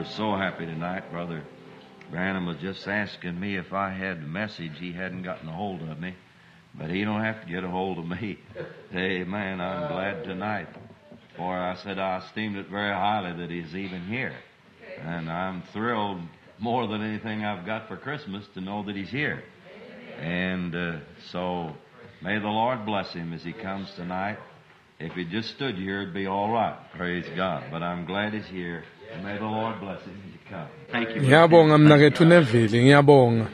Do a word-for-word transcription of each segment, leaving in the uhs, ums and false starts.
We're so happy tonight. Brother Branham was just asking me if I had a message. He hadn't gotten a hold of me, but he don't have to get a hold of me. Amen. I'm glad tonight. For I said I esteemed it very highly that he's even here. And I'm thrilled more than anything I've got for Christmas to know that he's here. And uh, so may the Lord bless him as he comes tonight. If he just stood here, it'd be all right. Praise God. But I'm glad he's here. And may the Lord bless him as he comes. Thank you. Ngiyabonga mnakethu Neville, ngiyabonga.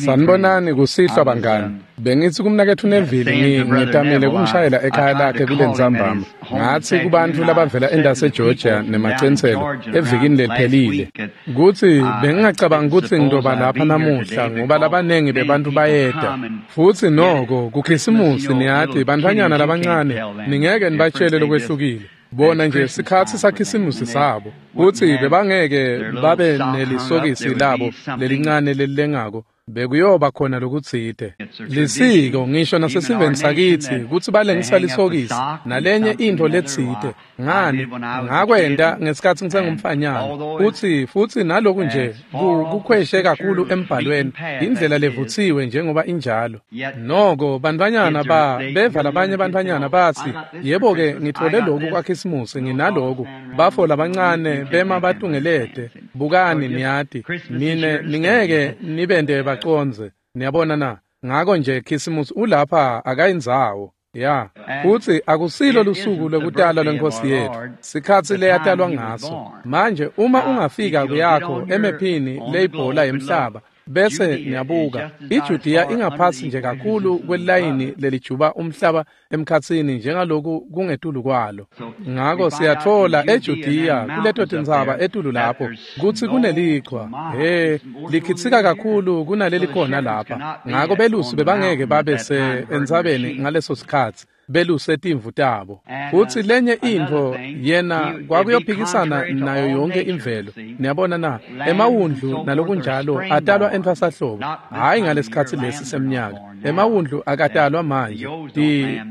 Sanibonani kusihlwa bangani. Bengithi kumnakethu Neville ngitamile kumshayela ekhaya lakhe kulentsambama. Ngathi kubantu labavela endase Georgia nemaCenselo evikini leliphelile. Kuthi bengingacabanga ukuthi ngidoba lapha namuhla ngoba labanengi bebantu bayeda. Futhi noko kuKhisimusi niyathi bantfanyana labancane ningeke nibatshele lokwehlukile. Bona nje sikhatsi saKhisimusi sabo kuthi bebangeke babe nelisokisi labo lelincane lelilengako bekuyoba khona lokutsite lisiko ngisho nasesiveni sakithi kutsi balengisa lisokisi nalenye intfo letsite ngani ngakwenta ngesikhatsi ngisengumfanyana futsi futsi naloku nje kukhweshe kakhulu embhalweni indlela levutsiwe njengoba injalo noko bantfwanyana ba beva labanye bantfwanyana batsi yebo-ke ngitfole loku kwaKhisimusi nginaloku bafo labancane bema batungelete bukani niyati nine ningeke nibente baconze niyabona na ngako nje Khisimusi ulapha akayindzawo ya futsi akusilo lusuku lwekutalwa lwenkosi yethu sikhatsi leyatalwa ngaso manje uma ungafika kuyakho emephini leyibhola yemhlaba bese niyabuka iJudiya ingaphasi nje kakhulu kwelayini lelijuba umhlaba emkhatsini njengaloku kungetulu kwalo ngako siyatfola eJudiya kuleto tintsaba etulu lapho kutsi kunelichwa he likhitsika kakhulu kunaleli khona lapha ngako belusi bebangeke babe se entsabeni ngaleso sikhatsi beluse timvu tabo futsi lenye intfo yena kwakuyophikisana nayo yonke imvelo niyabona na emawundlu nalokunjalo atalwa entfwasahlobo hhayi ngalesikhatsi lesi semnyaka emawundlu akatalwa manje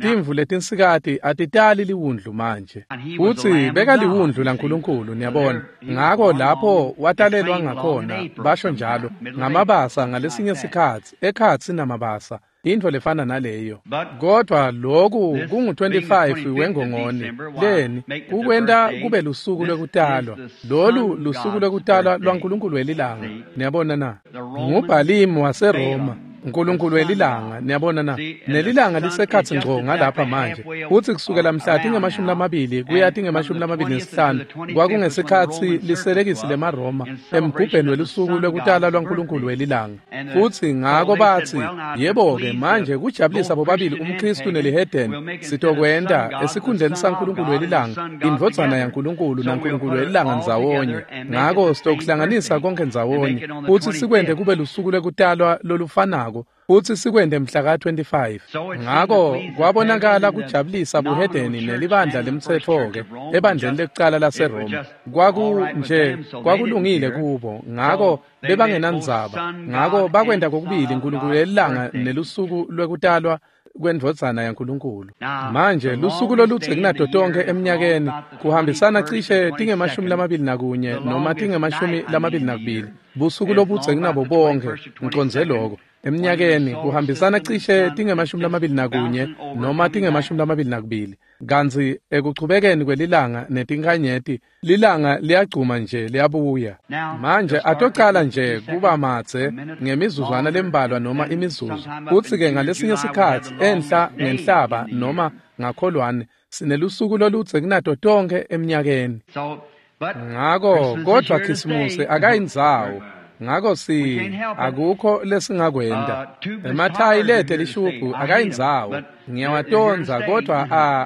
timvu letinsikati atitali liwundlu manje futsi bekaliwundlu laNkulunkulu niyabona ngako lapho watalelwa ngakhona basho njalo ngamabasa ngalesinye sikhatsi ekhatsi namabasa intfo lefana naleyo kodwa loku kungu twenty-five wengongoni leni kukwenta kube lusuku lwekutalwa lolu lusuku lwekutalwa lwaNkulunkulu welilanga niyabona na nguBhalimu waseRoma uNkulunkulu welilanga niyabona na nelilanga lisekhatsi ngco ngalapha manje futsi kusukela mhla tingemashumi lamabili kuya tingemashumi lamabili nesihlanu kwakungesikhatsi liselekisi lemaRoma emgubheni welusuku lwekutalwa lwaNkulunkulu welilanga futsi ngako batsi yebo-ke manje kujabulisa bobabili umKhristu nelihedeni sitokwenta esikhundleni saNkulunkulu welilanga indvodzana yaNkulunkulu naNkulunkulu welilanga ndzawonye ngako sitokuhlanganisa konke ndzawonye futsi sikwente kube lusuku lwekutalwa lolufanako futsi sikwente mhla ka twenty-five ngako kwabonakala kujabulisa buhedeni nelibandla lemtsetfo-ke ebandleni lekucala laseRoma kwaku nje kwakulungile kubo ngako bebangenandzaba ngako bakwenta kokubili uNkulunkulu lelilanga nelusuku lwekutalwa kwendvodzana yaNkulunkulu manje lusuku loludze kunato tonkhe eminyakeni kuhambisana cishe tingemashumi lamabili nakunye noma tingemashumi lamabili nakubili busuku lobudze kunabo bonkhe ngicondze loko eminyakeni kuhambisana cishe tingemashumi lamabili nakunye noma tingemashumi lamabili nakubili kantsi ekuchubekeni kwelilanga netinkhanyeti lilanga liyagcuma nje liyabuya manje atocala nje kuba madze ngemizuzwana lembalwa noma imizuzu futsi-ke ngalesinye sikhatsi enhla ngenhlaba noma ngakholwane sinelusuku loludze kunato tonkhe eminyakeni ngako kodvwa Khisimusi akayindzawo ngako si akukho lesingakwenta emathayi lete lishubhu akayindzawo ngiyawatondza kodvwa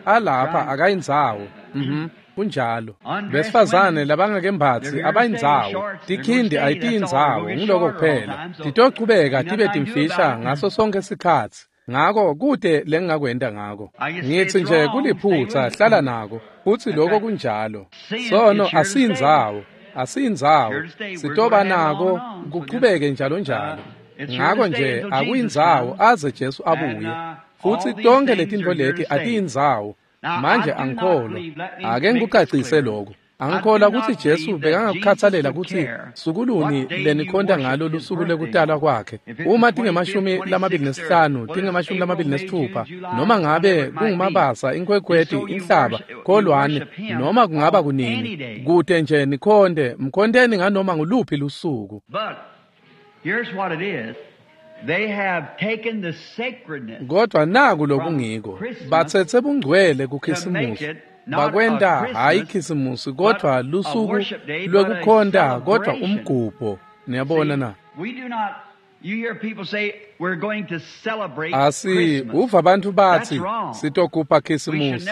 alapha akayindzawo mhm kunjalo besifazane labangakembatsi abayindzawo tikhindi ayitiyindzawo ngiloko kuphela titochubeka tibe timfisha ngaso sonke sikhatsi ngako kute lengingakwenta ngako ngitsi nje kuliphutsa hlala nako futsi loko kunjalo sono asiyindzawo asiyindzawo sitoba nako kuchubeke njalo njalo ngako nje akuyindzawo aze Jesu abuye futsi tonke letintfo leti atiyindzawo manje angikholwa ake ngikucacise lokho Angikholwa kutsi Jesu bekangakukhatsalela kutsi sukuluni lenikhonta ngalo lusuku lwekutalwa kwakhe. Uma tingemashumi lamabili nesihlanu, tingemashumi lamabili nesitfupha, noma ngabe kunguMabasa, Inkhwekhweti, Inhlaba, Kholwane, noma kungaba kunini, kute nje nikhonte, mkhonteni nganoma nguluphi lusuku. Kodwa naku lokungiko, batsetse bungcwele kuKhisimusi, bakwenta hhayi Khisimusi kodvwa lusuku lwekukhonta kodvwa umgubho. Niyabona na? Asi uva bantfu batsi sitogubha Khisimusi.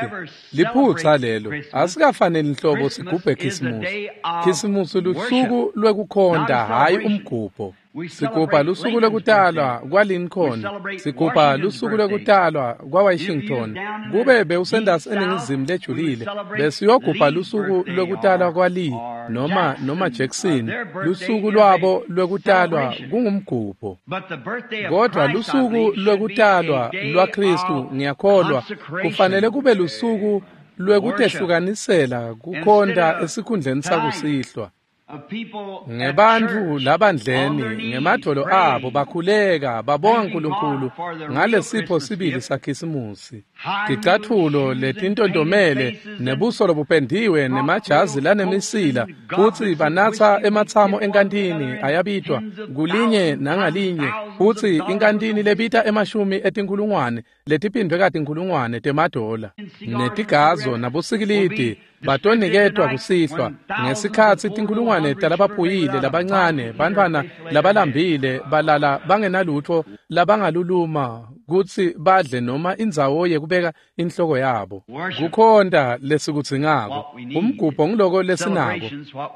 Liphutsa lelo. Asikafaneli nhlobo sigubhe Khisimusi. Khisimusi lusuku lwekukhonta hhayi umgubho. Sigubha lusuku lwekutalwa kwaLincoln, sigubha lusuku lwekutalwa kwaWashington. Kube bewusendasi eningizimu lejulile, besiyogubha lusuku lwekutalwa kwaLee noma noma Jackson. Lusuku lwabo lwekutalwa kungumgubho. Kodwa lusuku lwekutalwa lwaKhristu, ngiyakholwa, kufanele kube lusuku lwekutehlukanisela kukhonta esikhundleni sakusihlwa. Ngebantfu labandleni ngemadvolo abo bakhuleka babonga Nkulunkulu ngalesipho sibili saKhisimusi. Ticatfulo letintontomele nebuso lobupendiwe nemajazi lanemisila, futsi banatsa ematsamo enkantini ayabitwa kulinye nangalinye, futsi inkantini lebita emashumi etinkhulungwane letiphindvwe katinkhulungwane temadola, netigazo nabosikilidi batoniketwa kusihlwa ngesikhatsi tinkhulungwane talabaphuyile labancane, bantfwana labalambile balala bangenalutfo labangaluluma kutsi badle noma indzawo yekubeka inhloko yabo. Kukhonta lesikudzingako, umgubho nguloko lesinako.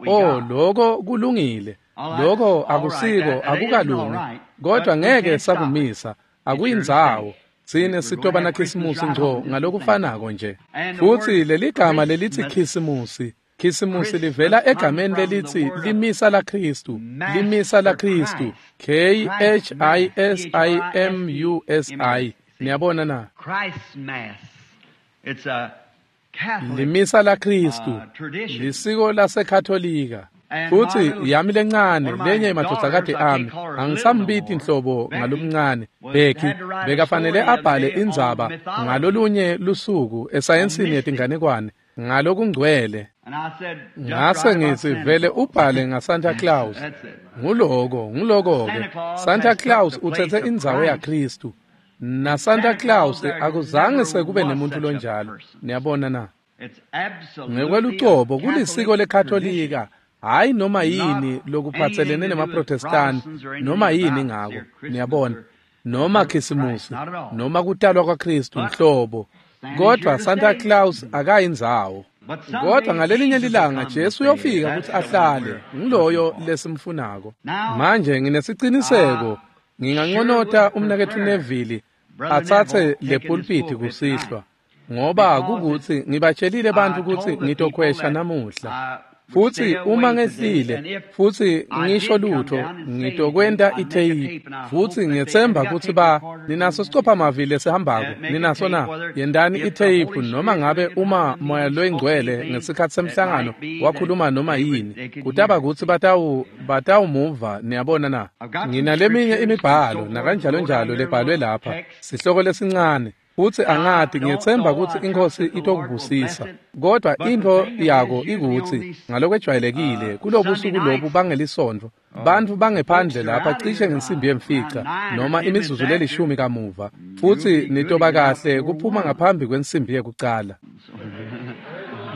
Oh, loko kulungile, loko akusiko, akukalungi, kodwa ngeke sakumisa, akuyindzawo. Tsine sitoba naKhisimusi ngco ngalokufanako nje. Futsi leligama lelitsi Khisimusi, Khisimusi livela egameni lelitsi limisa laKhristu, limisa laKhristu, K H I S I M U S I. Niyabona na? Limisa laKhristu, lisiko laseKatolika. Futsi yami lencane, lenye emadvodzakati ami, angisambiti nhlobo ngalomncane, Becky, bekafanele abhale indzaba ngalolunye lusuku esayensini yetinganekwane ngalokungcwele. Ngase ngitsi vele ubhale ngaSanta Claus. Nguloko, nguloko-ke. Santa Claus utsetse indzawo yaKhristu. Na Santa Claus akuzange sekube nemuntu lonjalo. Niyabona na? Ngekwelucobo kulisiko leKatolika, hayi noma yini lokuphatselene nemaProtestani, noma yini ngako, niyabona, noma Khisimusi, noma kutalwa kwaKhristu nhlobo. Kodwa Santa Claus akayindzawo. Kodwa ngalelinye lilanga Jesu uyofika kutsi ahlale, ngiloyo lesimfunako. Manje nginesiciniseko, nginganconota umnaketfu Neville atsatse le pulpiti kusihlwa, ngoba kukutsi ngibatshelile bantfu kutsi ngitokhwesha namuhla. Futsi uma ngehlile futsi ngisho lutho, ngitokwenta itheyiphu. Futsi ngiyetsemba kutsi ba ninaso sicophamavili lesihambako, ninaso na? Yentani itheyiphu noma ngabe uma Moya loyiNgcwele ngesikhatsi semhlangano wakhuluma noma yini, kutaba kutsi batawu batawumuva. Niyabona na? Nginaleminye imibhalo nakanjalo njalo lebhalwe lapha, sihloko lesincane. Futsi angati, ngiyetsemba kutsi iNkhosi itokubusisa. Kodwa intfo yako ikutsi ngalokwejwayelekile kulobusuku lobu bangelisondvo, bantfu bangephandle lapha cishe ngensimbi yemfica noma imizuzu lelishumi kamuva, futsi nitoba kahle kuphuma ngaphambi kwensimbi yekucala.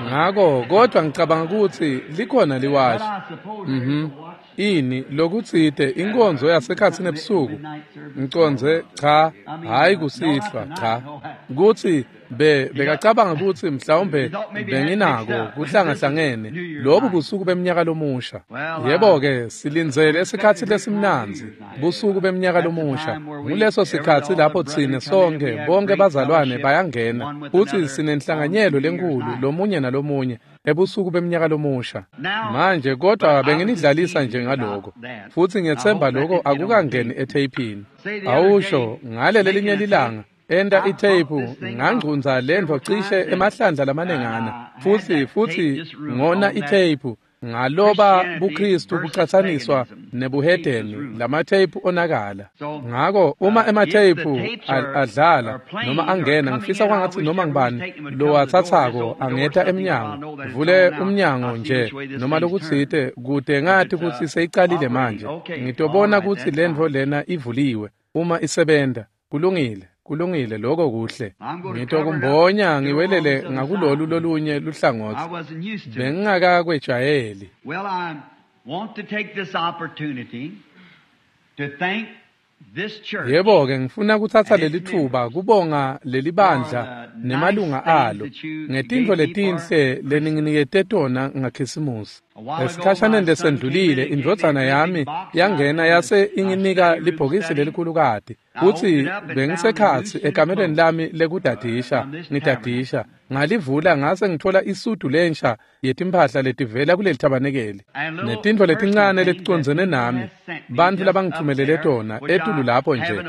Ngako kodwa ngicabanga kutsi likhona liwashi. Mhm. Ini lokutsite inkonzo yasekhatsini ebusuku? Ngicondze cha, hayi kusihlwa, cha. Kutsi be bekacabanga kutsi mhlawumbe benginako kuhlangahlangene lobu busuku beminyaka lomusha. Yebo-ke, silindzele esikhatsi lesimnandzi, busuku beminyaka lomusha. Nguleso sikhatsi lapho tsine sonke bonke bazalwane bayangena futsi sinenhlanganyelo lenkulu lomunye nalomunye ebusuku beminyaka lomusha. Manje kodwa benginidlalisa nje ngaloko, futsi ngiyetsemba loko akukangeni etheyphini. Awusho ngale lelinye lilanga Enta itheyiphu ngangcunza lentfo cishe emahlandla lamanengana futsi futsi ngona itheyiphu ngaloba buKristu bucatsaniswa nebuhedeni lamatheyiphu onakala. Ngako uma ematheyiphu adlala noma angena ngifisa kwangatsi noma ngibani lowatsatsako angeta emnyango vule umnyango nje noma lokutsite kute ngati kutsi seyicalile manje. Ngitobona kutsi lentfo lena ivuliwe uma isebenta. Kulungile. Kulungile lokho kuhle. Ngitokumbonya ngiwelele ngakulolu lolunye luhlangotsi. Bengingakakwejwayeli. Well, I want to take this opportunity to thank this church. Yebo-ke ngifuna kutsatsa leli thuba kubonga leli bandla nemalunga alo ngetintfo letinhle leninginikete tona ngaKhisimusi. Esikhashaneni lesendlulile indvodzana yami yangena yase inginika libhokisi lelikhulukati. Futsi bengisekhatsi ekamereni lami lekudadisha ngidadisha ngalivula ngase ngithola isudu lensha yetimphahla letivela kuleli thabanekeli netintfo letincane leticondzene nami bantfu labangithumelele tona etulu lapho nje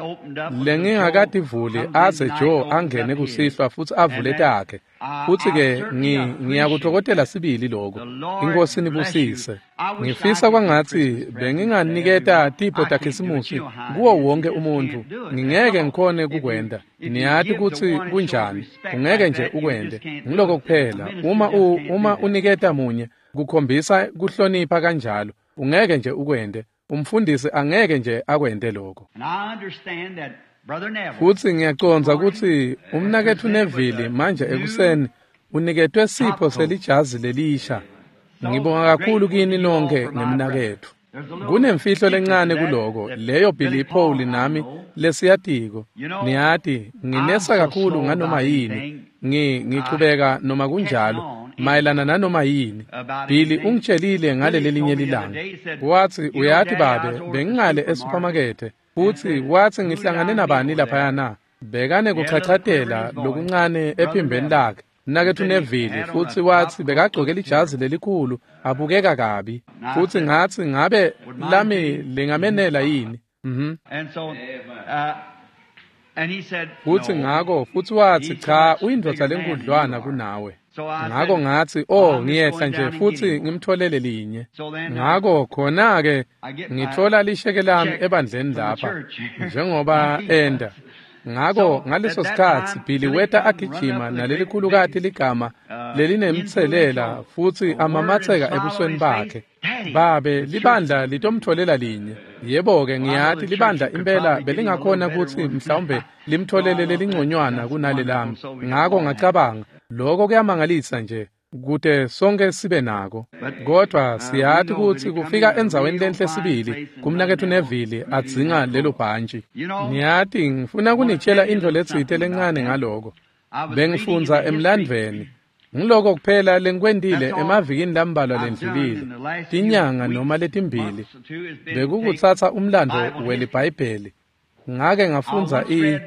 lengingakativuli aze Joe angene kusihlwa futsi avule takhe. Futsi-ke ngiyakutfokotela sibili lokho. Inkosi nibusise. Ngifisa kwangatsi benginganiketa tipho taKhisimusi kuwo wonke umuntfu. Ngingeke ngikhone kukwenta. Niyati kutsi kunjani. Ungeke nje ukwente. Ngiloko kuphela. Uma u, uma uniketa munye kukhombisa kuhlonipha kanjalo. Ungeke nje ukwente. Umfundisi angeke nje akwente lokho. Futsi ngiyacondza kutsi umnaketfu Neville manje ekuseni uniketwe sipho selijazi lelisha. Ngibonga kakhulu kini nonke ngemnaketfu. Kunemfihlo lencane kuloko leyo Billy Paul nami lesiyatiko. Niyati nginesa kakhulu nganoma yini. Ngi ngichubeka noma kunjalo mayelana nanoma yini. Billy ungitshelile ngaleli linye lilanga. Watsi uyati babe bengingale esupermarket. Futsi watsi ngihlangane nabani laphayana. Bekane kuchachatela lokuncane ephimbeni lakhe. Mnaketfu Neville futsi watsi bekagcoke lijazi lelikhulu abukeka kabi. Futsi ngatsi ngabe lami lingamenela yini? Mhm. Futsi ngako futsi watsi cha uyindvodza lenkudlwana kunawe. Ngako ngatsi oh ngiyehla nje futsi ngimtholele linye. Ngako khona-ke ngithola lisheke lami ebandleni lapha njengoba enda. Ngako ngaleso sikhatsi Billy weta agijima nalelikhulukati ligama lelinemtselela futsi amamatseka ebusweni bakhe. Babe libandla litomtholela linye. Yebo-ke ngiyati libandla impela belingakhona kutsi mhlawumbe limtholele lelingconywana kunale lami. Ngako ngacabanga lokho kuyamangalisa nje kute sonke sibe nako. Kodwa siyati kutsi kufika endzaweni lenhle sibili kumnaketfu Neville adzinga lelo bhantshi. Niyati ngifuna kunitshela intfo letsite lencane ngaloko. Bengifundza emlandvweni. Ngiloko kuphela lengikwentile emavikini lambalwa lendlulile, tinyanga noma letimbili, bekukutsatsa umlando weliBhayibheli. Ngake ngafundza i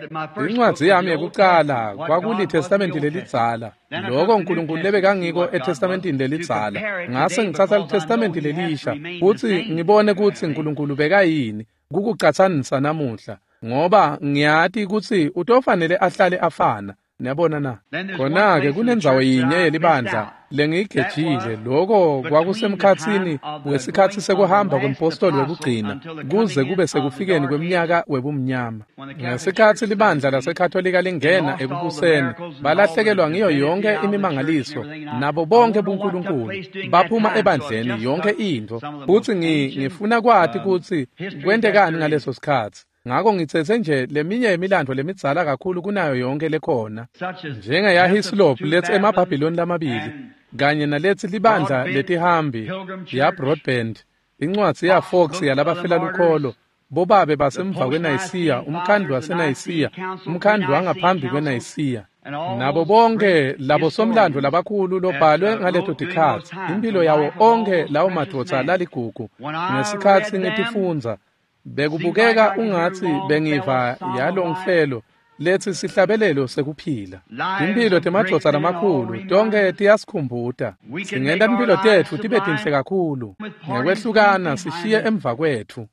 incwadzi yami yekucala kwakuliTestamenti lelidzala. Lokho uNkulunkulu lebekangiko eTestamentini lelidzala. Ngase ngitsatsa liTestamenti lelisha futsi ngibone kutsi uNkulunkulu bekayini kukucatsanisa namuhla ngoba ngiyati kutsi utofanele ahlale afana. Niyabona na? Khona-ke kunendzawo yinye yelibandla lengiyigejile. Lokho kwakusemkhatsini wesikhatsi sekuhamba kwempostoli wekugcina kuze kube sekufikeni kweminyaka webumnyama. Ngesikhatsi libandla laseKatolika lingena ekubuseni, balahlekelwa ngiyo yonke imimangaliso nabo bonke buNkulunkulu. Baphuma ebandleni yonke intfo. Futsi ngifuna kwati kutsi kwentekani ngaleso sikhatsi. Ngako ngitsetse nje leminye yemilandvo lemidzala kakhulu kunayo yonke lekhona, njengeyaHislop letsi emaBhabhiloni lamabili kanye naletsi libandla letihambi yaBroadband, incwadzi yaFox yalabafela lukholo, bobabe basemva kweNayisiya, umkhandlu waseNayisiya, umkhandlu wangaphambi kweNayisiya, nabo bonke labo somlandvo labakhulu lobhalwe ngaleto tikhatsi, impilo yawo onke lawo madvodza laligugu. Ngesikhatsi ngitifundza bekubukeka ungatsi bengiva yalongfelo letsi sihlabelelo sekuphila. Timphilo temadvodza lamakhulu tonke tiyasikhumbuta. Singenta timphilo tetfu tibe tinhle kakhulu ngekwehlukana sishiye emva kwetfu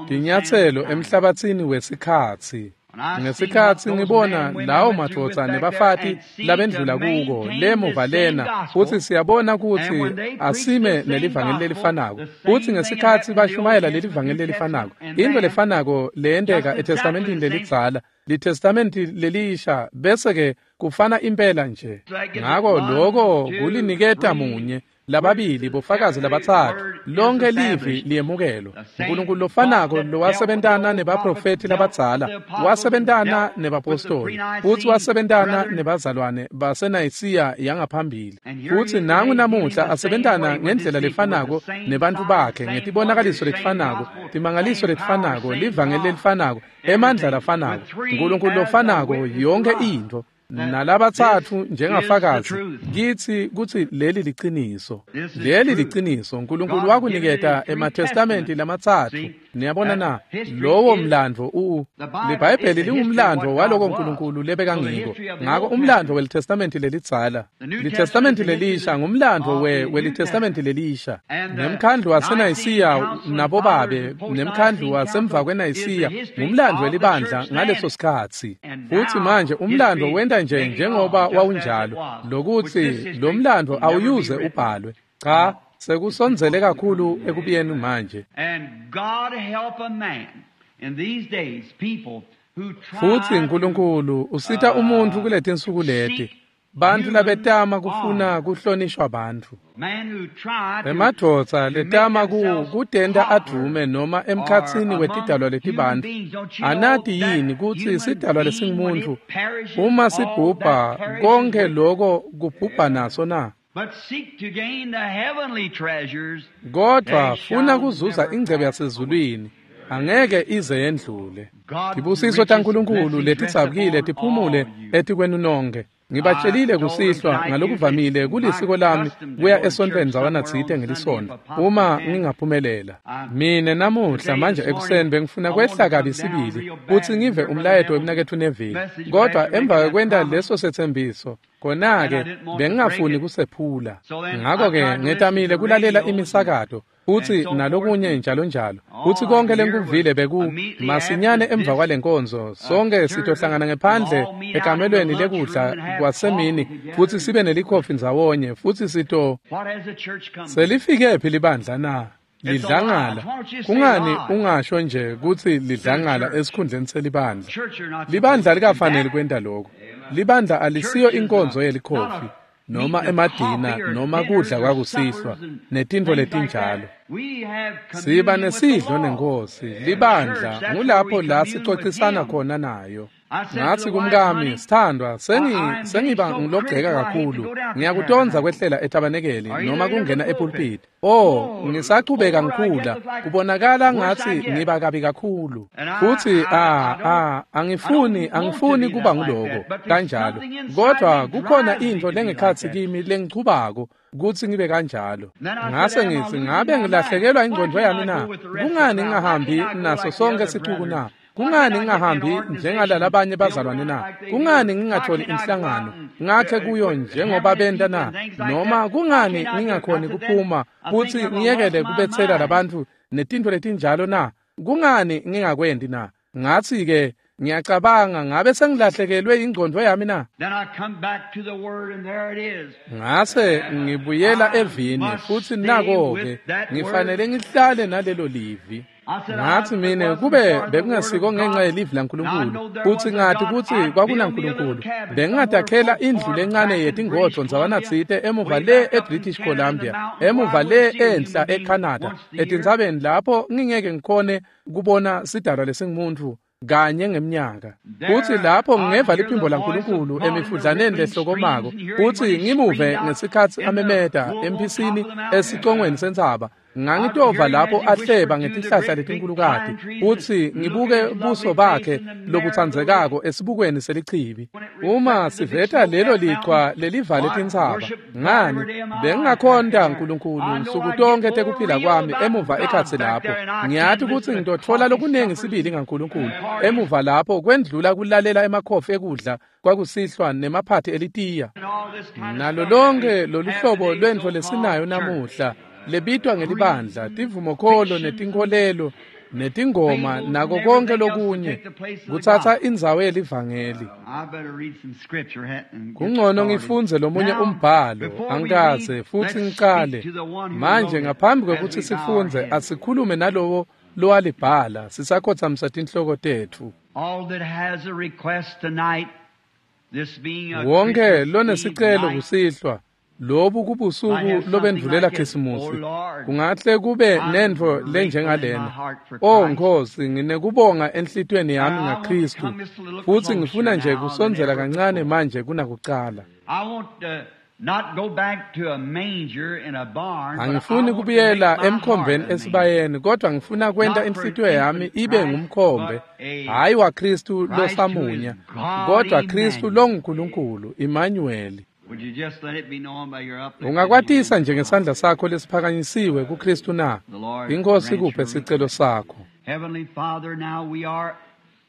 tinyatselo emhlabatsini wesikhatsi. Ngesikhatsi ngibona lawo madvodza nebafati labendlula kuko lemuva lena, futsi siyabona kutsi asime nelivangeli lelifanako, futsi ngesikhatsi bashumayela lelivangeli lelifanako, intfo lefanako leyenteka eTestamentini lelidzala, liTestamenti lelisha, bese-ke kufana impela nje. Ngako loko kuliniketa munye, lababili, bofakazi labatsatfu, lonke livi liyemukelwa. Nkulunkulu lofanako lowasebentana nebaprofethi labadzala, wasebentana nebapostoli, futsi wasebentana nebazalwane baseNayisiya yangaphambili. Futsi nangu namuhla asebentana ngendlela lefanako nebantfu bakhe, ngetibonakaliso letifanako, timangaliso letifanako, livangeli lelifanako, emandla lafanako, Nkulunkulu lofanako, yonke intfo. Nalabatsatfu njengafakazi kitsi kutsi leli liciniso. Leli liciniso. Nkulunkulu wakuniketa emaTestamenti lamatsatfu. Niyabona na? Lowo mlandvo u liBhayibheli lingumlandvo waloko Nkulunkulu lebekangiko. Ngako umlandvo weliTestamenti lelidzala, liTestamenti lelisha ngumlandvo we weliTestamenti lelisha. Nemkhandlu waseNayisiya nabobabe, nemkhandlu wasemva kweNayisiya ngumlandvo welibandla ngaleso sikhatsi. Futsi manje umlandvo wenta nje njengoba wawunjalo, lokuthi lo mlandvo awuyuze ubhalwe. Cha, sekusondzele kakhulu ekubuyeni manje. Futsi Nkulunkulu usita umuntfu kuletinsuku leti, bantfu labetama kufuna kuhlonishwa bantfu, emadvodza letama ku kutenta advume noma emkhatsini wetidalwa letibantfu. Anati yini kutsi sidalwa lesingumuntfu uma sibhubha, konke loko kubhubha naso na? Kodwa funa kuzuza ingcebo yasezulwini, angeke ize yendlule. Tibusiso taNkulunkulu letidzabukile tiphumule etikwenu nonke. Ngibatshelile kusihlwa ngalokuvamile kulisiko lami kuya esontfweni ndzawanatsite ngelisonto uma ngingaphumelela. Mine namuhla manje ekuseni bengifuna kwehla kabi sibili kutsi ngive umlayeto wemnaketfu Neville, kodwa emva kwekwenta leso setsembiso khona-ke bengingafuni kusephula. Ngako-ke ngetamile kulalela imisakato futsi nalokunye njalo njalo, futsi konke lenkuvile beku masinyane emva kwalenkonzo sonke sitohlangana ngephandle ekamelweni lekudla kwasemini futsi sibe nelikhofi ndzawonye, futsi sito selifike phi libandla na? Lidlangala. Kungani ungasho nje kutsi lidlangala esikhundleni selibandla? Libandla likafanele kwenta lokho. Libandla alisiyo inkonzo yelikhofi noma emadina noma kudla kwakusihlwa netintfo letinjalo. Siba nesidlo nenkosi. Libandla ngulapho la sicocisana khona nayo. Ngathi kumkami, sithandwa, sengi sengiba ngilogceka kakhulu. Ngiyakutondza kwehlela etabanekeli noma kungena epulpit. Oh, ngisachubeka ngikhula. Kubonakala ngathi ngiba kabi kakhulu. Futhi ah ah angifuni angifuni kuba ngiloko kanjalo. Kodwa kukhona intfo lengekhatsi kimi lengichubako kutsi ngibe kanjalo. Ngase ngithi ngabe ngilahlekelwa ingqondo yami na? Kungani ngingahambi naso sonke sicuku na? Kungani ngingahambi njengalalabanye bazalwane na? Kungani ngingatholi inhlangano ngakhe kuyo njengoba benta na? Noma kungani ngingakhoni kuphuma kutsi ngiyekele kubetsela labantfu netintfo letinjalo na? Kungani ngingakwendi na? Ngathi-ke ngiyacabanga ngabe sengilahlekelwe ingqondo yami na? Ngase ngibuyela evini futsi nako-ke ngifanele ngihlale nalelo livi. Ngathi mine kube bekungesiko ngenxa yelivi laNkulunkulu futsi ngathi kutsi kwakunaNkulunkulu, bengingadakhela indlu lencane yetingodvo ndzawanatsite emuva le eBritish Columbia, emuva le enhla eCanada, etintsabeni lapho ngingeke ngikhone kubona sidalwa lesingumuntfu kanye ngemnyaka. Futsi lapho ngingeva liphimbo laNkulunkulu emifudlaneni lehlokomako, futsi ngimuve ngesikhatsi amemeta emphisini esicongweni sentsaba. Ngangitova lapho ahleba ngetihlahla letinkulukati, futsi ngibuke buso bakhe lobutsandzekako esibukweni selichibi. Uma siveta lelo lichwa lelivale tintsaba, ngani bengingakhonta Nkulunkulu nsuku tonkhe tekuphila kwami emuva ekhatsi lapho. Ngiyati kutsi ngitotfola lokunengi sibili ngaNkulunkulu emuva lapho kwendlula kulalela emakhofi ekudla kwakusihlwa nemaphathi elitiya. Nalo lonke loluhlobo lwentfo lesinayo namuhla lebitwa ngelibandla, tivumokholo netinkholelo, netingoma nako konke lokunye kutsatsa indzawo yelivangeli. Kungcono ngifundze lomunye umbhalo angikaze futsi ngicale. Manje ngaphambi kwekutsi sifundze asikhulume nalowo lowalibhala sisakhotsamisa tinhloko tetfu. Wonke lonesicelo kusihlwa lobu kubusuku lobendvulela Khisimusi kungahle kube nentfo lenjengalena. O Nkosi, nginekubonga enhlitiyweni yami ngaKristu futsi ngifuna nje kusondzela kancane manje kunakucala. Angifuni kubuyela emkhombeni esibayeni, kodwa ngifuna kwenta inhlitiyo yami ibe ngumkhombe, hhayi waKristu losamunya, kodwa Kristu longuNkulunkulu, Immanueli. Ungakwatisa nje ngesandla sakho lesiphakanyisiwe kuKristu na? Inkosi kuphe sicelo sakho.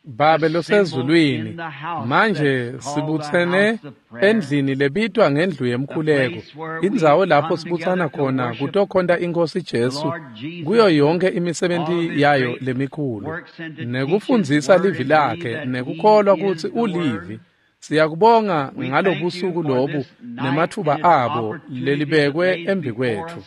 Babe losezulwini, manje sibutsene endlini lebitwa ngendlu yemkhuleko, indzawo lapho sibutsana khona kutokhonta iNkosi Jesu kuyo yonke imisebenti yayo lemikhulu, nekufundzisa livi lakhe, nekukholwa kutsi ulivi. Siyakubonga ngalobusuku lobu nemathuba abo lelibekwe embikwetfu.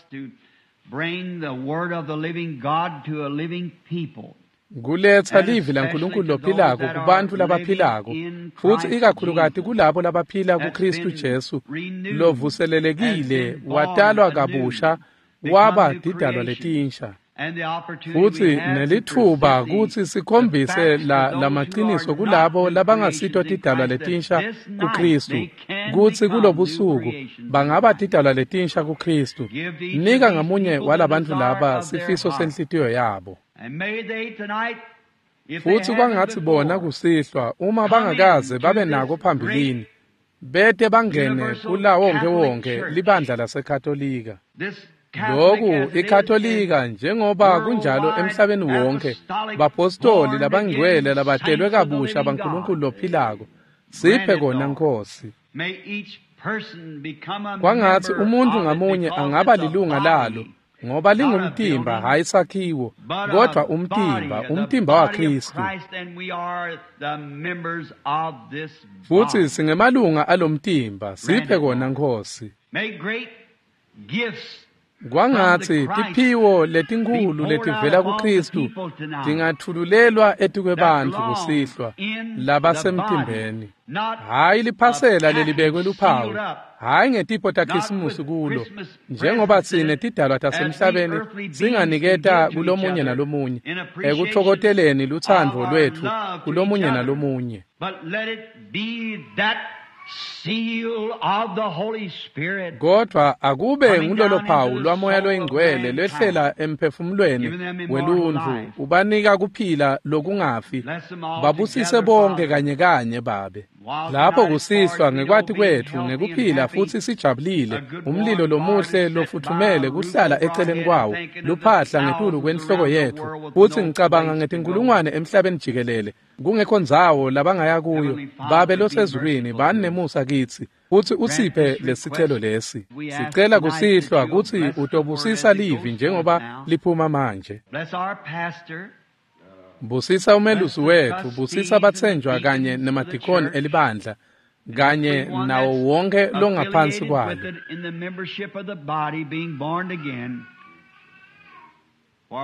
Kuletsa livi laNkulunkulu lophilako kubantfu labaphilako, futsi ikakhulukati kulabo labaphila kuKristu Jesu lovuselelekile, watalwa kabusha, waba tidalwa letinsha. Futsi nelitfuba kutsi sikhombise la lamaqiniso kulabo labangasito tidalwa letinsha kuKristu, kutsi kulobusuku bangaba tidalwa letinsha kuKristu. Nika ngamunye walabantfu laba sifiso senhlitiyo yabo. Futsi kwangatsi bona kusihlwa uma bangakaze babe nako phambilini, bete bangene kulawo wonke libandla laseKatolika. Loku iKatolika njengoba kunjalo emhlabeni wonke, bapostoli labangcwele labatelwe kabusha baNkulunkulu lophilako, siphe kona Nkosi. Kwangatsi umuntfu ngamunye angaba lilunga lalo, ngoba lingumtimba, hhayi sakhiwo, kodwa umtimba, umtimba waKristu. Futsi singemalunga alomtimba, siphe kona Nkosi. Kwangatsi tiphiwo letinkhulu letivela kuKristu tingatfululelwa etikwebantfu kusihlwa labasemtimbeni, hhayi liphasela lelibekwe luphawu, hhayi ngetipho taKhisimusi kulo, njengoba tsine tidalwa tasemhlabeni singaniketa kulomunye nalomunye ekutfokoteleni lutsandvo lwetfu kulomunye nalomunye. Kodwa akube ngulolo phawu lwaMoya loyiNgcwele lwehlela emphefumulweni weluntfu, ubanika kuphila lokungafi. Babusise bonke kanye kanye, Babe. Lapho kusihlwa ngekwati kwetfu ngekuphila futsi sijabulile, umlilo lomuhle lofutfumele kuhlala eceleni kwawo, luphahla ngetulu kwenhloko yetfu, futsi ngicabanga ngetinkulungwane emhlabeni jikelele, kungekho ndzawo labangaya kuyo. Babe losezulwini, bani nemusa kitsi futsi usiphe lesicelo lesi. Sicela kusihlwa kutsi utobusisa livi njengoba liphuma manje. Busisa umelusi wetfu, busisa batsenjwa kanye nemadikoni elibandla, kanye nawo wonke longaphansi kwalo.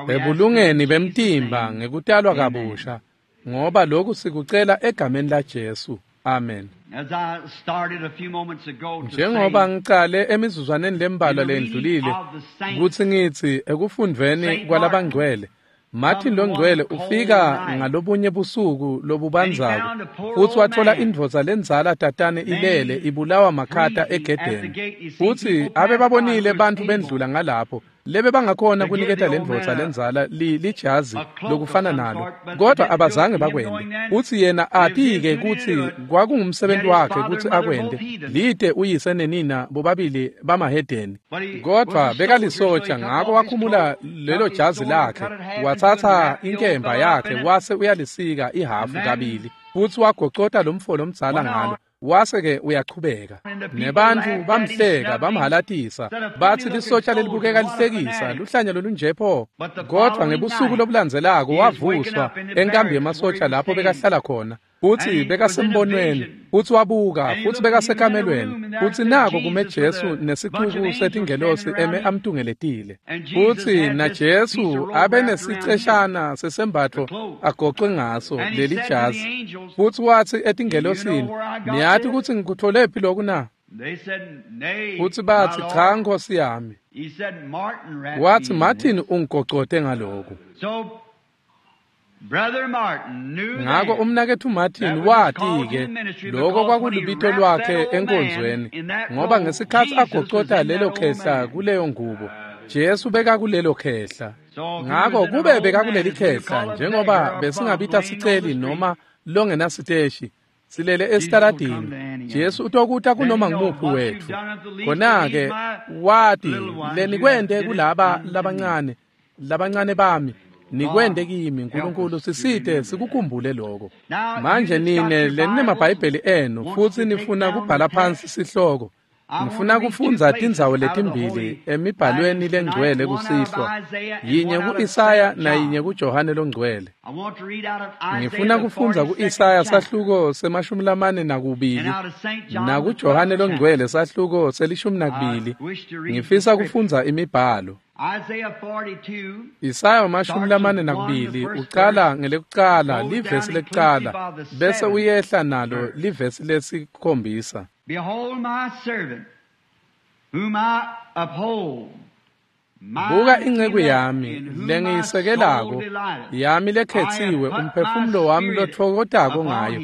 Ebulungeni bemtimba ngekutalwa kabusha, ngoba lokhu sikucela egameni laJesu. Amen. Njengoba ngicale emizuzwaneni lembalwa lendlulile kutsi ngitsi ekufundveni kwalabangcwele, Martin longcwele ufika ngalobunye busuku lobubandzako futsi watfola indvodza lendzala tatane ilele ibulawa makhata egedeni. Futsi abe babonile bantfu bendlula ngalapho lebe bangakhona kuniketa lendvodza lendzala lijazi lokufana nalo, kodwa abazange bakwente. Futsi yena ati-ke kutsi kwakungumsebenti wakhe kutsi akwente, lite uyise nenina bobabili bamahedeni. Kodwa bekalisotsha, ngako wakhumula lelo jazi lakhe, watsatsa inkemba yakhe wase uyalisika ihhafu kabili, futsi wagocota lomfo lomdzala ngalo. Wase-ke uyachubeka. Nebantfu bamhleka, bamhalatisa, batsi lisotsha lelibukeka lihlekisa, luhlanya lolunje pho. Kodvwa ngebusuku lobulandzelako wavuswa enkambi yemasotsha lapho bekahlala khona. Futsi bekasembonweni, futsi wabuka, futsi bekasekamelweni, futsi nako kume Jesu nesicuku setingelosi eme amtungeletile. Futsi naJesu abenesiceshana sesembatfo agocwe ngaso leli jazi. Futsi watsi etingelosini, niyati kutsi ngikutfolephi loku na? Futsi batsi, cha Nkosi yami. Watsi, Martin ungigocote ngaloku. Ngako umnaketfu Martin wati-ke loko kwakulubito lwakhe enkonzweni, ngoba ngesikhatsi agocota lelo khehla kuleyo ngubo, Jesu bekakulelo khehla. Ngako kube bekakuleli khehla, njengoba besingabita siceli noma longenasiteshi, silele esitaladini, Jesu utokuta kunoma ngumuphi wetfu. Khona-ke wati lenikwente kulaba labancane, labancane bami, nikwente kimi. Nkulunkulu sisite sikukhumbule lokho. Manje nine leninemabhayibheli enu futsi nifuna kubhala phansi sihloko, ngifuna kufundza tindzawo letimbili emibhalweni lengcwele kusihlwa, yinye ku-Isaya nayinye kuJohane longcwele. Ngifuna kufundza ku-Isaya sahluko semashumi lamane nakubili nakuJohane longcwele sahluko selishumi nakubili. Ngifisa kufundza imibhalo. Isaya mashumi lamane nakubili ucala ngelekucala livesi lekucala bese uyehla nalo livesi lesikhombisa. Behold my servant, whom I uphold. Buka inceku yami lengiyisekelako, yami lekhetsiwe, umphefumulo wami lotfokotako ngayo.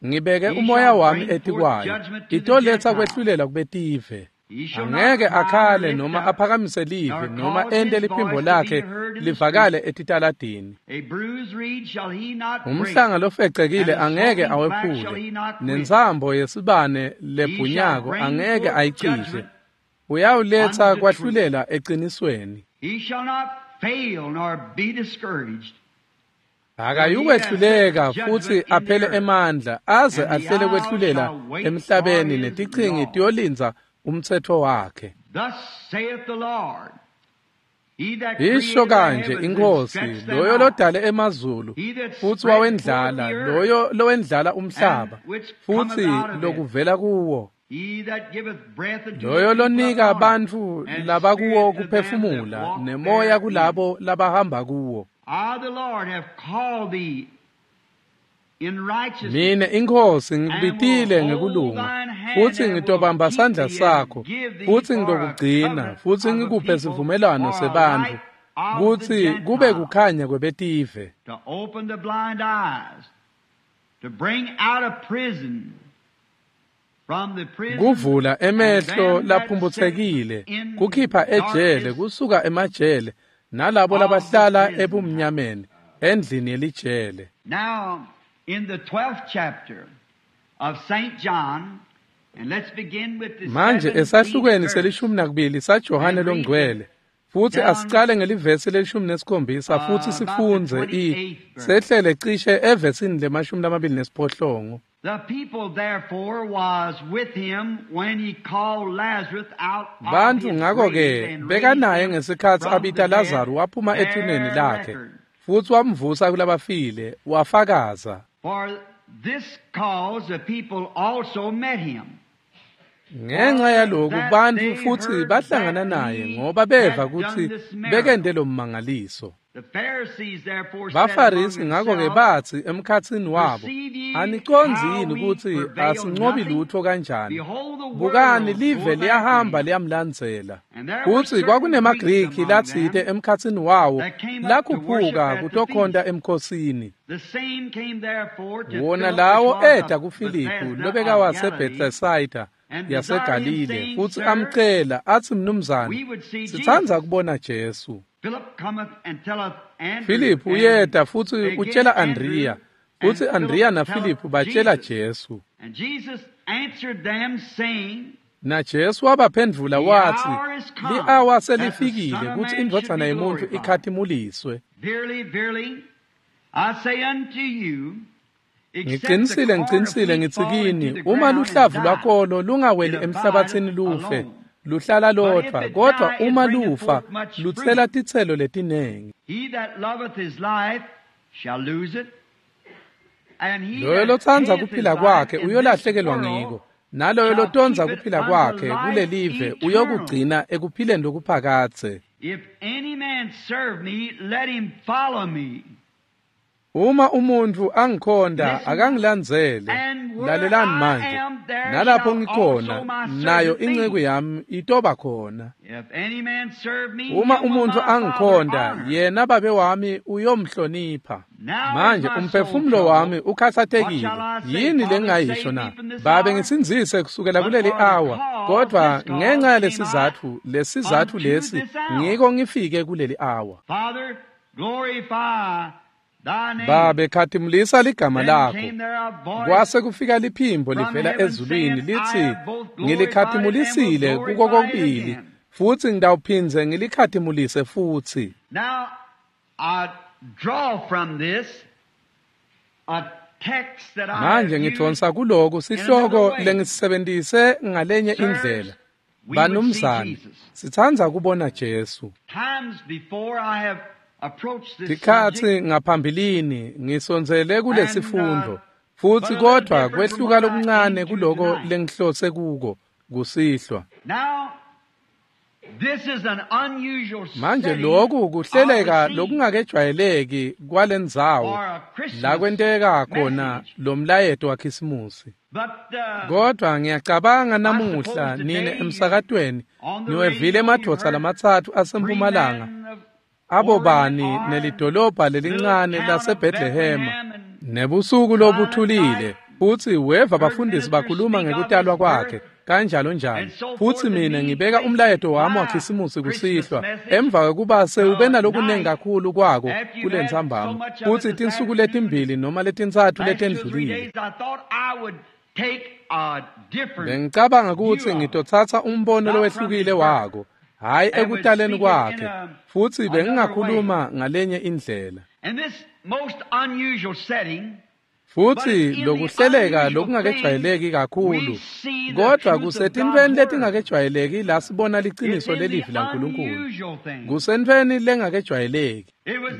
Ngibeke umoya wami etikwayo, itoletsa kwehlulela kubetive. Angeke akhale noma aphakamise livi noma ente liphimbo lakhe livakale etitaladini. Umhlanga lofecekile angeke awephule, nentsambo yesibane lebhunyako angeke ayicishe. Uyawuletsa kwahlulela eqinisweni. Akayukwehluleka futsi aphele emandla, aze ahlele kwehlulela emhlabeni, netichingi tiyolindza umtsetfo wakhe. Isho kanje iNkhosi, loyo lodale emazulu futsi wawendlala, loyo lowendlala umhlaba futsi lokuvela kuwo, loyo lonika bantfu labakuwo kuphefumula nemoya kulabo labahamba kuwo. Mine iNkhosi ngikubitile ngekulunga, futsi ngitobamba sandla sakho, futsi ngitokugcina, futsi ngikuphe sivumelwano sebantfu, kutsi kube kukhanya kwebetive. Kuvula emehlo laphumphutsekile, kukhipha ejele, kusuka emajele, nalabo labahlala ebumnyameni, endlini yelijele. In the twelfth chapter of Saint John, and let's begin with the manje esahlukweni selishumi nakubili saJohane longcwele, futsi asicale ngelivesi lelishumi nesikhombisa futsi sifundze i sehlele cishe evesini lemashumi lamabili nesiphohlongo. The people therefore was with him when he called Lazarus out of Bantfu his ngako-ke grave and bekanaye raised him ngesikhatsi from abita the dead, Lazaro waphuma ethuneni bare lakhe, record. futsi wamvusa kulabafile, wafakaza. For this cause the people also met him. Ngenxa yaloku bantfu futsi bahlangana naye ngoba beva kutsi bekente lo mmangaliso. The Pharisees therefore said Bafarisi among ngako-ke themselves, batsi emkhatsini wabo, Perceive ye anicondzi how yini we kutsi prevail asincobi nothing? lutfo kanjani? Behold, the Bukani world live goeth after liyahamba him. liyamlandzela. And there were Futsi certain Greeks kwakunemaGriki among latsite them emkhatsini wawo that came up to worship lakhuphuka at the kutokhonta feast. emkhosini. The same came therefore to Wona Philip, which lawo was eta of kuFiliphu Bethsaida of lobeka Galilee, waseBethsaida and desired him, yaseGalile, saying, futsi Sir, amcela atsi, Mnumzane, we would see sitsandza Jesus. kubona Jesu. Philip cometh and telleth Andrew, Filiphu and uyeta futsi again utjela Andrew, Andrea, and futsi Philip Andrea telleth naFiliphu batjela Jesus. Jesu. And Jesus answered them, saying, Na Jesu wabaphendvula The watsi, hour is come li-awa that the Son selifikile of kutsi Man should indvodzana be yemuntfu glorified. ikhatimuliswe. Verily, verily, I say unto you, Ngiqinisile ngiqinisile ngithi kini, uma luhlavu lwakolo lungaweli emhlabathini lufe, luhlala lodvwa, kodwa uma lufa lutsela titselo letinengi. Loyo lotsandza kuphila kwakhe uyolahlekelwa ngiko, naloyo lotondza kuphila kwakhe kulelive uyokugcina ekuphileni lokuphakadze. Uma umuntfu angikhonda akangilandzele, lalelani manje, nalapho ngikhona nayo inceku yami itoba khona. Uma umuntfu angikhonda, yena babe wami uyomhlonipha. Manje umphefumulo wami ukhatsatekile, yini lengingayisho na? Babe ngisindzise kusukela kuleli awa, kodwa ngenxa yalesizatfu, lesizatfu lesi ngiko ngifike kuleli awa. Babe khatimulisa ligama lakho. Kwase kufika liphimbo livela ezulwini lithi, ngilikhathimulisile kuko kokubili, futsi ngitawuphindze ngilikhatimulise futsi. Manje ngidvonsa kuloku sihloko lengisebentise ngalenye indlela. Banumzane, sitsandza kubona Jesu. Tikhatsi ngaphambilini ngisondzele kulesifundo, futsi kodvwa kwehluka lokuncane kuloko lengihlose kuko kusihlwa. Manje loku kuhleleka lokungakejwayeleki kwalendzawo la kwenteka khona lo mlayeto waKhisimusi. Kodwa ngiyacabanga namuhla nine emsakatweni niwevile emadvodza lamatsatfu aseMpumalanga, abo bani nelidolobha lelincane laseBethlehema, nebusuku lobuthulile, futsi weva bafundisi bakhuluma ngekutalwa kwakhe kanjalo njalo. Futsi mina ngibeka umlayeto wami waKhisimusi kusihlwa emva kwekuba sewube nalokunengi kakhulu kwako kulentsambama, futsi tinsuku letimbili noma letintsatfu letendlulile. Bengicabanga kutsi ngitotsatsa umbono lowehlukile wako, hhayi ekutaleni kwakhe, futsi bengingakhuluma ngalenye indlela. Futsi lokuhleleka lokungakejwayeleki kakhulu, kodwa kusetintfweni letingakejwayeleki la sibona liciniso lelivi laNkulunkulu. Kusentfweni lengakejwayeleki.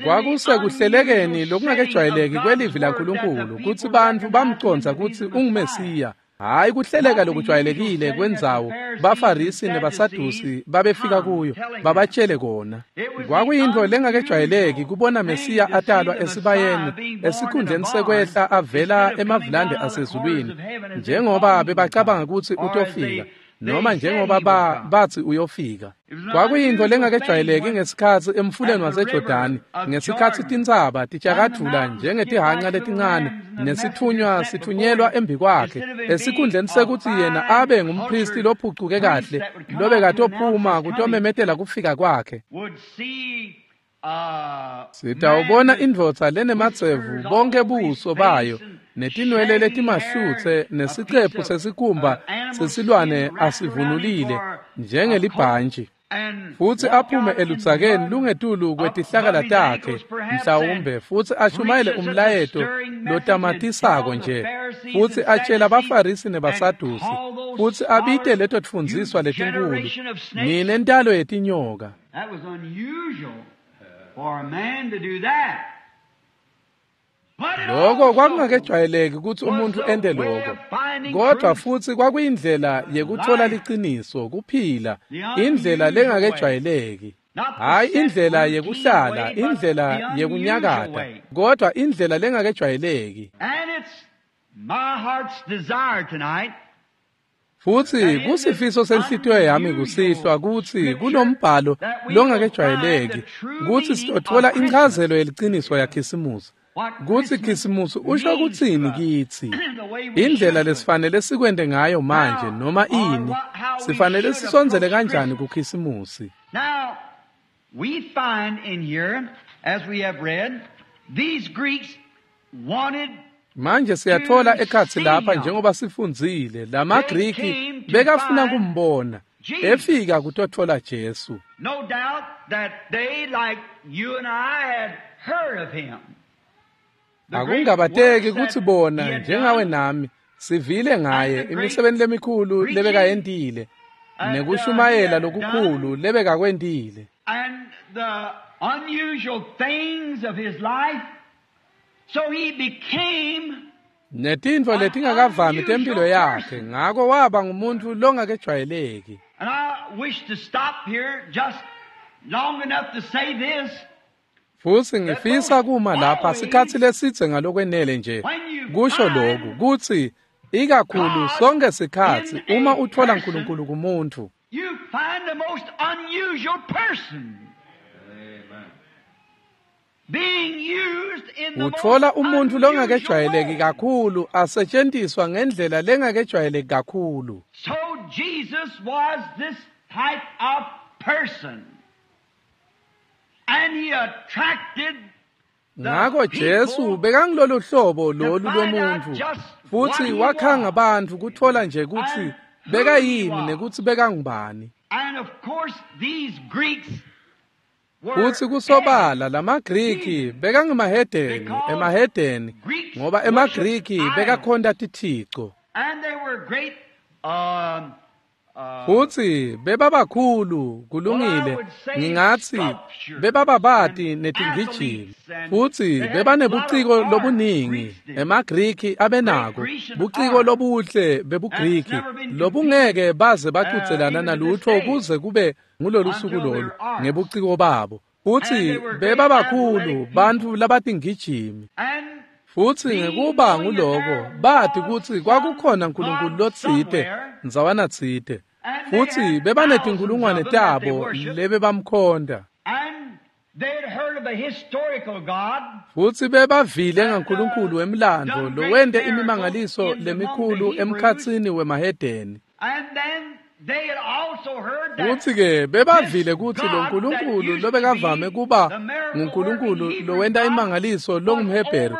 Kwakusekuhlelekeni lokungakejwayeleki kwelivi laNkulunkulu kutsi bantfu bamcondza kutsi unguMesiya. Hhayi kuhleleka lokujwayelekile kwendzawo baFarisi nebaSadusi babefika kuyo babatshele kona. Kwakuyintfo lengakejwayeleki kubona Mesiya atalwa esibayeni esikhundleni sekwehla avela emavulande asezulwini, njengoba bebacabanga kutsi utofika, noma njengoba ba batsi uyofika. Kwakuyintfo lengakejwayeleki ngesikhatsi emfuleni waseJordani, ngesikhatsi tintsaba titjakadvula njengetihanca letincane, nesitfunywa sitfunyelwa embikwakhe, esikhundleni sekutsi yena abe ngumphristi lophucuke kahle lobekatophuma kutomemetela kufika kwakhe. Sitawubona indvodza lenemadzevu bonke buso bayo, netinwele letimahlutse, nesiqephu sesikhumba sesilwane asivunulile njengelibhantji, futsi aphume eludzakeni lungetulu kwetihlakala takhe mhlawumbe, futsi ashumayele umlayeto lotamatisako nje, futsi atshela baFarisi nebaSadusi, futsi abite leto tfundziswa letinkulu, nine ntalo yetinyoka. Loko kwakungakejwayeleki kutsi umuntfu ente loko, kodwa futsi kwakuyindlela yekutfola liciniso, kuphila, indlela lengakejwayeleki. Hhayi indlela yekuhlala, indlela yekunyakata, kodwa indlela lengakejwayeleki. Futsi kusifiso senhlitiyo yami kusihlwa kutsi kulombhalo longakejwayeleki kutsi sitotfola inchazelo yeliciniso yaKhisimusi, kutsi Khisimusi usho kutsini kitsi, indlela lesifanele sikwente ngayo manje noma ini, sifanele sisondzele kanjani kuKhisimusi. We find in here, as we have read, these Greeks wanted Manje siyathola ekhatsi lapha njengoba sifundzile, lamaGriki bekafuna kumbona, efika kutotfola Jesu. No doubt that they, like you and I, had heard of him. Akungabateki kutsi bona njengawe nami sivile ngaye imisebenti lemikhulu lebekayentile nekushumayela lokukhulu lebekakwentile and the unusual things of his life. So he became netintfo letingakavami tempilo yakhe, ngako waba ngumuntu longakejwayeleki. And I wish to stop here just long enough to say this. Futsi ngifisa kuma lapha sikhatsi lesidze ngalokwenele nje kusho lokhu kutsi ikakhulu sonke sikhatsi uma uthola uNkulunkulu kumuntu, you find the most unusual person being used in the uthola most umuntu unusual longakejwayeleki way. kakhulu asetshenziswa ngendlela lengakejwayeleki kakhulu. So Jesus was this type of person. And he attracted Ngako Jesu bekangilolu hlobo lolu lomuntu, futhi wakhanga abantu kuthola nje kutsi bekayini nekutsi bekangubani. And of course these Greeks were Futsi kusobala lamaGriki bekangemahedeni, emahedeni, ngoba emaGriki bekakhonta tithico. And they were great um, uh, Futsi bebabakhulu kulungile, ngingatsi bebababati netingijimi. Futsi bebanebuciko lobuningi, emaGriki abenako buciko lobuhle bebuGriki lobungeke baze bacudzelana nalutho kuze kube ngulolu suku lolu ngebuciko babo. Futsi bebabakhulu bantfu labatingijimi. and Futsi ngekuba nguloko bati kutsi kwakukhona uNkulunkulu lotsite ndzawana tsite, futsi bebanetinkulungwane tabo lebebamkhonta. and they had heard of a historical God Futsi bebavile ngaNkulunkulu wemlandvo lowente imimangaliso lemikhulu emkhatsini wemahedeni. and then they had also heard that Futsi ke bebavile kutsi lo Nkulunkulu lobekavame kuba nguNkulunkulu lowenta imangaliso longumHebheru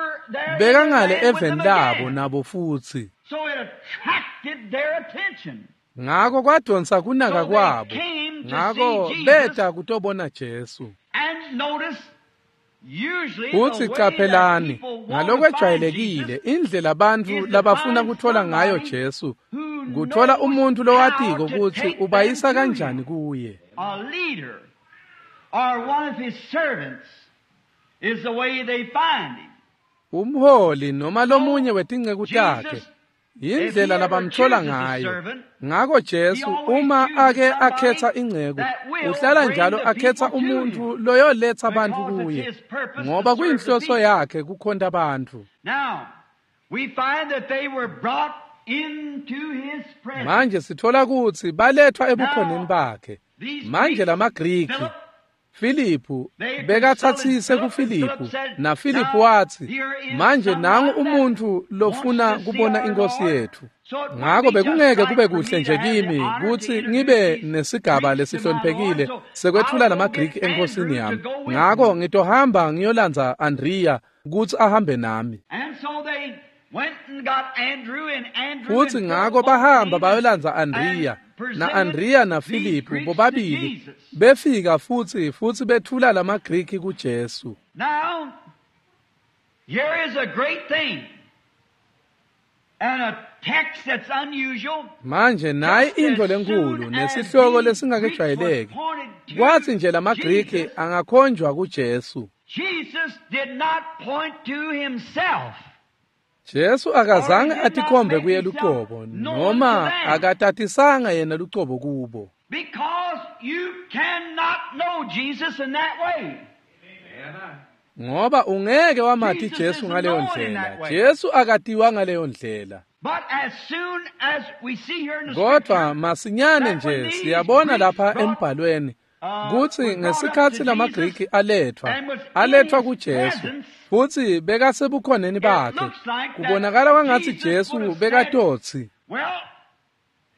bekangale eveni labo nabo futsi. so it attracted their attention. Ngako kwadonsa kunaka kwabo. Ngako beta kutobona Jesu. And notice usually the Futsi way that qaphelani people want to find ngalokwejwayelekile Jesus indlela abantu labafuna kuthola ngayo Jesu who kuthola knows umuntu lowatiko how to kutsi take ubayisa them to kanjani him. kuye. A leader or one of his servants is the way they find him. Umholi noma lomunye wetinceku takhe Jesus, yindlela labamthola ngayo. Ngako Jesu uma ake akhetha inceku uhlala njalo akhetha umuntu loyoletha abantu kuye, ngoba kuyinhloso yakhe kukhonta abantu. Now, we find that they were brought into his presence. Manje sithola kutsi balethwa ebukhoneni bakhe. These Manje Greeks, lamaGriki, Philip, Filiphu They bekathatsise consulted kuFiliphu, Philip, and Philip said, na Filiphu "Now, watsi, here is manje nangu someone umuntu that lofuna wants to see kubona our inkosi Lord." yethu. So it wouldn't Ngako be just bekungeke right kube for me kuhle to nje have the kimi honor to kutsi introduce ngibe these nesigaba Greeks to my lesihloniphekile Lord. So sekwetfula I'll go lamaGriki get enkosini Andrew to yami. go with Ngako me. ngitohamba ngiyolandza Andrea kutsi ahambe nami. And so they went and got Andrew and Andrew Futsi and ngako Philip both bahamba came bayolandza and Andrea na presented Andrea na these Filiphu Greeks to bobabili Jesus. befika futsi futsi bethula lamaGriki kuJesu. Now, here is a great thing and a text that's unusual. Manje nayi Just intfo as lenkhulu soon as nesihloko these Greeks was lesingakejwayeleki. pointed to Kwatsi nje lamaGriki Jesus, angakhonjwa kuJesu. Jesus did not point to himself. Jesu Or akazange he did not atikhombe make kuye himself lucobo known noma to them. akatatisanga yena lucobo kubo. Because you cannot know Jesus in that way. Ngoba ungeke wamati Jesus Jesu isn't ngaleyo known in ndlela. that way. Jesu akatiwa ngaleyo ndlela. But as soon as we see here in the Kodwa scripture masinyane that when nje these siyabona Greeks lapha brought embhalweni uh, kutsi were brought up ngesikhatsi to Jesus lamaGriki alethwa and was in alethwa his kuJesu presence, futsi bekasebukhoneni it bakhe looks like that kubonakala kwangatsi Jesus Jesu would have said, bekatotsi Well,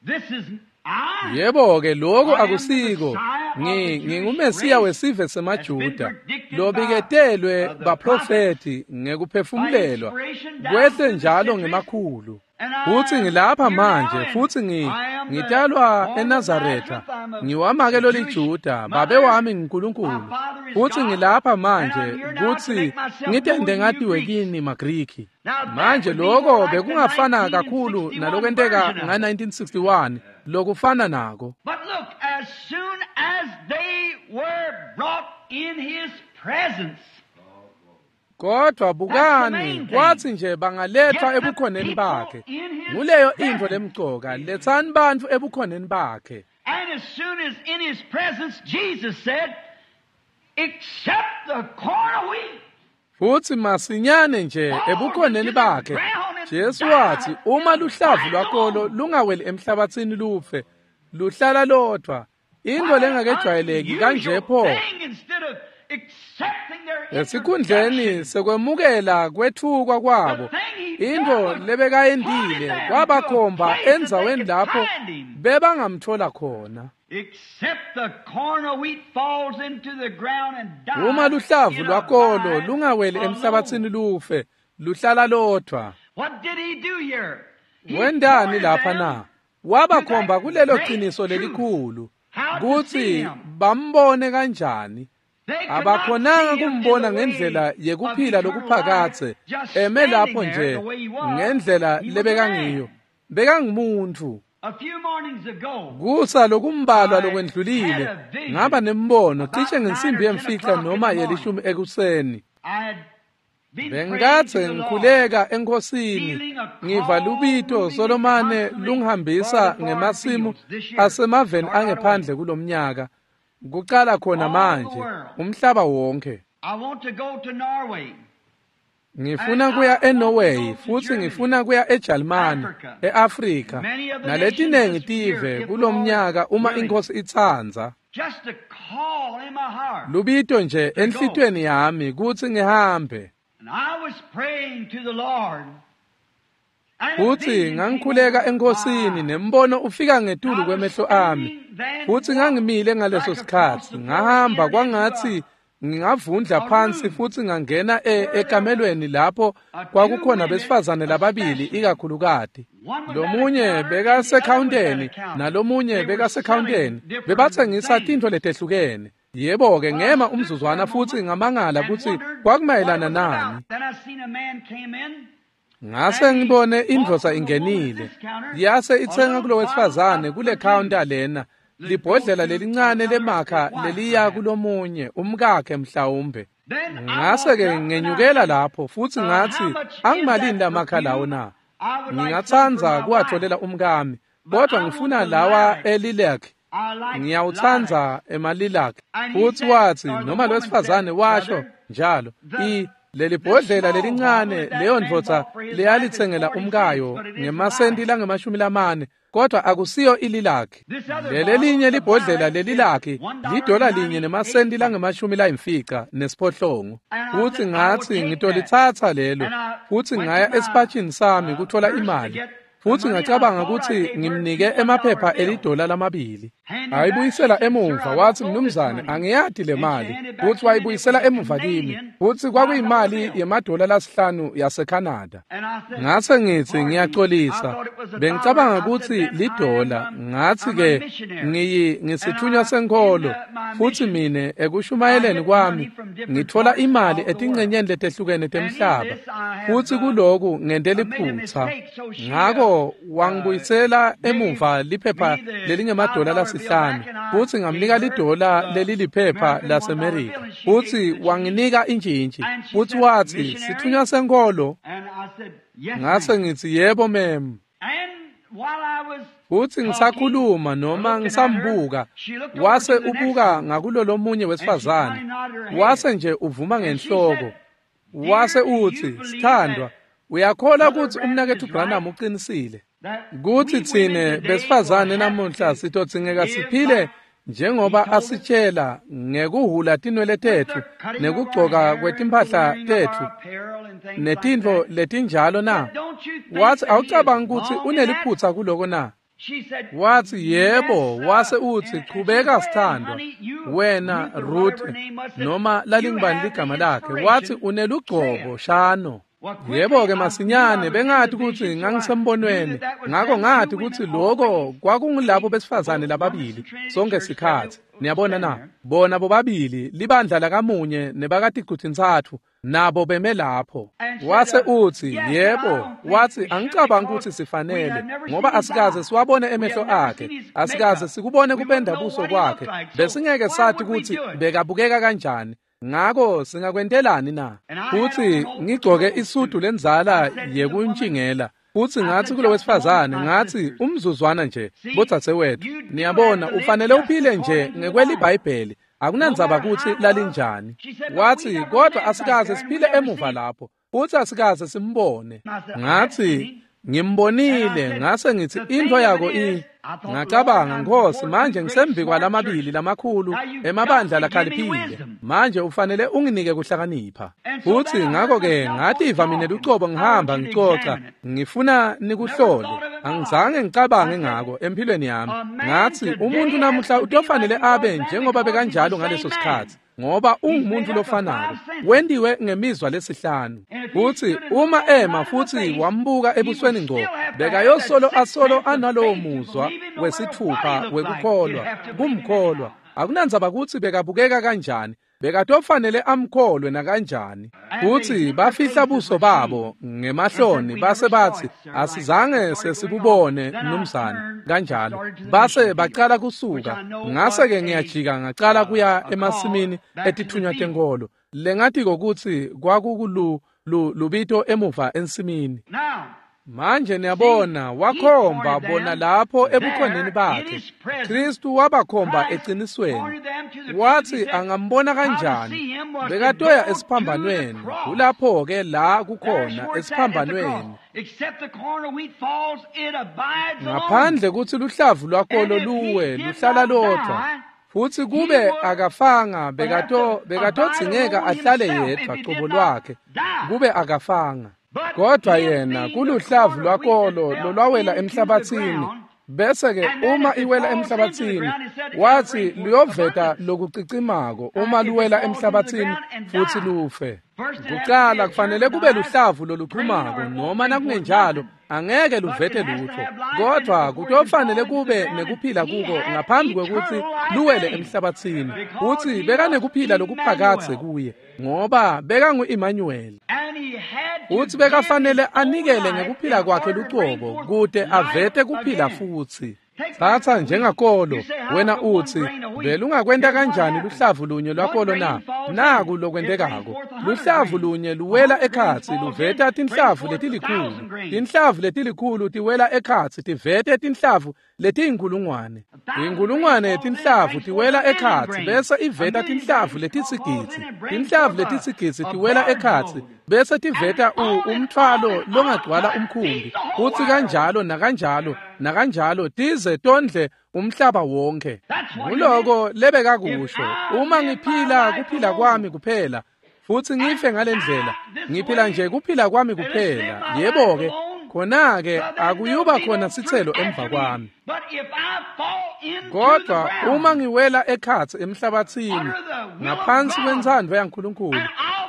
this is I. yebo-ke lokhu I am the akusiko Messiah of Ngi- the Jewish ngingumesiya race wesive that's been semaJuda predicted by lobiketelwe uh, the prophets baprofethi by ngekuphefumulelwa inspiration down kwehle through the njalo centuries. ngemakhulu. Futsi ngilapha manje, futsi ngi ngitalwa eNazaretha, ngiwamake loliJuda, babe wami nguNkulunkulu. Futsi ngilapha manje kutsi ngitente ngatiwe kini maGriki. Manje lokho bekungafana kakhulu nalokwenteka nga nineteen sixty-one, lokufana nako. But look, as soon as they were brought in his presence, Kodwa bukani, kwathi nje bangalethwa ebukhoneni bakhe. Nguleyo intfo lemcoka, letsani bantfu ebukhoneni bakhe. And as soon as in his presence, Jesus said, except the corn of wheat. Futsi masinyane nje ebukhoneni bakhe, Jesu wathi, uma luhlavu lwakolo lungaweli emhlabathini lufe, luhlala lodvwa. Intfo lengakejwayeleki kanje pho. Esikhundleni sekwemukela kwetfukwa kwabo, intfo lebekayentile kwabakhomba endzaweni lapho bebangamthola khona. Uma luhlavu lwakolo lungaweli emhlabathini lufe, luhlala lodvwa. Wentani lapha na? Wabakhomba kulelo qiniso lelikhulu, kutsi bambone kanjani. Abakhonanga kumbona ngendlela yekuphila lokuphakatse, eme lapho nje ngendlela lebekangiyo. Bekangumuntu. Kusa lokumbalwa lokwendlulile, ngaba nembono cishe ngensimbi yemfica noma yelishumi ekuseni. Bengatse ngikhuleka eNkhosini, ngiva lubito solomane lungihambisa ngemasimu asemaveni angephandle kulomnyaka. Kucala khona manje, umhlaba wonke. Ngifuna kuya eNorway, futsi ngifuna kuya eJalimane, eAfrika, naletinengi tive kulomnyaka uma iNkhosi itsandza. Lubito nje enhlitiyweni yami kutsi ngihambe. Futsi ngangikhuleka eNkhosini, nembono ufika ngetulu kwemehlo ami. Futsi ngangimile ngaleso sikhatsi, ngahamba kwangatsi ngingavundla phansi futsi ngangena ekamelweni lapho kwakukhona besifazane lababili ikakhulukati. Lomunye bekasekhawunteni nalomunye bekasekhawunteni, bebatsengisa tintfo letehlukene. Yebo-ke ngema umzuzwana futsi ngamangala kutsi kwakumayelana nani. Ngase ngibone indvodza ingenile, yase itsenga kulo wesifazane kule counter lena, libhodlela lelincane lemakha leliya kulomunye, umkakhe mhlawumbe. Ngase-ke ngenyukela lapho futsi ngatsi, angimalini lamakha lawo na? Ngingatsandza kuwatholela umkami, kodwa ngifuna lawa elilak. Ngiyawutsandza emalilak. Futsi watsi, noma lo wesifazane washo njalo, i leli bhodlela lelincane leyo ndvodza leyalitsengela umkayo ngemasenti langemashumi lamane, kodwa akusiyo ililakhi. Lelelinye libhodlela lelilakhi lidola linye nemasenti langemashumi layimfica nesiphohlongo. Futsi ngatsi ngitolitsatsa lelo, futsi ngaya esipatshini sami kutfola imali. Futsi ngacabanga kutsi ngimnike emaphepha elidola lamabili. Ayibuyisela emuva, watsi, mnumzane, angiyati le mali. Futsi wayibuyisela emuva kimi. Futsi kwakuyimali yemadola lasihlanu yaseCanada. Ngase ngitsi ngiyaxolisa. Bengicabanga kutsi lidola. Ngatsi ke ngiyi ngisithunywa senkholo. Futsi mine ekushumayeleni kwami ngitfola imali etincenyeni letehlukene temhlaba. Futsi kuloku ngente liphutsa. Ngako wangibuyisela emuva liphepha lelingemadola lasihlanu, futsi ngamnika lidola leliliphepha laseMerika. Futsi wanginika intjintji, futsi watsi, sithunywa senkholo. Ngase ngitsi, yebo mem. Futsi ngisakhuluma noma ngisambuka, wase ubuka ngakulolomunye wesifazane, wase nje uvuma ngenhloko. Wase utsi, sithandwa, uyakholwa kutsi umnaketfu Branham uqinisile kutsi tsine besifazane namuhla sitodzingeka siphile njengoba asitshela ngekuhhula tinwele tetfu nekugcoka kwetimpahla tetfu netintfo letinjalo na? Watsi, awucabangi kutsi uneliphutsa kuloko na? Watsi, yebo. Wase utsi, chubeka sithandwa, wena Ruth, noma lalingubani ligama lakhe. Watsi, unelugcobo shano. Yebo-ke masinyane bengathi kutsi ngangisembonweni, ngako ngathi kutsi loko kwakungulabo besifazane lababili sonke sikhatsi. Niyabona na? Bona bobabili libandla lakamunye nebakaticutintsatfu nabo beme lapho. Wase utsi, yebo, watsi angicabangi kutsi sifanele, ngoba asikaze siwabone emehlo akhe, asikaze sikubone kupenda buso kwakhe, besingeke sathi kutsi bekabukeka kanjani. Ngako singakwentelani na? Futsi ngigcoke isudu lenzala yekuntshingela. Futsi ngathi kulo wesifazane, ngathi umzuzwana nje, bodzadzewethu, niyabona ufanele uphile nje ngekweliBhayibheli, akunandzaba kutsi lalinjani. Wathi kodwa asikaze siphile emuva lapho, futsi asikaze simbone. Ngathi ngimbonile, ngase ngithi into yako i ngacabanga, Nkosi, manje ngisembi lamabili lamakhulu emabandla lakhaliphile, manje ufanele unginike kuhlakanipha. Futsi ngakho-ke ngativa mina lucobo ngihamba ngicoca, ngifuna nikuhlole. Angizange ngicabange ngako empilweni yami. Ngathi umuntu namuhla utofanele abe njengoba bekanjalo ngaleso sikhatsi, ngoba ungumuntu lofanako, wendiwe ngemizwa lesihlanu. Futsi uma ema futsi wambuka ebusweni ngco, bekayosolo asolo analowo muzwa wesithupha wekukholwa, kumkholwa. Akunandzaba kutsi bekabukeka kanjani, bekatofanele amkholwe nakanjani. Futsi bafihla buso babo ngemahloni, base batsi asizange sesibubone mnumzane kanjalo. Base bacala kusuka. Ngase-ke ngiyajika ngacala kuya emasimini etithunywa tenkolo, lengatiko kutsi kwakukulu lubito emuva ensimini. Manje niyabona, wakhomba bona lapho ebukhoneni bakhe. Kristu wabakhomba eqinisweni. Wathi angambona kanjani? Bekatoya esiphambanweni. Kulapho-ke la kukhona esiphambanweni. Ngaphandle kutsi luhlavu lwakolo luwe luhlala lodvwa, futsi kube akafanga bekato bekatodzingeka ahlale yedvwa cobo lwakhe, kube akafanga. Kodwa yena kuluhlavu lwakolo lolwawela emhlabathini, bese-ke uma iwela emhlabathini, wathi luyoveta lokucicimako uma luwela emhlabathini futsi lufe. Kucala kufanele kube luhlavu loluchumako, noma nakungenjalo angeke luvete lutho, kodwa kutofanele kube nekuphila kuko ngaphambi kwekutsi luwele emhlabathini. Futsi bekanekuphila lokuphakadze kuye, ngoba bekangu-Emmanuel. Futsi bekafanele anikele ngekuphila kwakhe lucobo kute avete kuphila futsi. Tsatsa njengakolo, wena utsi belungakwenta kanjani luhlavu lunye lwakolo na? Naku lokwentekako. Luhlavu lunye luwela ekhatsi luveta tinhlavu letilikhulu. Tinhlavu letilikhulu tiwela ekhatsi tivete tinhlavu letiyinkulungwane. Inkulungwane tinhlavu tiwela ekhatsi bese iveta tinhlavu letisigidzi. Tinhlavu letisigidzi tiwela ekhatsi bese tiveta umthwalo longagcwala umkhumbi. Futsi kanjalo nakanjalo nakanjalo tize tondle umhlaba wonke. Nguloko lebekakusho, uma ngiphila kuphila kwami kuphela, futsi ngife ngalendlela, ngiphila nje kuphila kwami kuphela, yebo-ke, khona-ke akuyuba khona sitselo emva kwami. Kodwa uma ngiwela ekhatsi emhlabathini ngaphansi kwentsandvo yaNkulunkulu,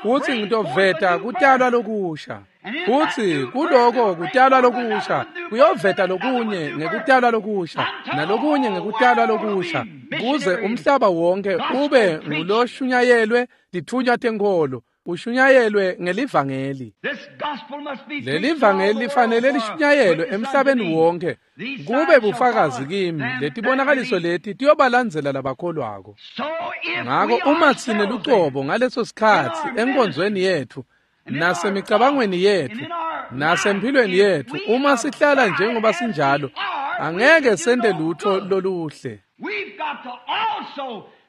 futsi ngitoveta kutalwa lokusha, futsi kuloko kutalwa lokusha kuyoveta lokunye ngekutalwa lokusha nalokunye ngekutalwa lokusha, kuze umhlaba wonke ube nguloshunyayelwe tithunywa tenkolo, ushunyayelwe ngelivangeli. Lelivangeli lifanele lishunyayelwe emhlabeni wonke, kube bufakazi kimi. Letibonakaliso leti tiyobalandzela labakholwako. Ngako uma tsine lucobo ngaleso sikhatsi enkonzweni yetfu nasemicabangweni yetfu nasemphilweni yetfu, uma sihlala njengoba sinjalo, angeke sente lutho loluhle.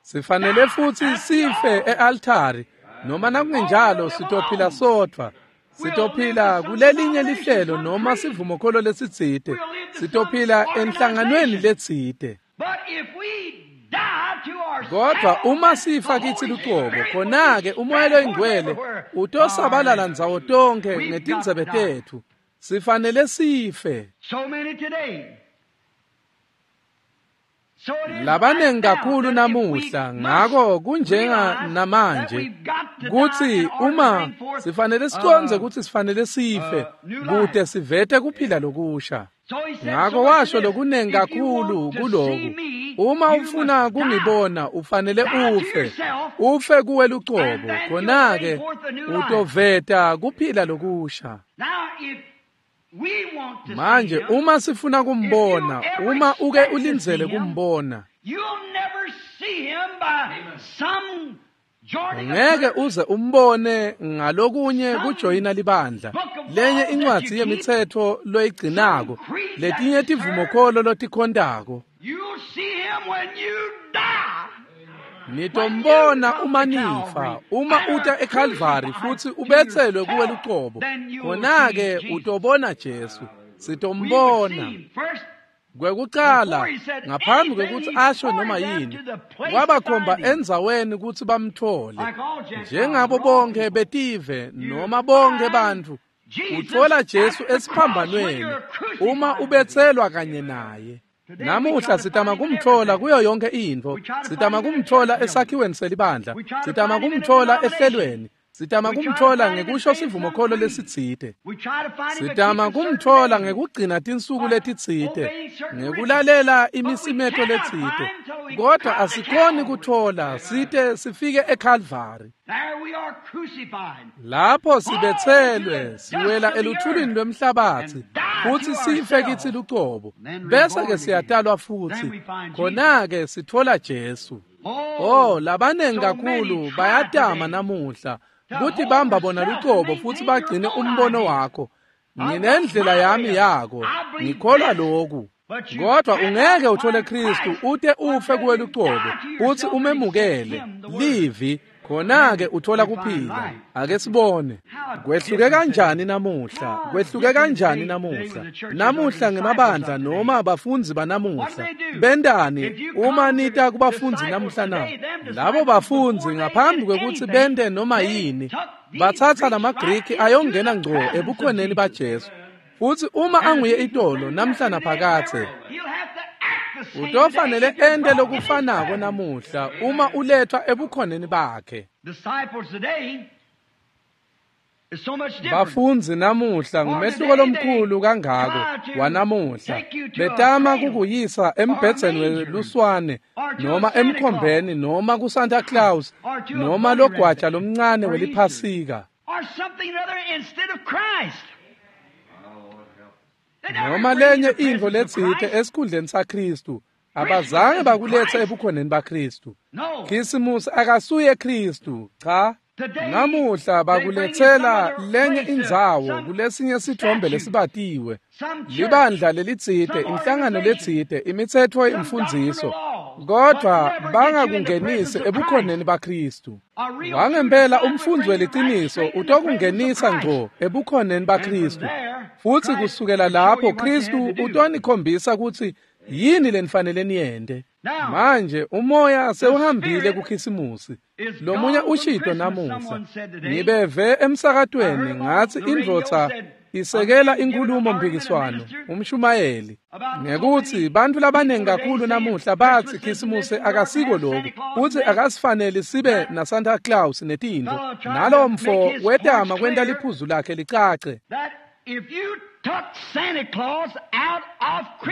Sifanele futsi sife e-altari, noma nakungenjalo sitophila sodvwa. Sitophila kulelinye lihlelo noma sivumokholo lesitsite, sitophila enhlanganweni letsite. Kodwa uma sifa kitsi lucobo, khona-ke umoya loyingcwele utosabalala ndzawo tonkhe ngetindzebe tetfu. Sifanele sife. Labanengi kakhulu namuhla, ngako kunjenga namanje Kutsi uma sifanele sicondze kutsi sifanele sife kute sivete kuphila lokusha. Ngako washo lokunengi kakhulu kuloku. Uma ufuna kungibona ufanele ufe, ufe kuwe lucobo, khona-ke utoveta kuphila lokusha. Manje uma sifuna kumbona, uma uke ulindzele kumbona, ngeke uze umbone ngalokunye kujoyina libandla, lenye incwadzi yemitsetfo loyigcinako, letinye tivumokholo lotikhontako. Nitombona uma nifa, uma uta eKalvari futsi ubetselwe kuwe lucobo, khona-ke utobona Jesu. Sitombona. Kwekucala, ngaphambi kwekutsi asho noma yini, wabakhomba endzaweni kutsi bamthole. Njengabo bonke betive noma bonke bantfu, utfola Jesu esiphambanweni uma ubetselwa kanye naye. Namuhla sitama kumthola kuyo yonke intfo, sitama kumthola esakhiweni selibandla, sitama kumthola ehlelweni, sitama kumthola ngekusho sivumokholo lesitsite, sitama kumthola ngekugcina tinsuku letitsite, ngekulalela imisimeto letsite, kodwa asikhoni kuthola site sifike eKalvari. Lapho sibetselwe siwela eluthulini lwemhlabatsi futsi sife kitsi lucobo, bese-ke siyatalwa futsi, khona-ke sitfola Jesu. Oh, labanengi kakhulu bayatama namuhla kutibamba bona lucobo futsi bagcine umbono wakho. Nginendlela yami yako, ngikholwa loku. Kodwa ungeke uthole Kristu ute ufe kuwe lucobo futsi umemukele livi, khona-ke uthola kuphila. Ake sibone kwehluke kanjani namuhla, kwehluke kanjani namuhla. Namuhla ngemabandla noma abafundzi banamuhla bentani uma nita kubafundzi namuhla na? Labo bafundzi ngaphambi kwekutsi bente noma yini, batsatsa lamaGriki ayongena ngco ebukhoneni baJesu. Futsi uma anguye itolo namhla naphakadze, utofanele ente lokufanako namuhla uma ulethwa ebukhoneni bakhe. Bafundzi namuhla ngumehluko lomkhulu kangako wanamuhla. Betama kukuyisa embhedzeni weluswane noma emkhombeni noma kuSanta Claus noma logwaja lomncane weliphasika, noma lenye intfo letsite esikhundleni saKhristu. Abazange bakuletha ebukhoneni baKhristu. Khisimusi akasuye Khristu, cha. Namuhla bakuletsela lenye indzawo kulesinye sithombe lesibatiwe, libandla lelitsite, inhlangano letsite, imitsetfo, imfundziso, kodwa bangakungenisi ebukhoneni baKhristu. Wangempela umfundzi weliciniso utokungenisa ngco ebukhoneni baKhristu, futsi kusukela lapho Khristu utonikhombisa kutsi yini lenifanele niyente. Manje umoya sewuhambile kuKhisimusi. Lomunye ushito namuhla, ngibeve emsakatweni ngatsi indvodza isekela inkhulumo mpikiswano umshumayeli ngekutsi bantfu labanengi kakhulu namuhla batsi Khisimusi akasiko loku, futsi akasifanele sibe na Santa Claus netintfo. Nalowo mfo wetama kwenta liphuzu lakhe licace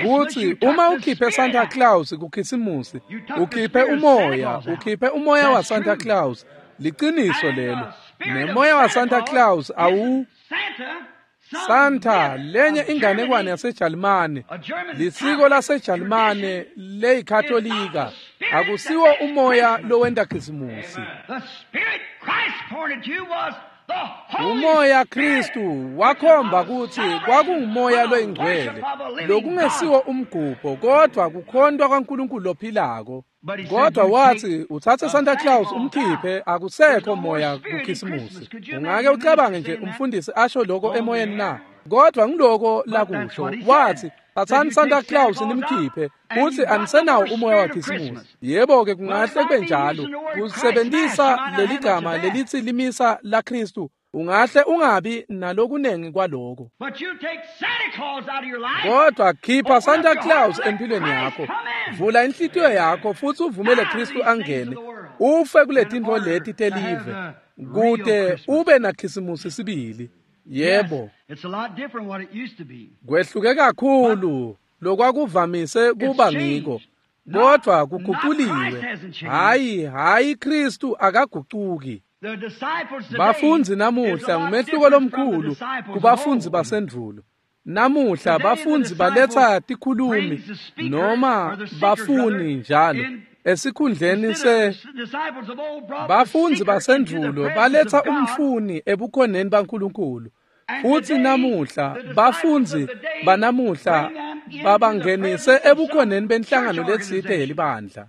kutsi uma ukhiphe Santa Claus kuKhisimusi, ukhiphe umoya, ukhiphe umoya wa Santa Claus. Liciniso lelo. Nemoya wa Santa Claus awu Santa, lenye inganekwane yaseJalimane, lisiko laseJalimane leyikatolika, akusiwo umoya lowenta Khisimusi. Umoya Kristu wakhomba kutsi kwakungumoya loyingcwele, lokungesiwo umgubho kodwa kukhontwa kwaNkulunkulu lophilako. Kodwa wathi uthathe Santa Claus umkhiphe, akusekho moya kuKhisimusi. Ungake ucabange nje umfundisi asho lokho emoyeni na? Kodwa ngiloko lakusho, wathi thathani Santa Claus nimkhiphe, utsi anisenawo umoya waKhisimusi. Yebo-ke kungahle kube njalo, kusebentisa leli gama lelitsi limisa la Khristu, ungahle ungabi nalokunengi kwaloko. Kodwa khipha Santa Claus empilweni yakho, vula inhlitiyo yakho futsi uvumele Khristu angene, Ufe kuletintfo leti telive kute ube naKhisimusi sibili. Yebo. Kwehluke kakhulu lokwakuvamise kuba ngiko, kodvwa kuguculiwe. Hayi, hayi, Kristu akagucuki. Bafundzi namuhla ngumehluko lomkhulu kubafundzi basendvulo. Namuhla bafundzi baletsa tikhulumi noma bafuni njalo esikhundleni se bafundzi basendvulo baletsa umfuni ebukhoneni baNkulunkulu. Futsi namuhla bafundzi banamuhla babangenise ebukhoneni benhlangano letsite yelibandla.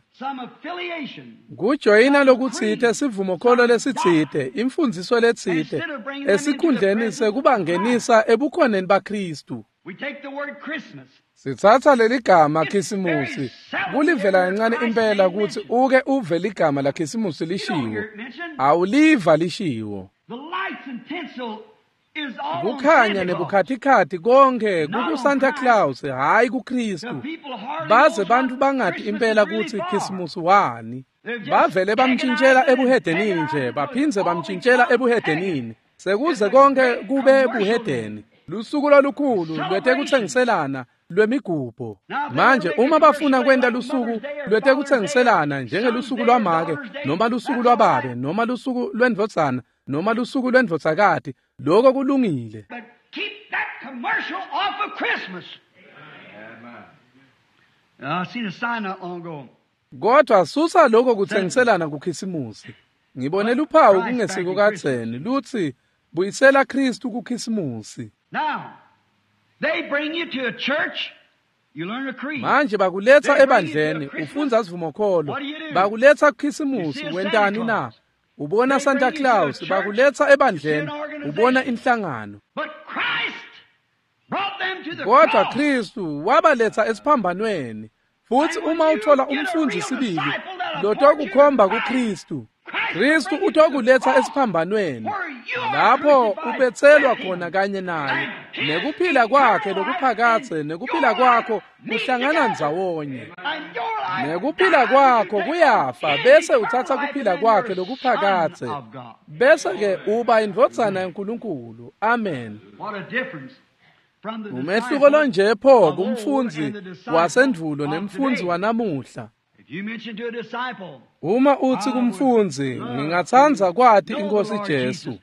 Kujoyina lokutsite, sivumokholo lesitsite, imfundziso letsite, esikhundleni sekubangenisa ebukhoneni baKristu. Sitsatsa leligama Khisimusi kulivela kancane impela kutsi uke uve ligama la Khisimusi lishiwo. Awuliva lishiwo. Kukhanya nebukhatikhathi konke kuku-Santa Claus, hhayi kuKristu. Baze bantfu bangati impela kutsi Khisimusi wani. Bavele bamntjintjela ebuhedenini nje, baphindze bamntjintjela ebuhedenini. Sekuze konke kube buhedeni. Lusuku lolukhulu lwetekutsengiselana lwemigubho. Manje uma bafuna kwenta lusuku lwetekutsengiselana njengelusuku lwamake noma lusuku lwababe noma lusuku lwendvodzana noma lusuku lwendvodzakati, lokho kulungile. But keep that commercial off of Christmas. I seen a sign not long ago. Kodwa susa lokho kutsengiselana kuKhisimusi. Ngibone luphawu kungesiko kadzeni lutsi buyisela Kristu kuKhisimusi. Now, they bring you to a church, you learn a creed. Manje bakuletsa ebandleni ufundza sivumokholo. Bakuletsa kuKhisimusi, wentani na? Ubona Santa Claus. Bakuletsa ebandleni ubona inhlangano. But Christ brought them to the Kodwa cross. Kristu wabaletsa esiphambanweni. Futsi uma uthola umfundzi sibili lotokukhomba kuKristu, Kristu utokuletsa esiphambanweni lapho ubetselwa khona kanye naye, nekuphila kwakhe lokuphakadze nekuphila kwakho kuhlangana ndzawonye. And your life Nekuphila kwakho kuyafa bese utsatsa kuphila kwakhe lokuphakadze, of God. bese ke uba indvodzana yaNkulunkulu. Amen. What a difference from the Umehluko disciple lonje pho of old kumfundzi and the disciple wasendvulo of nemfundzi today. wanamuhla. If you mention to a disciple, Uma uthi kumfundzi, ngingatsandza kwati inkosi Jesu.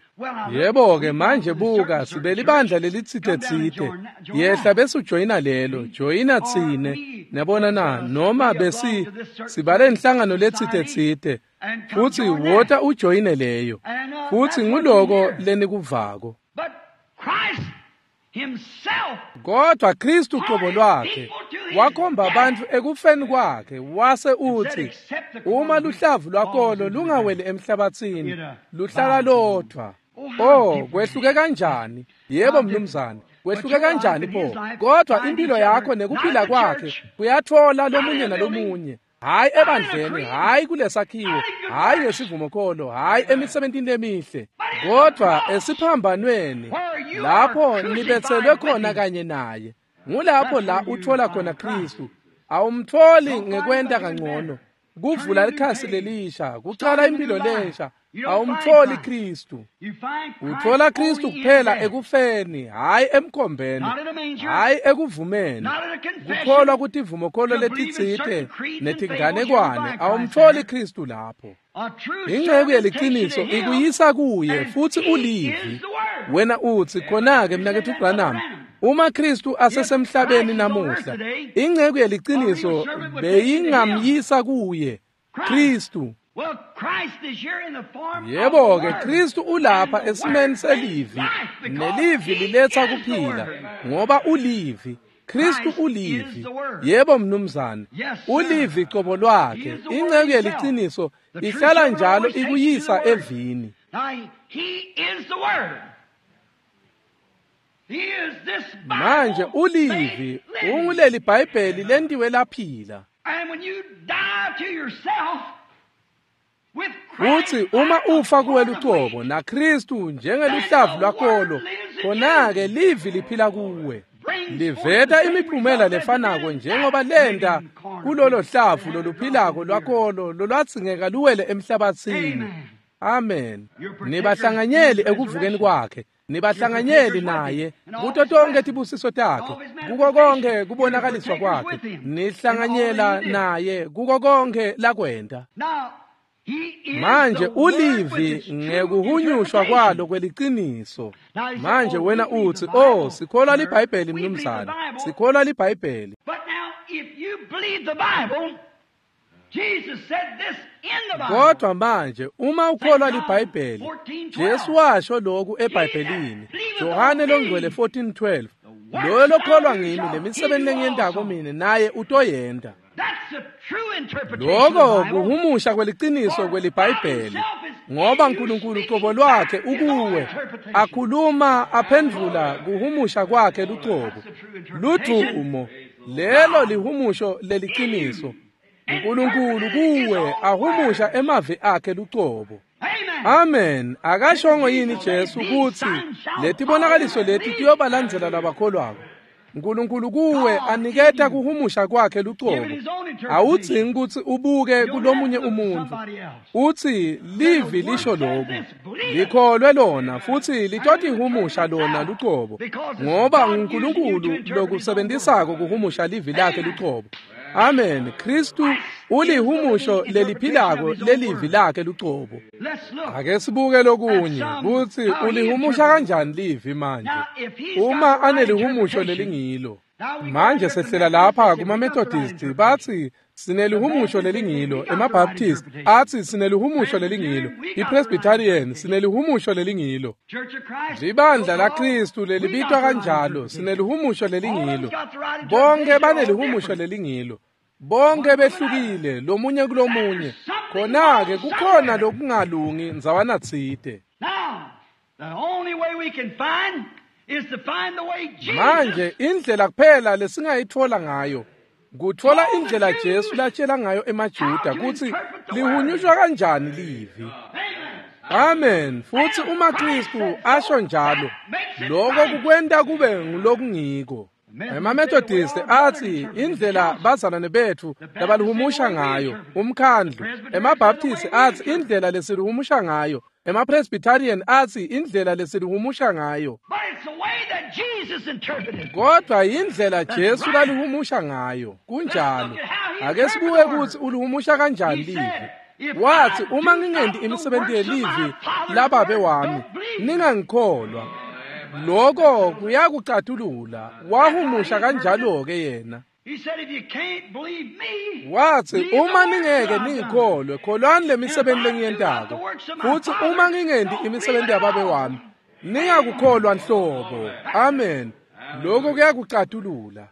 Yebo ke manje buka, sibelibandla lelitsite tsite. Yehla bese ujoyina lelo, joyina tsine. Niyabona na, noma besi sibale inhlangano letsite tsite. Futsi wota ujoyine leyo. Futsi nguloko lenikuvako. but Christ himself Kodwa Kristu qobo lwakhe wakhomba abantu ekufeni kwakhe wase uthi uma luhlavu lwakolo lungaweli emhlabathini luhlala lodwa. Oh, kwehluke kanjani? Yebo mnumzane, kwehluke kanjani pho? Kodwa impilo yakho nekuphila kwakhe kuyathola lomunye nalomunye. Hayi ebandleni, hayi kulesakhiwo, hayi ngesivumokholo, hayi emisebentini lemihle, kodwa esiphambanweni lapho nibetselwe khona kanye naye. Ngulapho la uthola khona Kristu. Awumtholi ngekwenta kangcono, kuvula likhasi lelisha, kucala impilo lensha. Awumtholi Kristu. you find Christ Uthola Kristu only in kuphela death, ekufeni, hayi emkhombeni, not in a manger, hayi ekuvumeni. not in a confession. Kukholwa kutivumokholo To believe in letitsite certain creeds and netinganekwane, fables, you find Christ awumtholi there. Kristu lapho. A true Inceku servant yeliciniso takes you to him, ikuyisa kuye and futhi he ulivi. is the Word. Wena uthi khona-ke mnaketfu Branham, uma Kristu asesemhlabeni namuhla, inceku yeliciniso beyingamyisa kuye Kristu. Well, Christ is here in the form of the Yebo ke Word. Kristu ulapha And the esimeni Word brings selivi, life because nelivi he liletsa is the kuphila Word. ngoba ulivi. Kristu Christ ulivi. is the Word. Yebo mnumzane, Yes, sir. ulivi qobo lwakhe. He is the Word Inceku himself. yeliciniso The true ihlala servant njalo always takes you to ikuyisa the Word. evini. Now, he is the Word. He is this Bible Manje ulivi made living. unguleli Bhayibheli lentiwe laphila. And when you die to yourself with Christ Uthi uma like the ufa kuwe corn of lucobo wheat, naKristu njengeluhlavu lwakolo, khona-ke livi liphila kuwe. Liveta imiphumela lefanako njengoba lenta kulolo hlavu loluphilako lwakolo lolwadzingeka luwele emhlabatsini. Amen. Nibahlanganyeli ekuvukeni kwakhe, nibahlanganyeli naye kuto tonke tibusiso takhe, kuko konke kubonakaliswa kwakhe, nihlanganyela naye kuko konke lakwenta. Manje ulivi ngekuhunyushwa kwalo kweliciniso. Manje wena utsi, oh, sikholwa liBhayibheli mnumzane, sikholwa liBhayibheli. Kodwa manje uma ukholwa liBhayibheli, Jesu washo lokhu eBhayibhelini, Johane longcwele fourteen twelve, loyo lokholwa ngimi lemisebenzi lengiyentako mine naye utoyenta. Lokho kuhumusha kweliciniso kweliBhayibheli, ngoba uNkulunkulu uqobo lwakhe ukuwe akhuluma aphendvula kuhumusha kwakhe luqobo. Ludumo lelo lihumusho leliciniso. uNkulunkulu kuwe ahumusha emavi akhe luqobo. Amen. Akashongo yini Jesu kutsi letibonakaliso leti tiyobalandzela labakholwako? uNkulunkulu kuwe aniketa kuhumusha kwakhe luqobo. Awudzingi kutsi ubuke kulomunye umuntu. Utsi livi lisho lokhu, likholwe lona futsi litotihumusha lona luqobo, ngoba uNkulunkulu lokusebenzisako kuhumusha livi lakhe luqobo. Amen. Kristu ulihumusho leliphilako lelivi lakhe luqobo. Ake sibuke lokunye kutsi ulihumusha kanjani livi manje uma anelihumusho lelingilo. Manje sehlela lapha kuma-Methodist batsi sinelihumusho lelingilo, emaBaptist atsi sinelihumusho lelingilo, iPresbyterian sinelihumusho lelingilo, libandla laKristu lelibitwa kanjalo sinelihumusho lelingilo. Bonke banelihumusho lelingilo, bonke behlukile lomunye kulomunye. Khona-ke kukhona lokungalungi ndzawana tsite. Manje indlela kuphela lesingayitfola ngayo kutfola indlela Jesu latshela ngayo emaJuda kutsi lihunyushwa kanjani livi. Amen. Futsi uma Kristu asho njalo, lokho kukwenta kube ngulokungiko. EmaMethodist atsi indlela bazalwane betfu labalihumusha ngayo umkhandlu, emaBaptist atsi indlela lesilihumusha ngayo, emaPresbyterian atsi indlela lesilihumusha ngayo. Kodwa indlela Jesu lalihumusha ngayo kunjalo. Ake sibuke kutsi ulihumusha kanjani livi. Wathi uma ngingenti imisebenzi yelivi lababe wami, ningangikholwa. Lokho kuyakucatulula. Wahumusha kanjalo ke yena. Wathi uma ningeke ningikholwe, kholwani lemisebenzi lengiyentako. Futhi uma ngingenti imisebenzi yababe wami, ningakukholwa nhlobo. Amen. Lokho kuyakucatulula.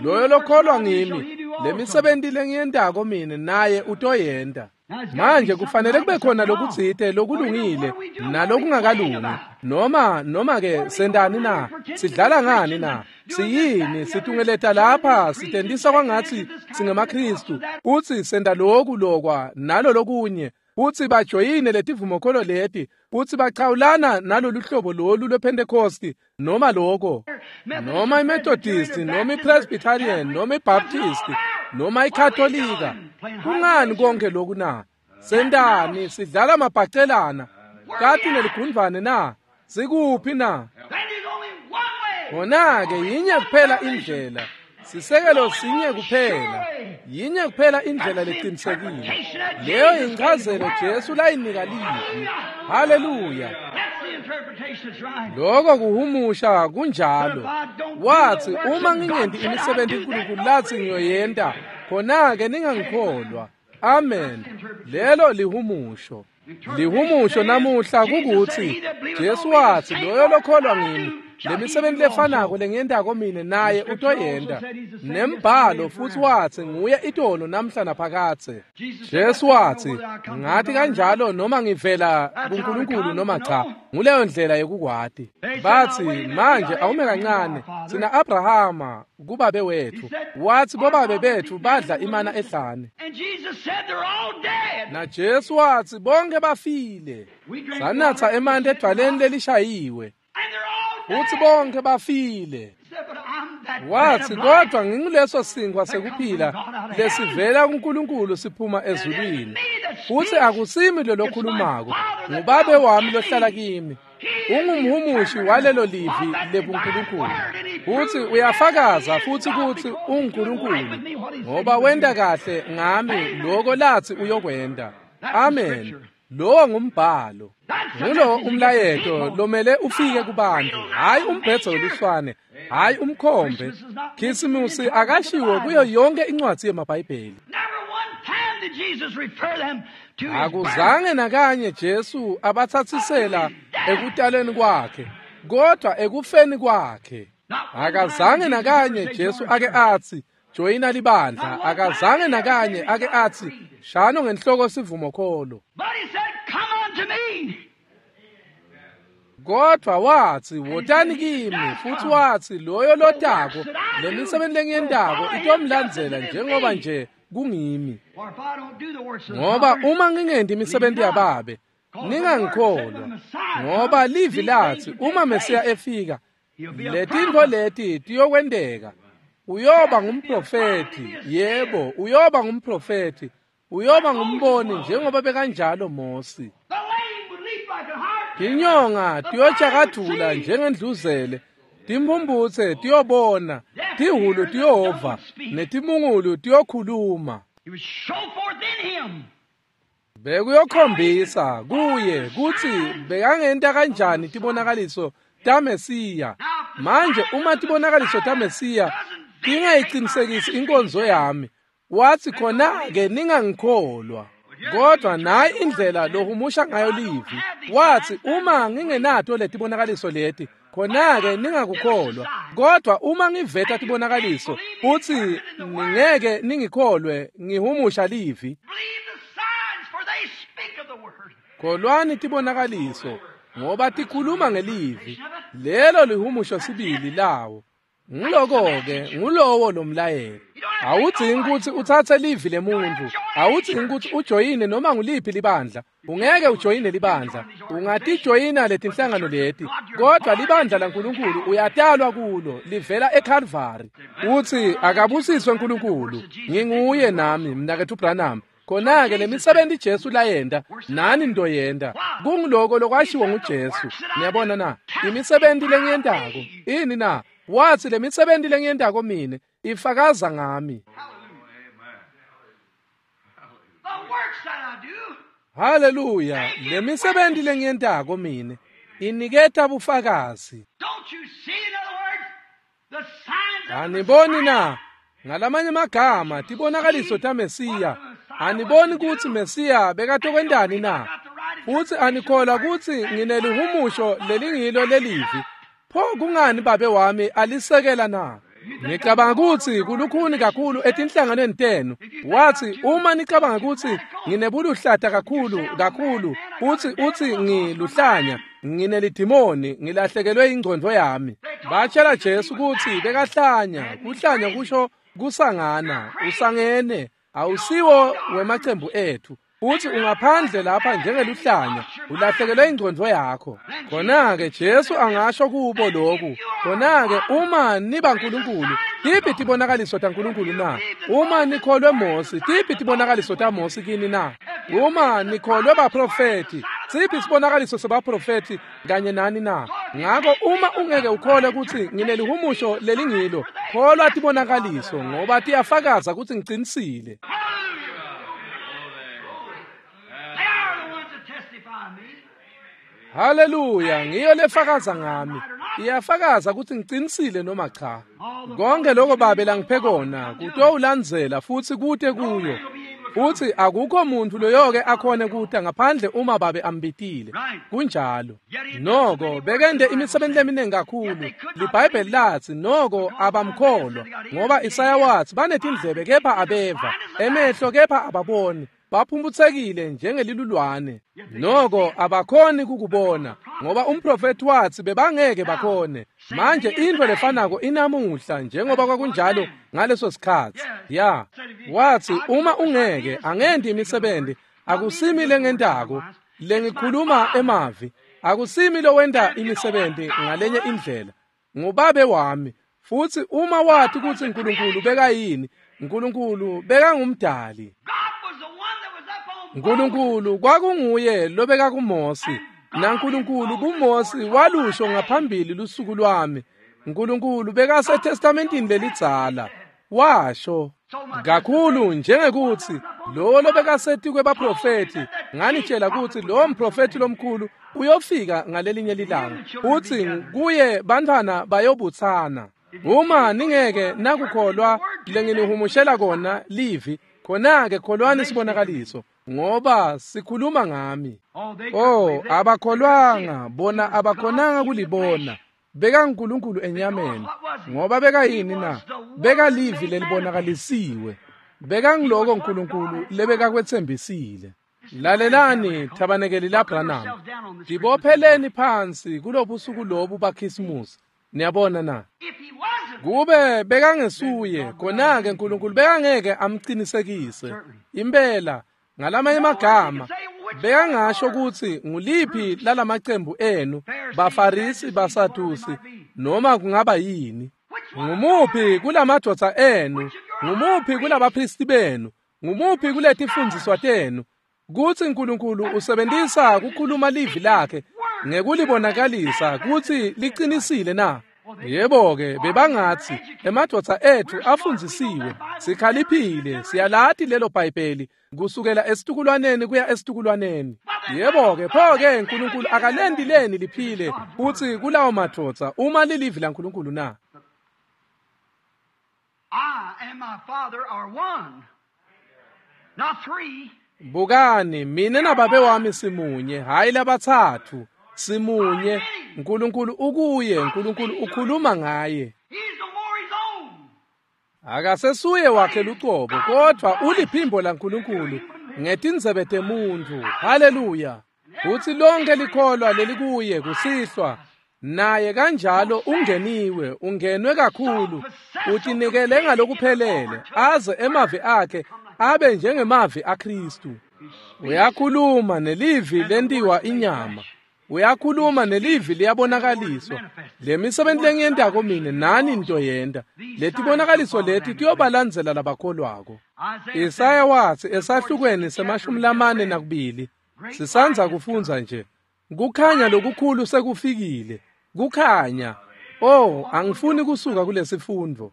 Loyo lokholwa ngimi, lemisebenzi lengiyentako mine naye utoyenta. Manje kufanele kube khona lokutsite lokulungile nalokungakalungi. Noma noma ke sendani na? Sidlala ngani na? Siyini situngeleta lapha sitendisa kwangathi singemaKristu utsi senda lokhu lokwa nalo lokunye, utsi bajoyine letivumokholo leti, utsi bachawulana nalolu hlobo lolu lwePentecost noma lokho, noma iMethodist noma iPresbyterian noma iBaptist noma iKatolika. Kungani konke lokhu na? Sendani sidlala mabhacelana kati neligundvane na? Sikuphi na? Khona-ke yinye kuphela indlela, sisekelo sinye kuphela, yinye kuphela indlela leqinisekile. Leyo inchazelo Jesu layinika livi. Haleluya. Lokho kuhumusha kunjalo. Wathi uma ngingenti imisebenzi uNkulunkulu lathi ngiyoyenta, khona-ke ningangikholwa. Amen. Lelo lihumusho. Lihumusho namuhla kukuthi Jesu wathi loyo lokholwa ngimi, lemisebenzi lefanako lengiyentako mine naye utoyenta. Nembhalo futhi wathi nguye itolo namhla naphakadze. Jesu wathi ngathi kanjalo noma ngivela kuNkulunkulu noma cha, nguleyo ndlela yekukwati. Bathi manje awume kancane, sina Abrahama kubabe wethu. Wathi bobabe bethu badla imana ehlane. Na Jesu wathi bonke bafile. Sanatha emanti edwaleni lelishayiwe. Uthi bonke bafile. Wathi, kodwa nginguleso sinkwa sekuphila lesivela kuNkulunkulu siphuma ezulwini. Futhi akusimi lo lokhulumako, nguBabe wami lohlala kimi. Ungumhumushi walelo livi lebuNkulunkulu. Futhi uyafakaza futhi kuthi unguNkulunkulu, ngoba wenta kahle ngami lokho lathi uyokwenta. Amen. Lowo ngumbhalo. Ngulo umlayeto lomele ufike kubantu, hayi umbhedzo weluswane, hayi umkhombe. Khisimusi akashiwo kuyo yonke incwadi yemaBhayibheli. Akuzange nakanye Jesu abathathisela ekutaleni kwakhe, kodwa ekufeni kwakhe. Akazange nakanye Jesu ake athi joyina libandla, akazange nakanye ake athi shano ngenhloko sivumokholo. Kodwa wathi wotani kimi, futhi wathi loyo lotako lemisebenzi lengiyentako itomlandzela njengoba nje kungimi. Ngoba uma ngingenti imisebenzi yaBabe, ningangikholwa, ngoba livi lathi uma Mesiya efika, letintfo leti tiyokwenteka. Uyoba ngumprofethi, yebo, uyoba ngumprofethi, uyoba ngumboni njengoba bekanjalo Mosi. Tinyonga tiyojakadula njengendluzele, timphumphutse tiyobona, tihulu tiyova, netimungulu tiyokhuluma. Bekuyokhombisa kuye kutsi bekangenta kanjani tibonakaliso taMesiya. Manje uma tibonakaliso taMesiya tingayicinisekisi inkonzo yami, wathi khona-ke ningangikholwa. Kodwa nayi indlela lohumusha ngayo livi. Wathi uma ngingenato letibonakaliso leti, khona-ke ningakukholwa. Kodwa uma ngiveta tibonakaliso, uthi ningeke ningikholwe, ngihumusha livi. Kholwani tibonakaliso, ngoba tikhuluma ngelivi. Lelo lihumusho sibili lawo. Nguloko-ke ngulowo lomlayelo. Awudzingi kutsi utsatse livi lemuntu, awudzingi kutsi ujoyine noma nguliphi libandla. Ungeke ujoyine libandla, ungatijoyina letinhlangano leti, kodwa libandla laNkulunkulu uyatalwa kulo, livela eKalvari. Uthi akabusiswe uNkulunkulu, nginguye nami mnaketfu Branham. Khona-ke lemisebenzi Jesu layenta, nani ntoyenta. Kunguloko lokwashiwo nguJesu. Niyabona na? Imisebenzi lengiyentako, ini na? Wathi lemisebenzi lengiyentako mine ifakaza ngami. Haleluya, lemisebenzi lengiyentako mine iniketa bufakazi. Aniboni na? Ngalamanye amagama tibonakaliso taMesiya. Aniboni kutsi Mesiya bekatokwentani na? Futsi anikholwa kutsi nginelihumusho lelingilo lelivi. Pho kungani Babe wami alisekela na? Ngicabanga kutsi kulukhuni kakhulu etinhlanganweni tenu. Wathi uma nicabanga kutsi nginebuluhlata kakhulu kakhulu, uthi uthi ngiluhlanya, nginelidimoni, ngilahlekelwe ingcondvo yami. Batshela Jesu kutsi bekahlanya. Kuhlanya kusho kusangana, usangene, awusiwo wemacembu ethu. Uthi ungaphandle lapha njengeluhlanya, ulahlekelwe ingcondvo yakho. Khona-ke Jesu angasho kubo lokhu. Khona-ke uma niba nkulunkulu, tiphi tibonakaliso taNkulunkulu na? Uma nikholwe Mosi, tiphi tibonakaliso taMosi kini na? Uma nikholwe baprofethi, siphi sibonakaliso sebaprofethi kanye nani na? Ngako uma ungeke ukholwe kutsi nginelihumusho lelingilo, kholwa tibonakaliso ngoba tiyafakaza kutsi ngicinisile. Haleluya, ngiyo lefakaza ngami. Iyafakaza kutsi ngicinisile noma cha. Konke lokho Babe langiphe kona kutowulandzela futsi kute kuyo. Futsi akukho muntu loyoke akhone kuta ngaphandle uma Babe ambitile. Kunjalo. Noko bekende imisebenzi leminingi kakhulu. LiBhayibheli lathi noko abamkholwa, ngoba Isaya wathi banetindlebe kepha abeva, emehlo kepha ababoni. Baphumphutsekile njengelilulwane. Noko abakhoni kukubona, ngoba umprofethi wathi bebangeke bakhone. Manje into lefanako inamuhla njengoba kwakunjalo ngaleso sikhatsi. Ya, wathi uma ungeke angenti imisebenzi, akusimi lengentako, lengikhuluma emavi, akusimi lowenta imisebenzi ngalenye indlela, nguBabe wami. Futsi uma wathi kutsi Nkulunkulu bekayini, Nkulunkulu bekangumdali. Nkulunkulu kwakunguye lobeka kuMosi, naNkulunkulu kuMosi walusho ngaphambili lusuku lwami. Nkulunkulu bekaseTestamentini lelidzala washo kakhulu njengekuthi lo lobekasetikwe baprofethi, nganitshela kutsi lo mprofethi lomkhulu uyofika ngalelinye lilanga, uthi kuye bantwana bayobutsana. Uma ningeke nakukholwa lenginihumushela kona livi, khona-ke kholwani sibonakaliso, ngoba sikhuluma ngami. Oh, abakholwanga bona, abakhonanga kulibona. Beka uNkulunkulu enyameni, ngoba beka yini na? Beka livi lelibonakalisiwe. Beka ngiloko uNkulunkulu lebeka kwetsembisile. Lalelani thabanekeli laBranham, dibopheleni phansi kulobusuku lobu baKhisimusi. Niyabona na? Kube bekangesuye, khona-ke uNkulunkulu bekangeke amqinisekise. Impela, ngalamanye amagama, bekangasho kutsi nguliphi lalamacembu enu, baFarisi, baSadusi, noma kungaba yini. Ngumuphi kulamadvodza enu, ngumuphi kulabaphristi benu, ngumuphi kuletifundiswa tenu, kutsi uNkulunkulu usebenzisa kukhuluma livi lakhe ngekulibonakalisa kutsi liqinisile na? Yebo-ke, bebangatsi emadvodza etfu afundzisiwe, sikhaliphile, siyalati lelo Bhayibheli kusukela esitukulwaneni kuya esitukulwaneni. Yebo-ke, pho-ke uNkulunkulu akalenti leni liphile futsi kulawo madvodza uma lilivi laNkulunkulu na? I and my Father are one, not three. Bukani, mina nababe wami simunye, hayi labatsatfu. Simunye. uNkulunkulu ukuye, uNkulunkulu ukhuluma ngaye. Akasesuye wakhe lucobo, kodwa uliphimbo laNkulunkulu ngetindzebe temuntfu. Haleluya! Futsi lonke likholwa lelikuye kusihlwa naye kanjalo ungeniwe, ungenwe kakhulu, utinikele ngalokuphelele, aze emavi akhe abe njengemavi aKristu. Uyakhuluma nelivi lentiwa inyama. Uyakhuluma nelivi liyabonakaliswa. Lemisebenzi lengiyentako mine nani nitoyenta. Letibonakaliso leti tiyobalandzela labakholwako. Isaya watsi esahlukweni semashumi lamane nakubili, sisandza kufundza nje, kukhanya lokukhulu sekufikile. Kukhanya. Oh, angifuni kusuka kulesifundvo.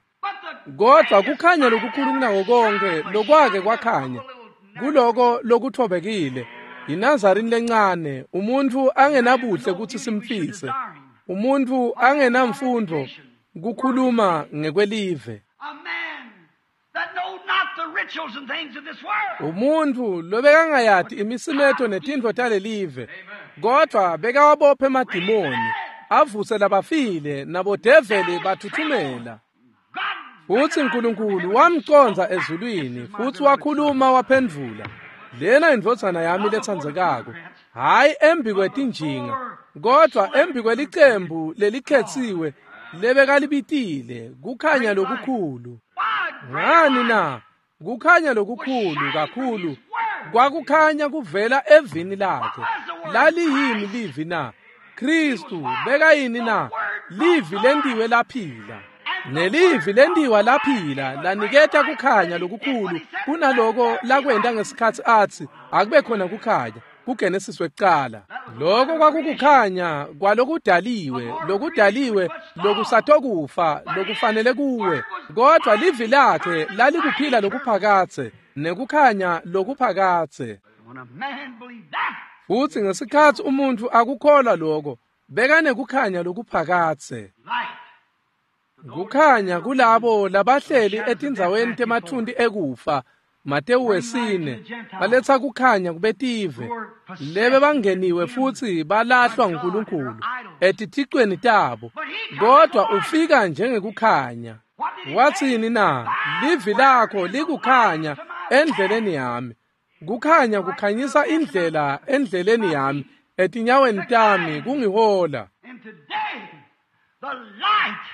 Kodwa kukhanya lokukhulu kunako konke lokwake kwakhanya kuloko lokuthobekile. INazarini lencane, umuntu angenabuhle kutsi simfise, umuntu angenamfundo kukhuluma ngekwelive, umuntu lobekangayati imisimeto netintfo talelive, kodwa bekawabophe emadimoni avuse labafile nabodeveli bathuthumela. Futsi uNkulunkulu wamcondza ezulwini, futsi wakhuluma waphendvula, lena indvodzana yami letsandzekako, hayi embi kwetinjinga, kodwa embi kwelicembu lelikhetsiwe lebekalibitile, kukhanya lokukhulu. Ngani na? Kukhanya lokukhulu kakhulu kwakukhanya kuvela evini lakhe. Laliyini livi na? Kristu bekayini na? Livi lentiwe laphila. Nelivi lentiwa laphila laniketa kukhanya lokukhulu kunaloko lakwenta ngesikhatsi atsi akube khona kukhanya kuGenesis wekucala. Loko kwakukukhanya kwalokudaliwe, lokudaliwe lokusatokufa lokufanele kuwe, kodwa livi lakhe lalikuphila lokuphakatse nekukhanya lokuphakatse. Futsi ngesikhatsi umuntfu akukholwa loko, bekanekukhanya lokuphakatse. Kukhanya kulabo labahleli etindzaweni temathunti ekufa, Matewu wesine, baletsa kukhanya kubetive lebe bangeniwe futsi balahlwa nguNkulunkulu etithicweni tabo, kodwa ufika njengekukhanya. Watsini na? Livi lakho likukhanya endleleni yami. Kukhanya kukhanyisa indlela endleleni yami, etinyaweni tami kungihola. The light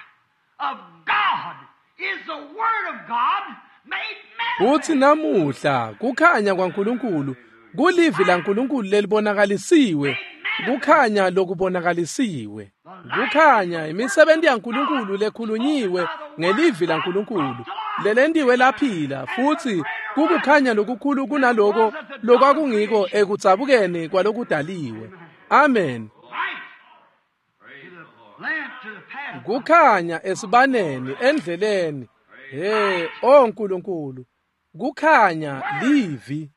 of God is the word of God made manifest. Futsi namuhla kukhanya kwaNkulunkulu kulivi laNkulunkulu lelibonakalisiwe. Kukhanya lokubonakalisiwe. Kukhanya imisebenti yaNkulunkulu lekhulunyiwe ngelivi laNkulunkulu. Lelentiwe laphila futhi kukukhanya lokukhulu kunaloko lokwakungiko ekudzabukeni kwalokudaliwe. Amen. Kukhanya esibaneni endleleni. Hey, oh Nkulunkulu. Kukhanya livi.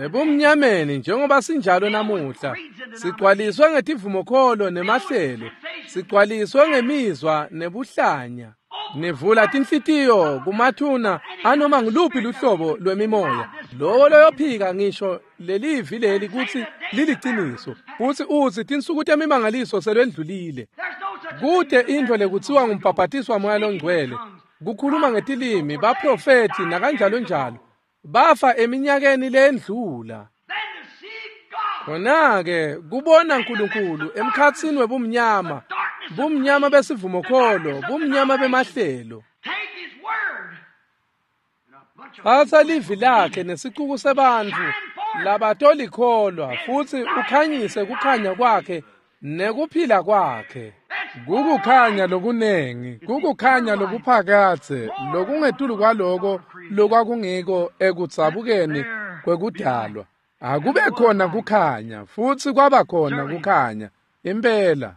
Ebumnyameni njengoba sinjalo namuhla, sigcwaliswe ngetivumokholo nemahlelo, sigcwaliswe ngemizwa nebuhlanya. Nivula tinhlitiyo kumathuna anoma ngiluphi luhlobo lwemimoya. Lowo loyophika ngisho lelivi leli kutsi liliciniso, futsi utsi tinsuku temimangaliso selwendlulile. Kute intfo lekutsiwa ngumbhabhatiswa moya longcwele, kukhuluma ngetilimi, baprofethi nakanjalo njalo. Bafa eminyakeni lendlula. Khona-ke kubona Nkulunkulu emkhatsini webumnyama, bumnyama besivumokholo, bumnyama bemahlelo. Tsatsa livi lakhe nesicuku sebantfu labatolikhholwa futsi ukhanyise kukhanya kwakhe nekuphila kwakhe. Kukukhanya lokunengi, kukukhanya lokuphakadze, lokungetulu kwaloko lokwakungiko ekudzabukeni kwekudalwa. Akube khona kukhanya, futsi kwaba khona kukhanya. Impela.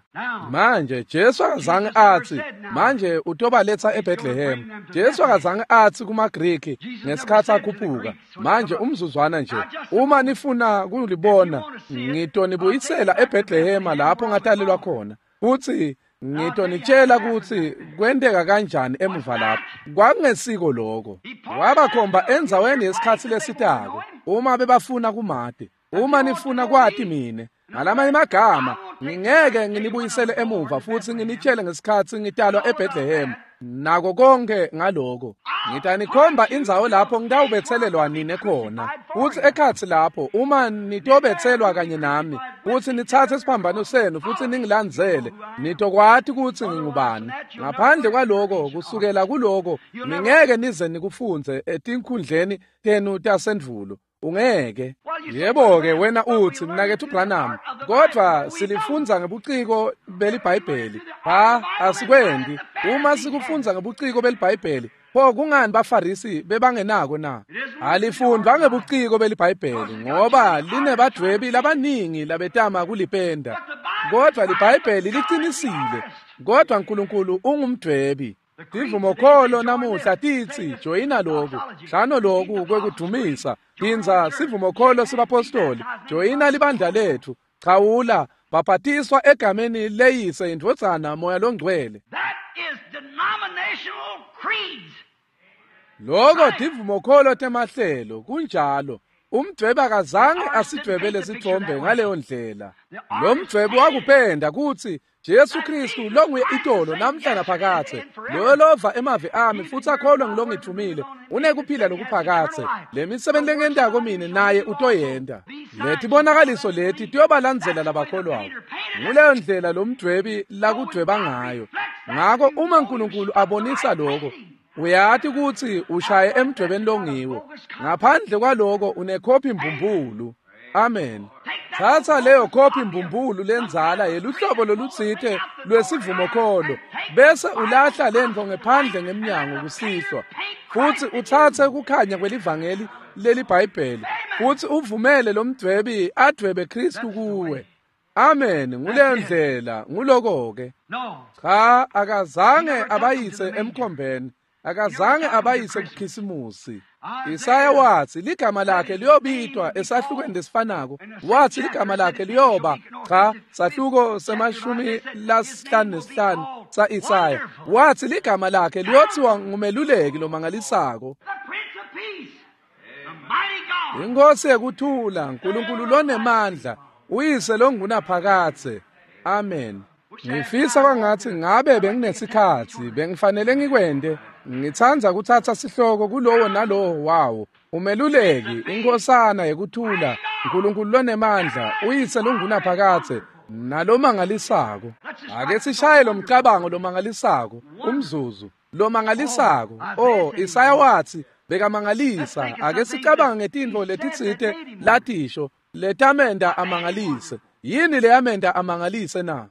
Manje Jesu akazange atsi, manje utobaletsa eBethlehem. Jesu akazange atsi kumaGriki ngesikhatsi akhuphuka. Manje umzuzwana nje, uma nifuna kulibona, ngitonibuyisela eBethlehema lapho ngatalelwa khona. Futsi ngitonitshela kutsi kwenteka kanjani emuva lapho. Kwakungesiko lokho. Wabakhomba endzaweni yesikhatsi lesitako. Uma bebafuna kumati, uma nifuna kwati mine, ngalamanye magama, ngingeke nginibuyisele emuva futsi nginitshele ngesikhatsi ngitalwa eBethlehem. Nako konke ngaloko. Ngitanikhomba indzawo lapho ngitawubetselelwa nine khona. Futsi ekhatsi lapho uma nitobetselwa kanye nami, futsi nitsatse isiphambano senu futsi ningilandzele, nitokwati kutsi ngingubani. Ngaphandle kwaloko, kusukela kuloko, ningeke nize nikufundze etinkhundleni tenu tasendvulo. Ungeke. Yebo-ke wena utsi mnaketfu Branham, kodvwa silifundza ngebuciko beliBhayibheli. Ha, asikwendi. Uma sikufundza ngebuciko beliBhayibheli, pho kungani baFarisi bebangenako na? Alifundwa ngebuciko beliBhayibheli ngoba linebadvwebi labaningi labetama kulipenda. Kodvwa liBhayibheli licinisile. Kodvwa Nkulunkulu ungumdvwebi. Tivumokholo namuhla titsi joyina loku, hlano loku kwekudumisa, phindza sivumokholo sebapostoli, joyina libandla letfu, chawula, bhabhatiswa egameni leyise indvodzana moya longcwele. That is denominational creeds. Loko tivumokholo temahlelo kunjalo. Umdvwebi akazange asidvwebele sithombe ngaleyo ndlela. Lo mdvwebi wakupenda kutsi Jesu Kristu longuye itolo namhla naphakadze. Loyo lova emavi ami futsi akholwa ngilongithumile unekuphila lokuphakadze. Le misebenti lengiyentako mine naye utoyenta. Letibonakaliso leti tiyobalandzela labakholwako. Nguleyo ndlela lo mdvwebi lakudvweba ngayo. Ngako uma Nkulunkulu abonisa lokho, uyati kutsi ushaye emdvwebeni longiwo. Ngaphandle kwaloko unekhophi mbumbulu. Amen. Tsatsa leyo khophi mbumbulu lendzala yeluhlobo lolutsite lwesivumokholo, bese ulahla lentfo ngephandle ngemnyango kusihlwa, futsi utsatse kukhanya kwelivangeli leliBhayibheli, futsi uvumele lo mdvwebi advwebe Kristu kuwe. Amen. Nguleyo ndlela, nguloko-ke. Cha, akazange abayise emkhombeni. Akazange abayise kuKhisimusi. Isaya watsi ligama lakhe liyobitwa esahlukweni lesifanako. Watsi ligama lakhe liyoba cha sahluko semashumi lasihlanu nesihlanu sa-Isaya. Watsi ligama lakhe liyothiwa ngumeluleki lomangalisako. Inkosi yekuthula, Nkulunkulu lonemandla, uyise longunaphakadze. Amen. Ngifisa kwangatsi ngabe benginesikhatsi, bengifanele ngikwente. Ngitsandza kutsatsa sihloko kulowo nalowo wawo. Umeluleki, inkosana yekuthula, Nkulunkulu lonemandla, uyise longunaphakadze, nalomangalisako. Ake sishaye lo mcabango lomangalisako, umzuzu lomangalisako. Oh, Isaya watsi bekamangalisa. Ake sicabange ngetintfo letitsite latisho letamenta amangalise. Yini leyamenta amangalise na?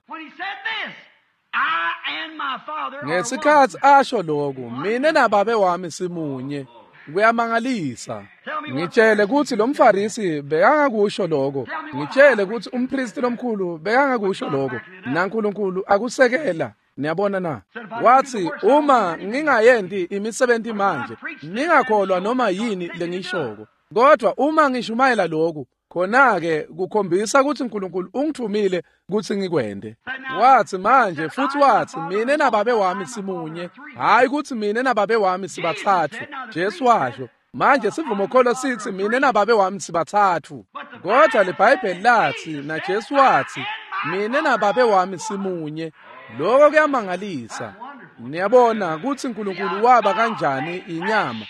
Ngesikhatsi asho lokhu, mina nababe wami simunye. Kuyamangalisa. Ngitshele kutsi lo mfarisi bekangakusho lokho. Ngitshele kutsi umpristi lomkhulu bekangakusho lokho. NaNkulunkulu akusekela. Niyabona na? Wathi uma ngingayenti imisebenzi manje, ningakholwa noma yini lengishoko. Kodwa uma ngishumayela lokhu, khona-ke kukhombisa ukuthi uNkulunkulu ungithumile kutsi ngikwende. Wathi manje futhi wathi mina nababe wami simunye, hayi kutsi mina nababe wami sibathathu. Jesu washo, manje sivumokholo sithi mina nababe wami sibathathu. Kodwa leBhayibheli lathi na Jesu wathi mina nababe wami simunye. Lokho kuyamangalisa. Niyabona kutsi uNkulunkulu waba kanjani inyama.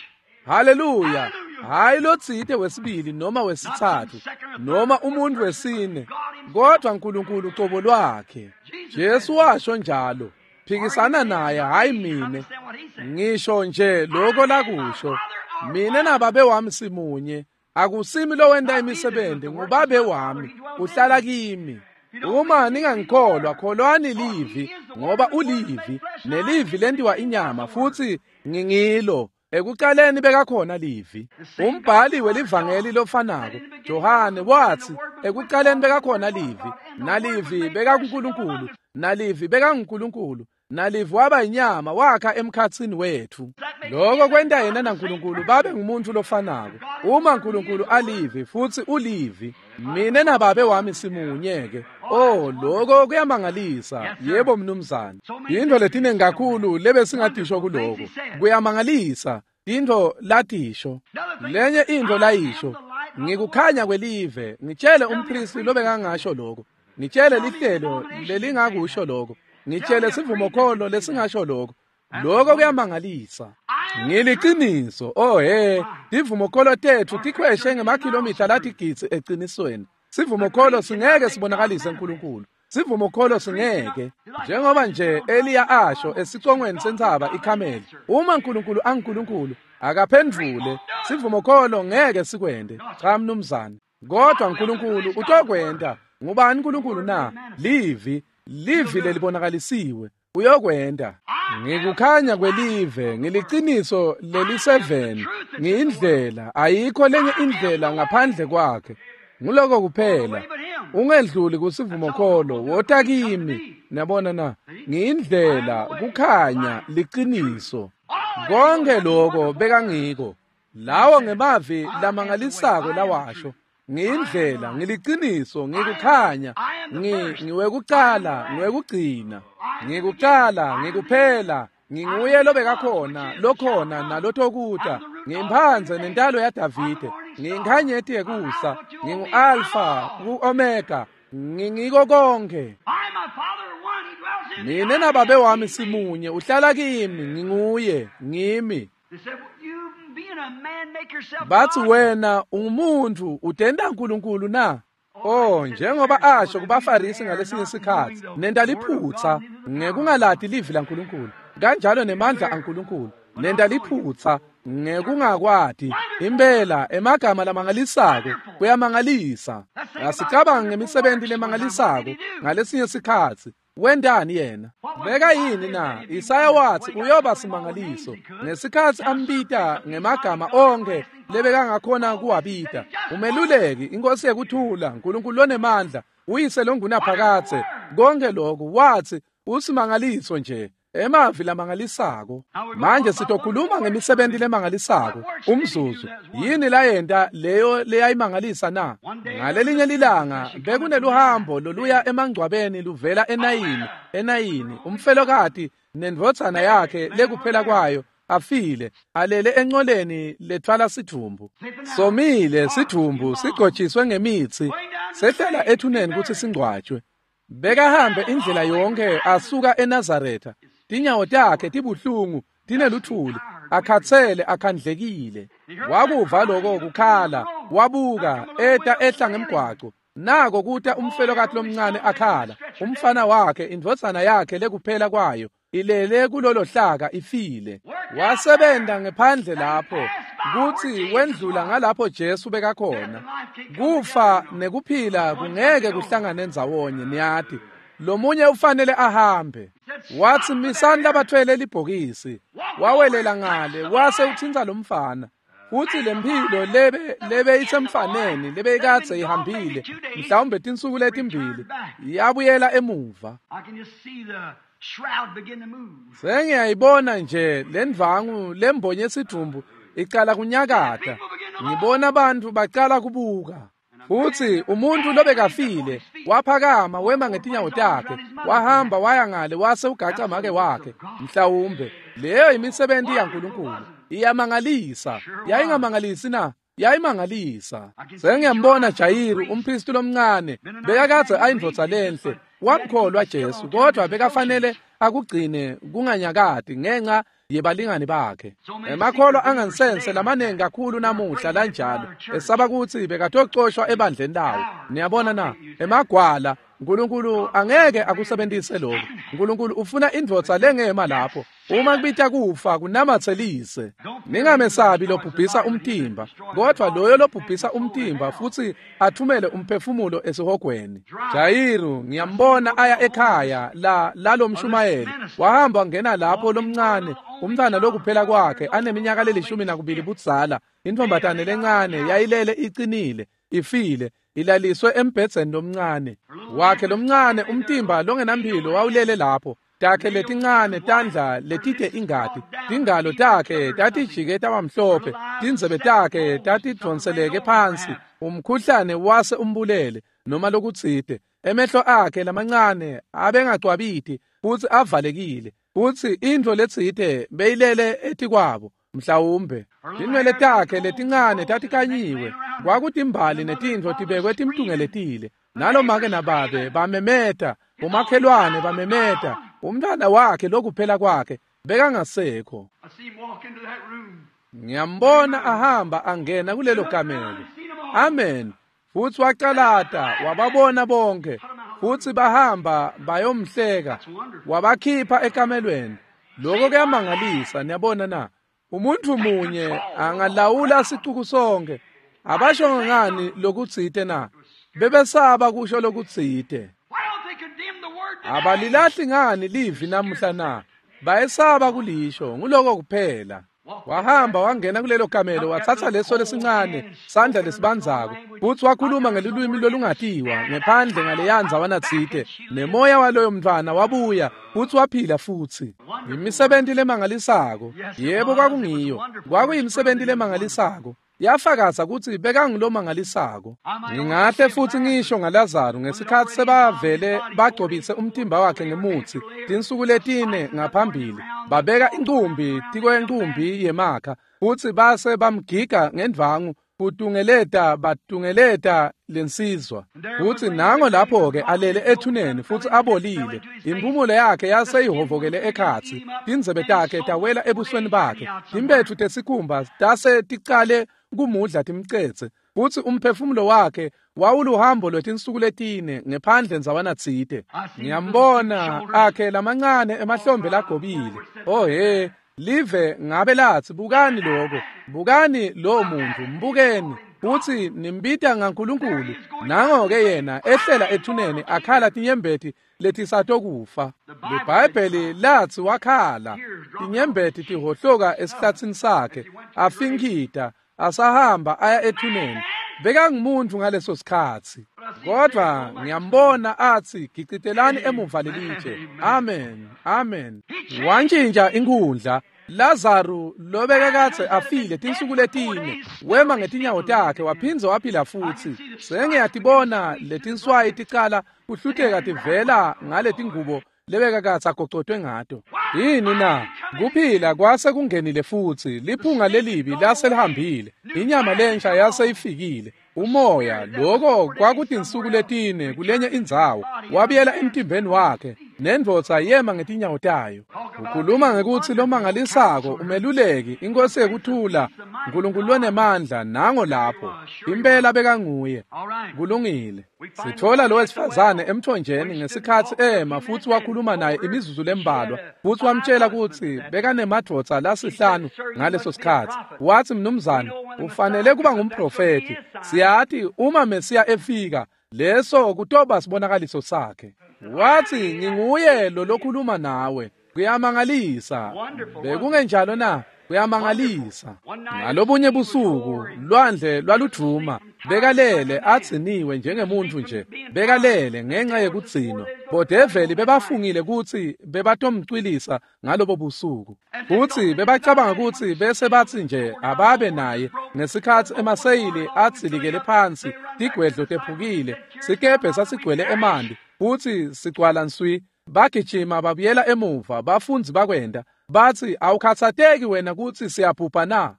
Haleluya. Hayi lotsite wesibili noma wesithathu noma umuntu wesine, kodwa uNkulunkulu ucobo lwakhe. Jesu washo njalo. Phikisana naye, hayi mine. Ngisho nje lokho lakusho. Mina nababe wami simunye. Akusimi lowenta imisebenzi, ngubabe wami uhlala kimi. Uma ningangikholwa, kholwani livi, ngoba ulivi, nelivi lentiwa inyama, futhi ngingilo. Ekuqaleni bekakhona livi. Umbhali welivangeli lofanako Johane wathi ekuqaleni bekakhona livi, nalivi bekakuNkulunkulu, nalivi bekanguNkulunkulu, nalivi waba inyama wakha emkhatsini wethu. Lokho kwenta yena naNkulunkulu babe ngumuntu lofanako. Uma uNkulunkulu alivi futhi ulivi, mina nababe wami simunye-ke. Oh, lokho kuyamangalisa. Yebo mnumzane. Yinto letinengi kakhulu lebesingadisho kuloko. Kuyamangalisa. Into latisho. Lenye into layisho. Ngikukhanya kwelive. Ngitshele umpristi lobekangasho lokho. Ngitshele lihlelo lelingakusho lokho. Ngitshele sivumokholo lesingasho lokho. Lokho kuyamangalisa. Ngiliqiniso. Oh he, tivumokholo tethu tikhweshe ngemakhilomitha latigidzi eqinisweni. Sivumokholo singeke sibonakalise uNkulunkulu. Sivumokholo singeke. Njengoba nje Eliya asho esicongweni sentsaba iKhameli, uma uNkulunkulu anguNkulunkulu akaphendvule, sivumokholo ngeke sikwende. Cha mnumzane. Kodwa uNkulunkulu utokwenta. Ngubani uNkulunkulu na? Livi, livi lelibonakalisiwe. Uyokwenta. Ngikukhanya kwelive, ngiliqiniso leliseveni, ngiyindlela, ayikho lenye indlela ngaphandle kwakhe. Nguloko kuphela. Ungedluli kusivumokholo, wota kimi. Niyabona na? Ngiyindlela, kukhanya, liqiniso. Konke lokho bekangiko. Lawo ngemavi lamangalisako lawasho. Ngiyindlela, ngiliqiniso, ngikukhanya, ngiwekuqala, ngiwekugcina. Ngikuqala, ngikuphela, nginguye lobekakhona, lokhona nalotokuta. Ngimphanze nentalo yaDavide, nginkhanyeti yekusa, ngingu-Alfa, ku-Omega, ngingiko konke. Mina nababe wami simunye, uhlala kimi, nginguye, ngimi. Bathi wena ungumuntu utenda uNkulunkulu na? Oh, njengoba asho kubaFarisi ngalesinye isikhathi, nenta liphutha ngekungalati livi laNkulunkulu, kanjalo nemandla aNkulunkulu. Nenta liphutha ngekungakwati. Impela emagama lamangalisako kuyamangalisa. Asicabanga ngemisebenzi lemangalisako ngalesinye isikhathi. Wendani yena? Beka yini na? Isaya wathi uyoba simangaliso. Ngesikhathi ambita ngemagama onke lebekangakhona kuwabita. Umeluleki, inkosi yekuthula, uNkulunkulu lonemandla, uyise longunaphakadze. Konke lokhu wathi usimangaliso nje. Emavi lamangalisako. Manje sitokhuluma ngemisebenzi lemangalisako. Umzuzu. Yini layenta leyo leyayimangalisa na? Ngalelinye lilanga bekuneluhambo loluya emangcwabeni luvela eNayini, eNayini umfelokati nendvodzana yakhe lekuphela kwayo afile alele enqoleni lethwala sidvumbu. Somile sidvumbu sigcotshiswe ngemitsi sehlela ethuneni kutsi singcwatshwe. Bekahambe indlela yonke asuka eNazaretha. Tinyawo takhe tibuhlungu tineluthuli, akhatsele akhandlekile. Wakuva lokho kukhala, wabuka eta ehla ngemgwaco. Nako kuta umfelokati lomncane akhala, umfana wakhe indvodzana yakhe lekuphela kwayo ilele kulolo hlaka ifile. Wasebenta ngephandle lapho, kutsi wendlula ngalapho Jesu bekakhona. Kufa nekuphila kungeke kuhlangane ndzawonye, niyati. Lomunye ufanele ahambe. Watsi misani labathwele libhokisi. Wawelela ngale wase utsintsa lomfana. Futsi lemphilo lebe lebe isemfaneni lebe ikadze ihambile mhlawumbe tinsuku letimbili yabuyela emuva. Sengiyayibona nje lendvangu lembonye esidvumbu icala kunyakata. Ngibona abantu bacala kubuka. Futsi umuntu lobekafile waphakama wema ngetinyawo takhe, wahamba waya ngale wase ugaca make wakhe. Mhlawumbe leyo imisebenzi yaNkulunkulu iyamangalisa. Yayingamangalisi na? Yayimangalisa. Sengiyambona Jayiru umpristi lomncane bekakadze ayindvodza lenhle, wamkholwa Jesu, kodwa bekafanele akugcine kunganyakati ngenxa yebalingani bakhe. Emakholwa angansense lamanengi kakhulu namuhla lanjalo esaba kutsi bekatocoshwa ebandleni lawo. Niyabona na? Emagwala. Nkulunkulu angeke akusebentise lokho. Nkulunkulu ufuna indvodza lengema lapho. Uma kubita kufa kunamatselise. Ningamesabi lobhubhisa umtimba, kodwa loyo lobhubhisa umtimba futsi athumele umphefumulo esihogweni. Jayiru ngiyambona aya ekhaya la lalomshumayeli. Wahamba ngena lapho lomncane, umntwana lokuphela kwakhe aneminyaka lelishumi nakubili budzala. Intombatane lencane yayilele icinile, ifile, ilaliswe embhedzeni lomncane wakhe lomncane. Umtimba longenamphilo wawulele lapho, takhe letincane tandla letite ingati, tingalo takhe tatijike tabamhlophe, tindzebe takhe tatidvonseleke phansi, umkhuhlane wase umbulele noma lokutsite. Emehlo akhe lamancane abengacwabiti futsi avalekile, futsi intfo letsite beyilele etikwabo. Mhlawumbe tinwele takhe letincane tatikanyiwe, kwakutimbali netintfo tibekwe timtungeletile. Nalomake nababe bamemeta, umakhelwane bamemeta, umntwana wakhe lokuphela kwakhe bekangasekho. Ngiyambona ahamba angena kulelo kamelo. Amen. Futsi wacalata wababona bonke, futsi bahamba bayomhleka, wabakhipha ekamelweni. Lokho kuyamangalisa, niyabona na? Umuntu munye angalawula sicuku sonke. Abasho ngani lokutsite na? Bebesaba kusho lokutsite. Abalilahli ngani livi namuhla na? Bayesaba kulisho, nguloko kuphela. Wahamba wangena kulelo kamelo, watsatsa leso lesincane sandla lesibandzako, futsi wakhuluma ngelulwimi lolungatiwa ngephandle ngaleyanza wanatsite, nemoya waloyo mntwana wabuya futsi waphila futsi. Imisebenti lemangalisako. Yebo, kwakungiyo. Kwakuyimisebenti lemangalisako. Yafakaza kutsi bekangulomangalisako. Ngingahle futsi ngisho ngaLazaru ngesikhatsi sebavele bagcobise umtimba wakhe ngemutsi tinsuku letine ngaphambili, babeka incumbi tikwencumbi yemakha futsi base bamgiga ngendvangu kutungeleta batungeleta lensizwa. Futsi nango lapho-ke alele ethuneni futsi abolile, impumulo yakhe yaseyihovokele ekhatsi, tindzebe takhe tawela ebusweni bakhe, timpetfu tesikhumba tase ticale kumudla timcetse, futsi umphefumulo wakhe wawuluhambo lwetinsuku letine ngephandle ndzawana tsite. Ngiyambona akhe lamancane emahlombe lagobile. Oh he, live ngabe latsi bukani lokho, bukani lo muntu, mbukeni, futsi nimbita ngaNkulunkulu. Nango-ke yena ehlela ethuneni akhala tinyembeti letisatokufa. LiBhayibheli latsi wakhala tinyembeti tihohloka esihlatsini sakhe, afinkita asahamba aya ethuneni. Bekangumuntu ngaleso sikhatsi, kodwa ngiyambona atsi gicitelani emuva lelitshe. Amen, amen. Wantshintsha inkhundla. Lazaru lobekakadze afile tinsuku letine wema ngetinyawo takhe waphindze waphila futsi. Sengiyatibona letinswayi ticala kuhluteka tivela ngaletingubo lebekakadze agocotwe ngato. Yini na? Kuphila kwase kungenile futsi, liphunga lelibi lase lihambile, inyama lensha yase ifikile. Umoya, loko kwakutinsuku letine kulenye indzawo, wabuyela emtimbeni wakhe. Nendvodza yema ngetinyawo tayo. Ukhuluma ngekutsi lomangalisako, umeluleki, inkosi yekuthula, uNkulunkulu lonemandla, nango lapho. Impela bekanguye. Kulungile. Sithola lo wesifazane emthonjeni ngesikhatsi ema futsi wakhuluma naye imizuzu lembalwa, futsi wamtshela kutsi bekanemadvodza lasihlanu ngaleso sikhatsi. Watsi, mnumzane, ufanele kuba ngumprofethi. Siyati uma Mesiya efika, leso kutoba sibonakaliso sakhe. Watsi, nginguye lo lokhuluma nawe. Kuyamangalisa. Bekungenjalo na? Kuyamangalisa. Ngalobunye busuku lwandle lwaludvuma. Bekalele adziniwe njengemuntfu nje. Bekalele ngenxa yekudzinwa. Bodeveli bebafungile kutsi bebatomcwilisa ngalobo busuku. Futsi bebacabanga kutsi bese batsi nje ababe naye ngesikhatsi emaseyili adzilikele phansi, tigwedlo tephukile, sikebhe sasigcwele emanti, futsi sigcwala nswi. Bagijima babuyela emuva, bafundzi bakwenda. Batsi, awukhatsateki wena kutsi siyabhubha na?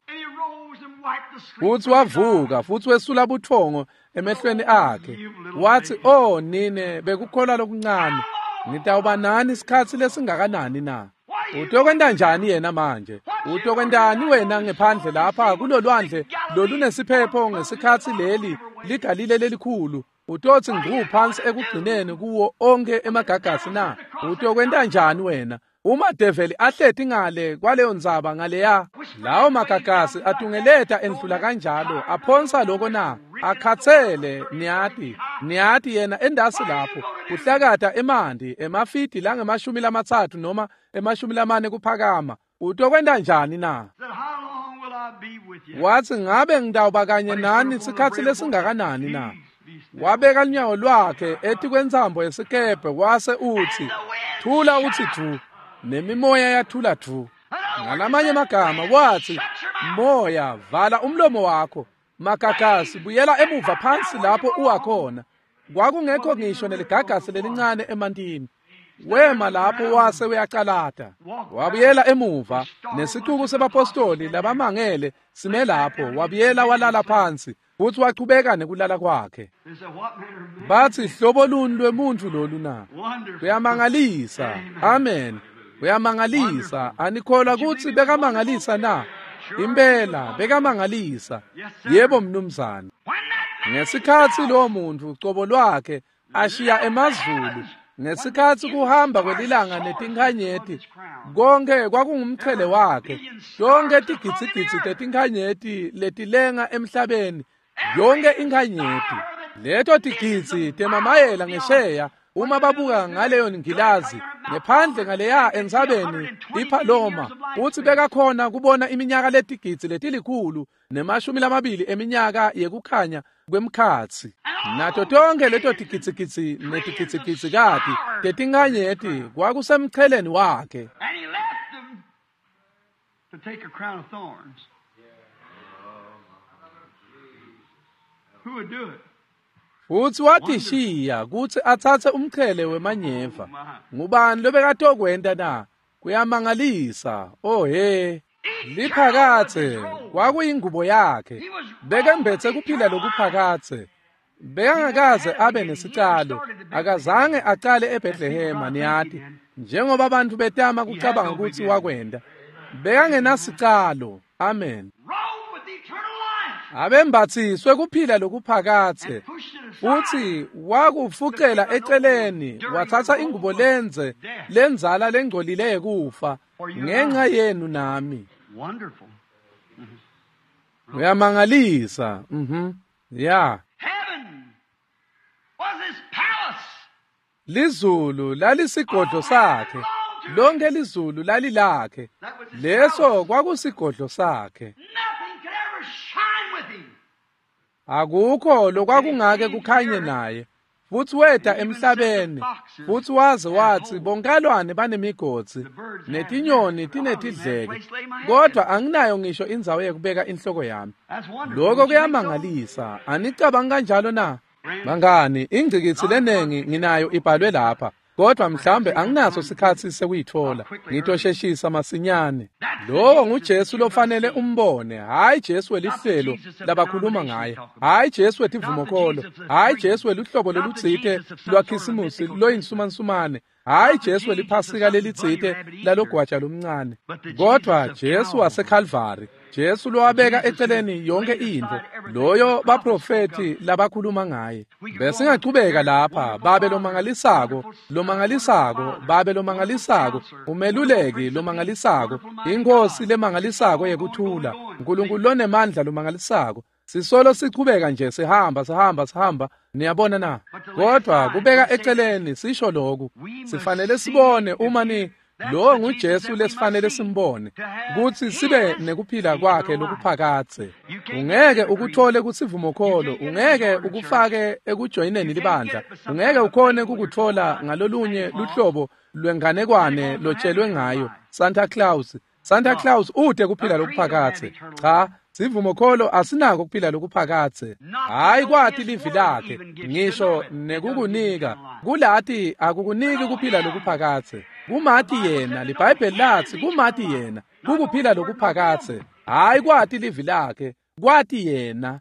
Futsi wavuka futsi wesula butfongo emehlweni akhe. Watsi, oh nine bekukholwa lokuncane, ngitawuba nani isikhatsi lesingakanani na? Utokwenta njani yena manje? Utokwentani wena ngephandle lapha kulolwandle lolunesiphepho ngesikhatsi leli ligalile lelikhulu? Utotsi ngcu phansi ekugcineni kuwo onke emagagasi na? Utokwenta njani wena? Uma develi ahleti ngale kwaleyo ndzaba ngaleya, lawo magagasi atungeleta endlula kanjalo, aphonsa loko na? Akhatsele, niyati, niyati yena endasi lapho, kuhlakata emanti, emafidi langemashumi lamatsatfu noma emashumi lamane kuphakama. Utokwenta njani na? Watsi, ngabe ngitawuba kanye nani sikhatsi lesingakanani na? Wabeka lunyawo lwakhe etikwentsambo yesikebhe wase utsi, thula utsi dvu, nemimoya yathula dvu. Ngalamanye amagama watsi, moya vala umlomo wakho, magagasi buyela emuva phansi lapho uwakhona. Kwakungekho ngisho neligagasi lelincane emantini. Wema lapho wase uyacalata. Wabuyela emuva nesicuku sebapostoli labamangele sime lapho. Wabuyela walala phansi futsi wachubeka nekulala kwakhe. Batsi, hlobo luni lwemuntfu lolu na? Kuyamangalisa. Amen. Kuyamangalisa. Anikholwa kutsi bekamangalisa na? Impela bekamangalisa. Yebo mnumzane. Ngesikhatsi lowo muntfu cobo lwakhe ashiya emazulu, ngesikhatsi kuhamba kwelilanga netinkhanyeti, konke kwakungumqhele wakhe, tonke tigidzigidzi tetinkhanyeti letilenga emhlabeni, yonke inkhanyeti, leto tigidzi temamayela ngesheya, uma babuka ngaleyo ngilazi ngephandle ngaleya entsabeni iPaloma, utsi bekakhona kubona iminyaka letigidzi letilikhulu nemashumi lamabili eminyaka yekukhanya kwemkhatsi. Nato tonke leto tigidzigidzi netigidzigidzikati tetinkhanyeti kwakusemcheleni wakhe. Futsi watishiya kutsi atsatse umchele wemanyeva. Ngubani lobekatokwenta na? Kuyamangalisa. Oh he. Liphakatse kwakuyingubo yakhe. Bekembetse kuphila lokuphakatse. Bekangakaze abe nesicalo. Akazange acale eBethlehema, niyati, njengoba abantu betama kucabanga kutsi wakwenda. Bekangenasicalo. Amen. Abembatsiswe kuphila lokuphakatse, futsi wakufucela eceleni, watsatsa ingubo lenze lenzala lengcolile yekufa ngenxa yenu nami. Uyamangalisa. Mhm. Yeah. Lizulu lalisigodlo sakhe. Lonke lizulu lalilakhe. Leso kwakusigodlo sakhe. Akukho lokwakungake kukhanye naye. Futsi weta emhlabeni, futsi waze watsi bonkalwane banemigodzi netinyoni tinetidleke, kodwa anginayo ngisho indzawo yekubeka inhloko yami. Lokho kuyamangalisa. Anicabangi kanjalo na? Bangani, ingcikitsi lenengi nginayo ibhalwe lapha, kodwa mhlambe anginaso sikhatsi sekuyitfola. Ngitosheshisa masinyane. Lowo nguJesu lofanele umbone, hayi Jesu welihlelo labakhuluma ngaye, hayi Jesu wetivumokholo, hayi Jesu weluhlobo lolutsite lwaKhisimusi loyinsumansumane, Hhayi Jesu weliphasika lelitsite lalogwaja lomncane, kodwa Jesu waseKalvari, Jesu lowabeka eceleni yonke intfo, loyo baprofethi labakhuluma ngaye. Besingachubeka lapha, babe lomangalisako, lomangalisako, babe lomangalisako, umeluleki lomangalisako, inkosi lemangalisako yekuthula, uNkulunkulu lonemandla lomangalisako. Sisolo sichubeka nje sihamba sihamba sihamba, niyabona na? Kodwa kubeka eceleni sisho lokhu, sifanele sibone uma ni lo nguJesu lesifanele simbone, kutsi sibe nekuphila kwakhe lokuphakadze. Ungeke ukuthole kusivumokholo, ungeke ukufake ekujoyineni libandla, ungeke ukhone kukuthola ngalolunye luhlobo lwenganekwane lotshelwe ngayo Santa Claus. Santa Claus ute kuphila lokuphakadze. Cha, sivumokholo asinako kuphila lokuphakadze. Hayi kwati livi lakhe, ngisho nekukunika kulati akukuniki kuphila lokuphakadze. Kumati yena, liBhayibheli lathi kumati yena kukuphila lokuphakadze. Hayi kwati livi lakhe, kwati yena.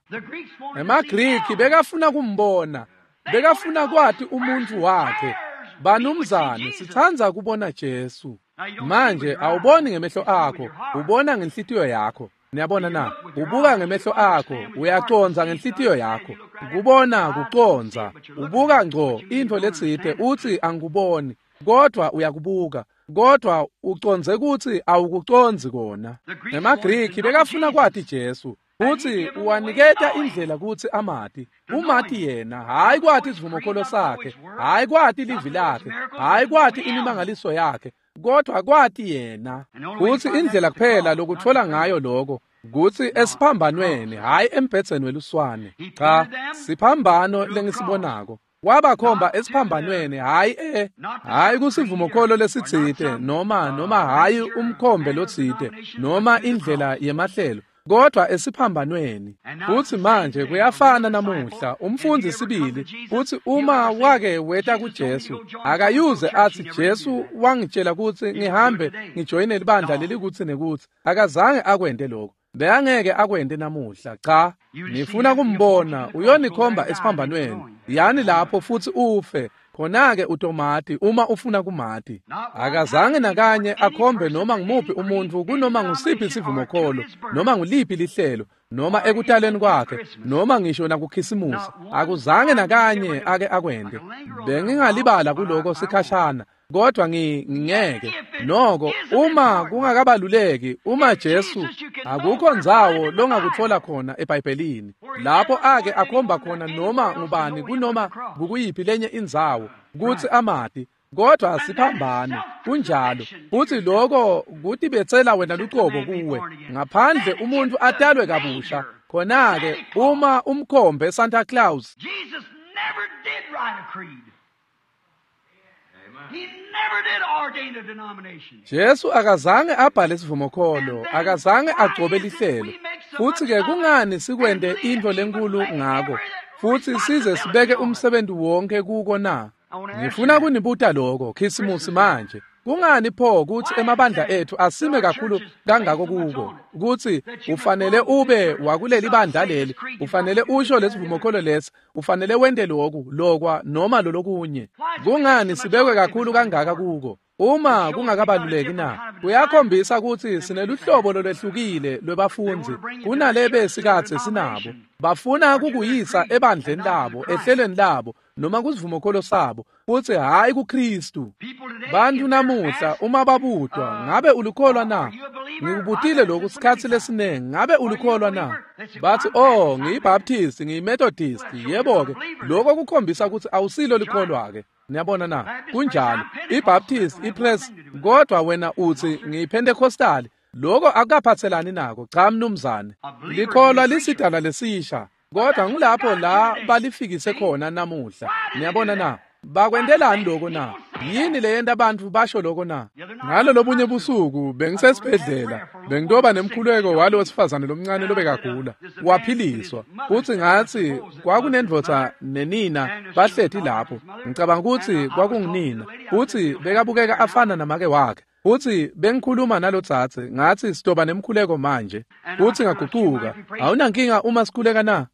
EmaGriki bekafuna kumbona, bekafuna kwati umuntu wakhe. Banumzane, sitsandza kubona Jesu. Manje awuboni ngemehlo akho, ubona ngenhlitiyo yakho. Niyabona na? Ubuka ngemehlo akho, uyacondza ngenhlitiyo yakho. Kubona kucondza, ubuka ngco intfo letsite utsi angikuboni, kodwa uyakubuka, kodwa ucondze kutsi awukucondzi kona. EmaGriki bekafuna kwati Jesu, utsi uwaniketa indlela kutsi amati. Umati yena, hayi kwati isivumokholo sakhe, hayi kwati livi lakhe, hayi kwati imimangaliso yakhe, kodwa kwati yena. Kutsi indlela kuphela lokutfola ngayo lokho kutsi esiphambanweni, hhayi embhedzeni weluswane. Cha, siphambano lengisibonako. Wabakhomba esiphambanweni, hhayi e hhayi kusivumokholo lesitsite, noma noma hhayi umkhombe lotsite, noma indlela yemahlelo, kodwa esiphambanweni. Futsi manje kuyafana namuhla, umfundzi sibili kutsi uma wake weta kuJesu, akayuze atsi Jesu wangitshela kutsi ngihambe ngijoyine libandla lelikuthi nekutsi. Akazange akwente lokho. Bekangeke akwente namuhla. Cha, nifuna kumbona, uyonikhomba esiphambanweni. Yani lapho futsi ufe. Khona-ke utomati uma ufuna kumati. Akazange nakanye akhombe noma ngumuphi umuntfu kunoma ngusiphi isivumokholo, noma nguliphi lihlelo, noma ekutaleni kwakhe, noma ngisho nakukhisimusi. Akuzange nakanye ake akwente. Bengingalibala kuloko sikhashana, kodwa ngingeke. Noko uma kungakabaluleki, uma Jesu akukho ndzawo longakutfola khona eBhayibhelini lapho ake akhomba khona noma ngubani kunoma kukuyiphi lenye indzawo kutsi amati, kodwa siphambano kunjalo. Futsi lokho kutibetsela wena lucobo kuwe ngaphandle umuntu atalwe kabusha. Khona-ke uma umkhombe Santa Claus. Jesus never did write a creed. He never did ordain a denomination. Jesu akazange abhale isivumokholo, akazange agcobe lihlelo. Futsi ke kungani sikwente intfo lenkulu ngako futsi size sibeke umsebenzi wonke kuko na? Ngifuna kunibuta lokho Khisimusi manje. Kungani pho kutsi emabandla ethu asime kakhulu kangako kuko kutsi ufanele ube wakuleli bandla leli, ufanele usho lesivumokholo lesi, ufanele wente lokhu lokwa noma lolokunye? Kungani sibekwe kakhulu kangaka kuko uma kungakabaluleki na? Kuyakhombisa kutsi sineluhlobo lolwehlukile lwebafundzi kunalebe sikadze sinabo. Bafuna kukuyisa ebandleni labo, ehlelweni labo, noma kusivumokholo sabo, futsi hhayi kuKristu. Bantu namuhla uma babutwa, ngabe ulikholwa na? Ngikubutile lokhu sikhatsi lesiningi, ngabe ulikholwa na? Bathi, oh, ngiyiBaptist, ngiyiMethodist. Yebo-ke, lokho kukhombisa kutsi awusilo likholwa-ke. Niyabona na? Kunjalo. IBaptist, iPress, kodwa wena utsi ngiyiPentecostal. Lokho akukaphatselani nako. Cha mnumzane. Likholwa lisidalwa lesisha, kodwa ngulapho la balifikise khona namuhla. Niyabona na? Bakwentelani lokho na? Yini leyenta abantu basho lokho na? Ngalo lobunye busuku bengisesibhedlela, bengitoba nemkhuleko walo wesifazane lomncane lobekagula, waphiliswa. Futsi ngatsi kwakunendvodza nenina bahleti lapho. Ngicabanga kutsi kwakungunina, futsi bekabukeka afana namake wakhe. Futsi bengikhuluma nalotsatse ngatsi sitoba nemkhuleko manje. Futsi ngagucuka. Awunankinga uma sikhuleka na?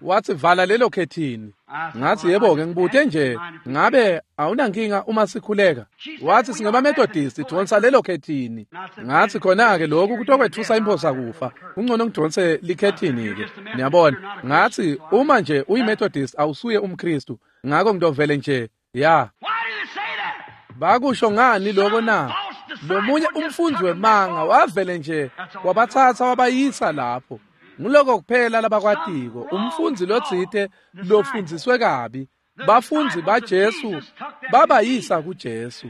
Watsi vala lelo khethini. Ngatsi yebo-ke ngibute nje ngabe awunankinga uma sikhuleka? Watsi singemaMethodist dvonsa lelo khethini. Ngatsi khona-ke lokhu kutokwetfusa imphosa kufa. Kungcono ngidvonse likhethini-ke. Niyabona? Ngatsi uma nje uyiMethodist awusuye umKhristu. Ngako ngitovele nje ya. Bakusho ngani lokho na? Lomunye umfundzi wemanga wavele nje wabatsatsa wabayisa lapho. Nguloko kuphela labakwatiko. Umfundzi lotsite lofundziswe kabi. Bafundzi baJesu babayisa kuJesu.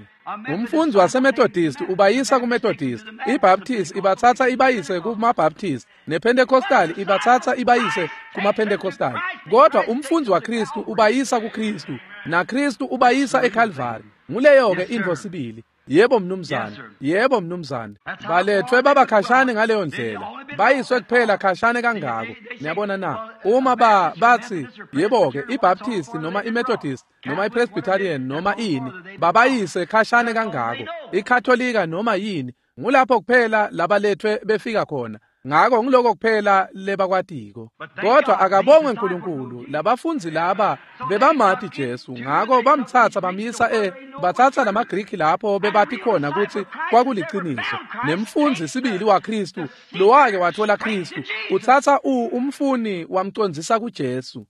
Umfundzi waseMethodist ubayisa kuMethodist, iBaptist ibatsatsa ibayise kumaBaptist, nePentecostal ibatsatsa ibayise kumaPentecostal. Kodwa umfundzi waKristu ubayisa kuKristu, naKristu ubayisa eKalvari. Nguleyo ke intfo sibili. Yebo mnumzane, yebo mnumzane. Balethwe baba khashane ngaleyo ndlela. Bayiswe kuphela khashane kangako. Niyabona na? Uma ba batsi yebo ke iBaptist noma iMethodist noma iPresbyterian noma ini babayise khashane kangako. iKatholika noma yini ngulapho kuphela labalethwe befika khona. Ngako ngiloko kuphela lebakwatiko. Kodwa akabongwe uNkulunkulu labafundzi laba bebamati Jesu ngako bamtsatsa bamyisa e batsatsa lamaGriki lapho bebati khona kutsi kwakuliciniso. Nemfundzi sibili waKristu lowake wathola Kristu utsatsa u umfuni wamcondzisa kuJesu.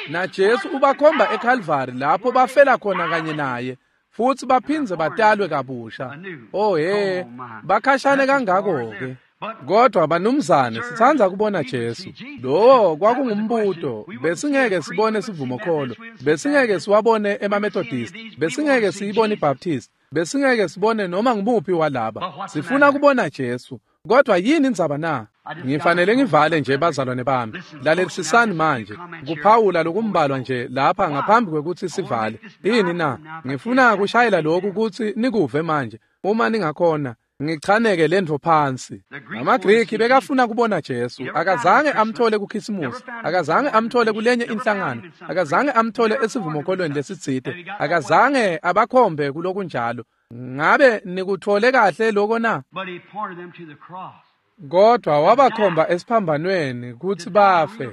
Na Jesu ubakhomba eKalvari lapho bafela khona kanye naye. Futsi baphindze batalwe kabusha. Oh he, bakhashane kangako ke. Kodwa banumzane sitsandza kubona Jesu. Lowo kwakungumbuto. Besingeke sibone sivumokholo, besingeke siwabone emaMethodist, besingeke siyibone iBaptist, besingeke sibone noma ngibuphi walaba. Sifuna kubona Jesu. Kodwa yini indzaba na? Ngifanele ngivale nje bazalwane bami. Lalelisisani manje. Kuphawula lokumbalwa nje lapha ngaphambi kwekutsi sivale. Yini na? Ngifuna kushayela lokhu kutsi nikuve manje. Uma ningakhona ngichaneke lentfo phansi. AmaGriki bekafuna kubona Jesu. Akazange amthole kuKhisimusi, akazange amthole kulenye inhlangano, akazange amthole esivumokholweni lesitsite, akazange abakhombe kulokunjalo. Ngabe nikuthole kahle lokho na? Kodwa wabakhomba esiphambanweni kutsi bafe,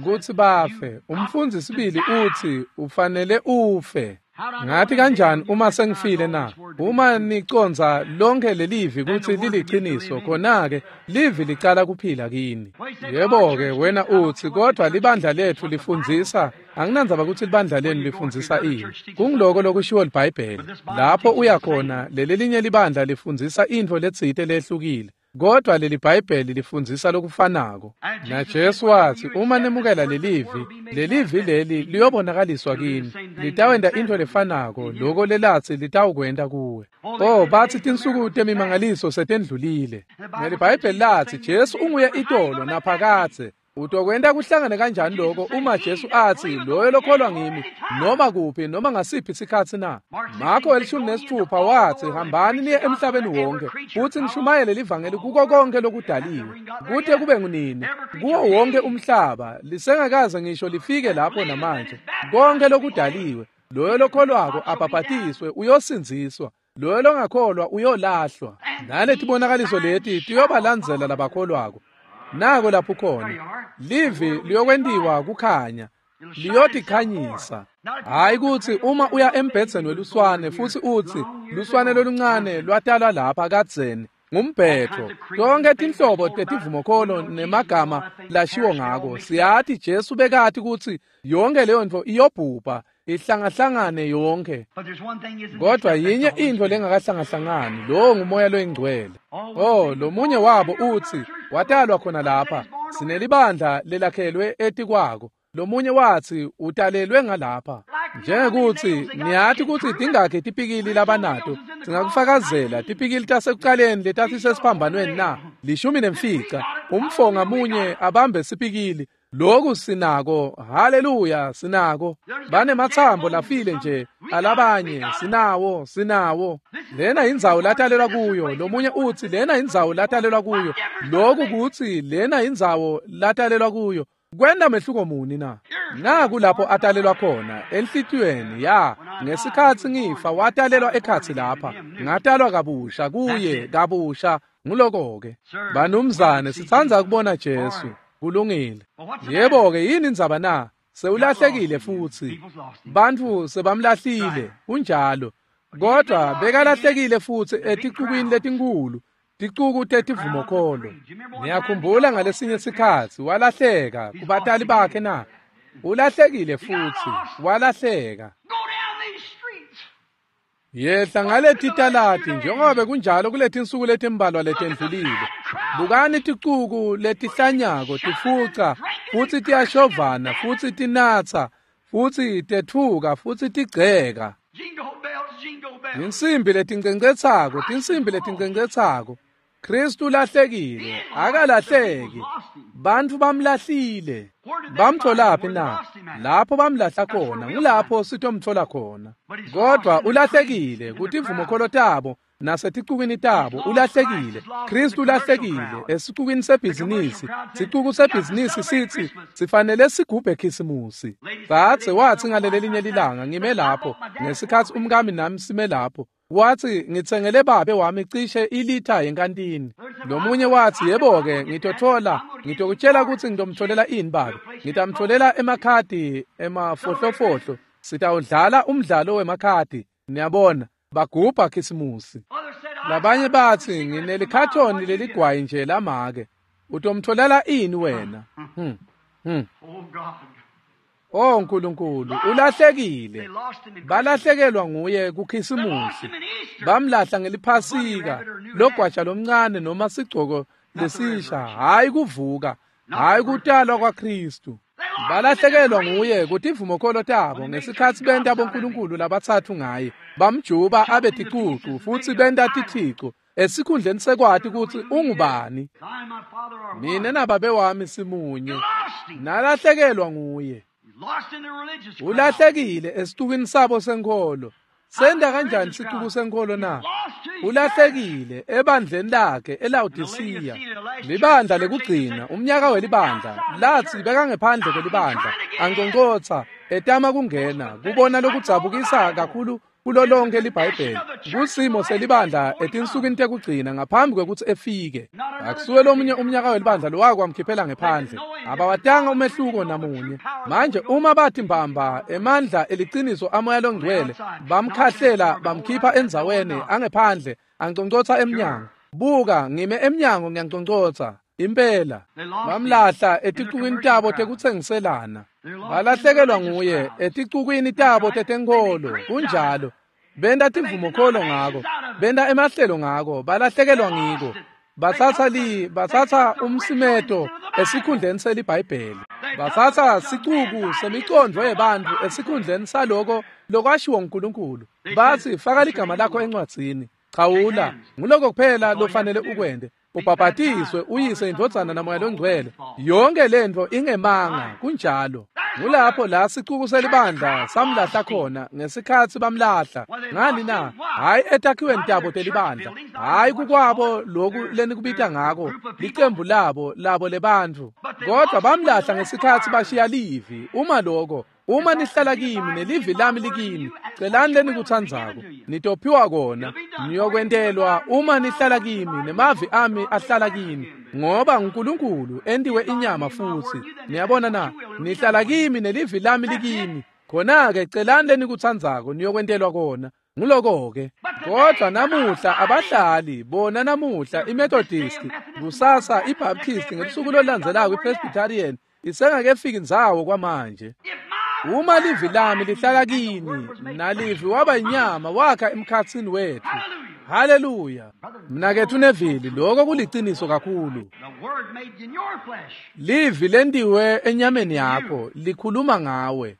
kutsi bafe. Umfundzi sibili utsi ufanele ufe. Ngathi kanjani uma sengifile na? Uma nicondza lonke lelivi kutsi liliqiniso, khona-ke livi licala kuphila kini. Yebo-ke wena utsi kodwa libandla letfu lifundzisa. Anginandzaba kutsi libandla lenu lifundzisa ini. Kungiloko lokushiwo liBhayibheli. Lapho uya khona leli linye libandla lifundzisa intfo letsite lehlukile. Kodwa leli Bhayibheli lifundzisa lokufanako. Na Jesu watsi uma nemukela lelivi, lelivi leli liyobonakaliswa kini. Litawenta intfo lefanako loko lelatsi litawukwenta kuwe. Oh, batsi tinsuku temimangaliso setendlulile. NeliBhayibheli latsi Jesu unguye itolo naphakadze. Utokwenta kuhlangane kanjani lokho uma Jesu atsi loyo lokholwa ngimi noma kuphi noma ngasiphi sikhatsi na? Marko elishumi nesithupha watsi hambani niye emhlabeni wonke futsi nishumayele livangeli kuko konke lokudaliwe kute kube ngunini kuwo wonke umhlaba lisengakaze ngisho lifike lapho namanje. Konke lokudaliwe loyo lokholwako abhabhatiswe uyosindziswa, loyo longakholwa uyolahlwa. Naletibonakaliso leti tiyobalandzela labakholwako. Nako lapho khona livi liyokwentiwa kukhanya, liyotikhanyisa. Hayi kutsi uma uya embhedzeni weluswane futsi utsi luswane loluncane lwatalwa lapha kadzeni ngumbhetho. Tonke tinhlobo tetivumokholo nemagama lashiwo ngako. Siyati Jesu bekati kutsi yonke leyo ntfo iyobhubha ihlangahlangane yonke. Kodwa yinye intfo lengakahlangahlangani, lowo ngumoya loyingcwele. Oh, lomunye wabo utsi watalwa khona lapha, sinelibandla lelakhelwe etikwako. Lomunye watsi utalelwe ngalapha. Njengekuthi niyati kutsi tingakhi tipikili labanato, singakufakazela tipikili tasekucaleni letasisesiphambanweni na? Lishumi nemfica. Umfo ngamunye abambe sipikili. Lokhu sinako, haleluya, sinako. Banemathambo lafile nje alabanye, sinawo, sinawo. Lena indzawo latalelwa kuyo. Lomunye utsi lena indzawo latalelwa kuyo. Lokhu kutsi lena indzawo latalelwa kuyo. Kwenta mehluko muni na? Naku lapho atalelwa khona enhlitiyweni ya ngesikhatsi ngifa watalelwa ekhatsi lapha ngatalwa kabusha kuye kabusha nguloko-ke. Banumzane sitsandza kubona Jesu. Kulungile. Yebo-ke yini indzaba na? Sewulahlekile futsi. Bantfu sebamlahlile kunjalo. Kodwa bekalahlekile futsi eticukwini letinkhulu. Ticuku tetivumokholo. Niyakhumbula ngalesinye sikhatsi walahleka kubatali bakhe na? Ulahlekile futsi walahleka. Yehla ngaleti talati njengoba kunjalo kuletinsuku letimbalwa letendlulile. Bukani ticuku letihlanyako tifuca futsi tiyashovana futsi tinatsa futsi tetfuka futsi tigceka. Tinsimbi letincencetsako, tinsimbi letincencetsako. Kristu ulahlekile, akalahleki. Bantfu bamlahlile. Bamtholaphi na? Lapho bamlahla khona, ngulapho sitomthola khona. Kodwa ulahlekile kutivumokholo tabo naseticukwini tabo ulahlekile. Kristu ulahlekile esicukwini sebhizinisi. Sicuku sebhizinisi sithi sifanele sigubhe Khisimusi. Dzadze watsi ngalelelinye lilanga ngime lapho ngesikhatsi umkami nami sime lapho. Watsi ngitsengele babe wami cishe ilitha yenkantini. Lomunye watsi yebo-ke ngitothola ngitokutshela kutsi ngitomtholela ini babe. Ngitamtholela emakhadi emafohlofohlo. Sitawudlala umdlalo wemakhadi. Niyabona bagubha Khisimusi. Labanye batsi nginelikhathoni leligwayi nje lamake. Utomtholela ini wena? Hmm. Hmm. Oh Nkulunkulu ulahlekile. Balahlekelwa nguye kuKhisimusi. Bamlahla ngeliphasika logwaja lomncane noma sigcoko lesisha, hayi kuvuka, hayi kutalwa kwaKristu. Balahlekelwa nguye kutivumokholo tabo ngesikhatsi benta bonkulunkulu labatsatfu ngaye. Bamjuba abe ticucu futsi benta tithico esikhundleni sekwati kutsi ungubani. Mine nababe wami simunye. Nalahlekelwa nguye. Ulahlekile esicukwini sabo senkholo. Senta kanjani sicuku senkholo na? Ulahlekile ebandleni lakhe eLawodisiya. Libandla lekugcina, umnyaka welibandla, latsi bekangephandle kwelibandla, anconcotsa, etama kungena, kubona lokudzabukisa kakhulu kulo lonke liBhayibheli. Kusimo selibandla etinsukwini tekugcina ngaphambi kwekutsi efike. Akusuke lomunye umnyaka welibandla lowakwamkhiphela ngephandle. Abawatanga umehluko namunye. Manje uma bathi mbamba emandla eliciniso amoya longcwele bamkhahlela bamkhipha endzaweni angephandle anconcotsa emnyango. Buka ngime emnyango ngiyanconcotsa. Impela bamlahla eticukwini tabo tekutsengiselana. Balahlekelwa nguye eticukwini tabo tetenkholo. Kunjalo. Benta tivumokholo ngako, benta emahlelo ngako, balahlekelwa ngiko. Batsatsa li batsatsa umsimeto esikhundleni seliBhayibheli. Batsatsa sicuku semicondvo yebantfu esikhundleni saloko lokwashiwo nguNkulunkulu. Batsi faka ligama lakho encwadzini. Chawula, nguloko kuphela lofanele ukwente. Ubhabhatiswe uyise indvodzana namoya longcwele. Yonke lentfo ingemanga kunjalo. Ngulapho la sicuku selibandla samlahla khona ngesikhatsi bamlahla. Ngani na? Hayi etakhiweni tabo telibandla, hayi kukwabo loku lenikubita ngako licembu labo labo lebantfu. Kodwa bamlahla ngesikhatsi bashiya livi. Uma loko uma nihlala kimi nelivi lami likini, celani lenikutsandzako nitophiwa kona. Niyokwentelwa uma nihlala kimi nemavi ami ahlala kini, ngoba nguNkulunkulu entiwe inyama futsi. Niyabona na? Nihlala kimi nelivi lami likini. Khona-ke celani lenikutsandzako niyokwentelwa kona. Nguloko-ke. Kodwa namuhla abahlali bona namuhla iMethodist, kusasa iBaptist, ngelusuku olulandzelako iPresbyterian isengakefiki ndzawo kwamanje. Uma livi lami lihlala kini nalivi waba inyama wakha emkhatsini wethu. Haleluya. Mnaketfu Neville, lokho kuliciniso kakhulu. Livi lentiwe enyameni yakho likhuluma ngawe.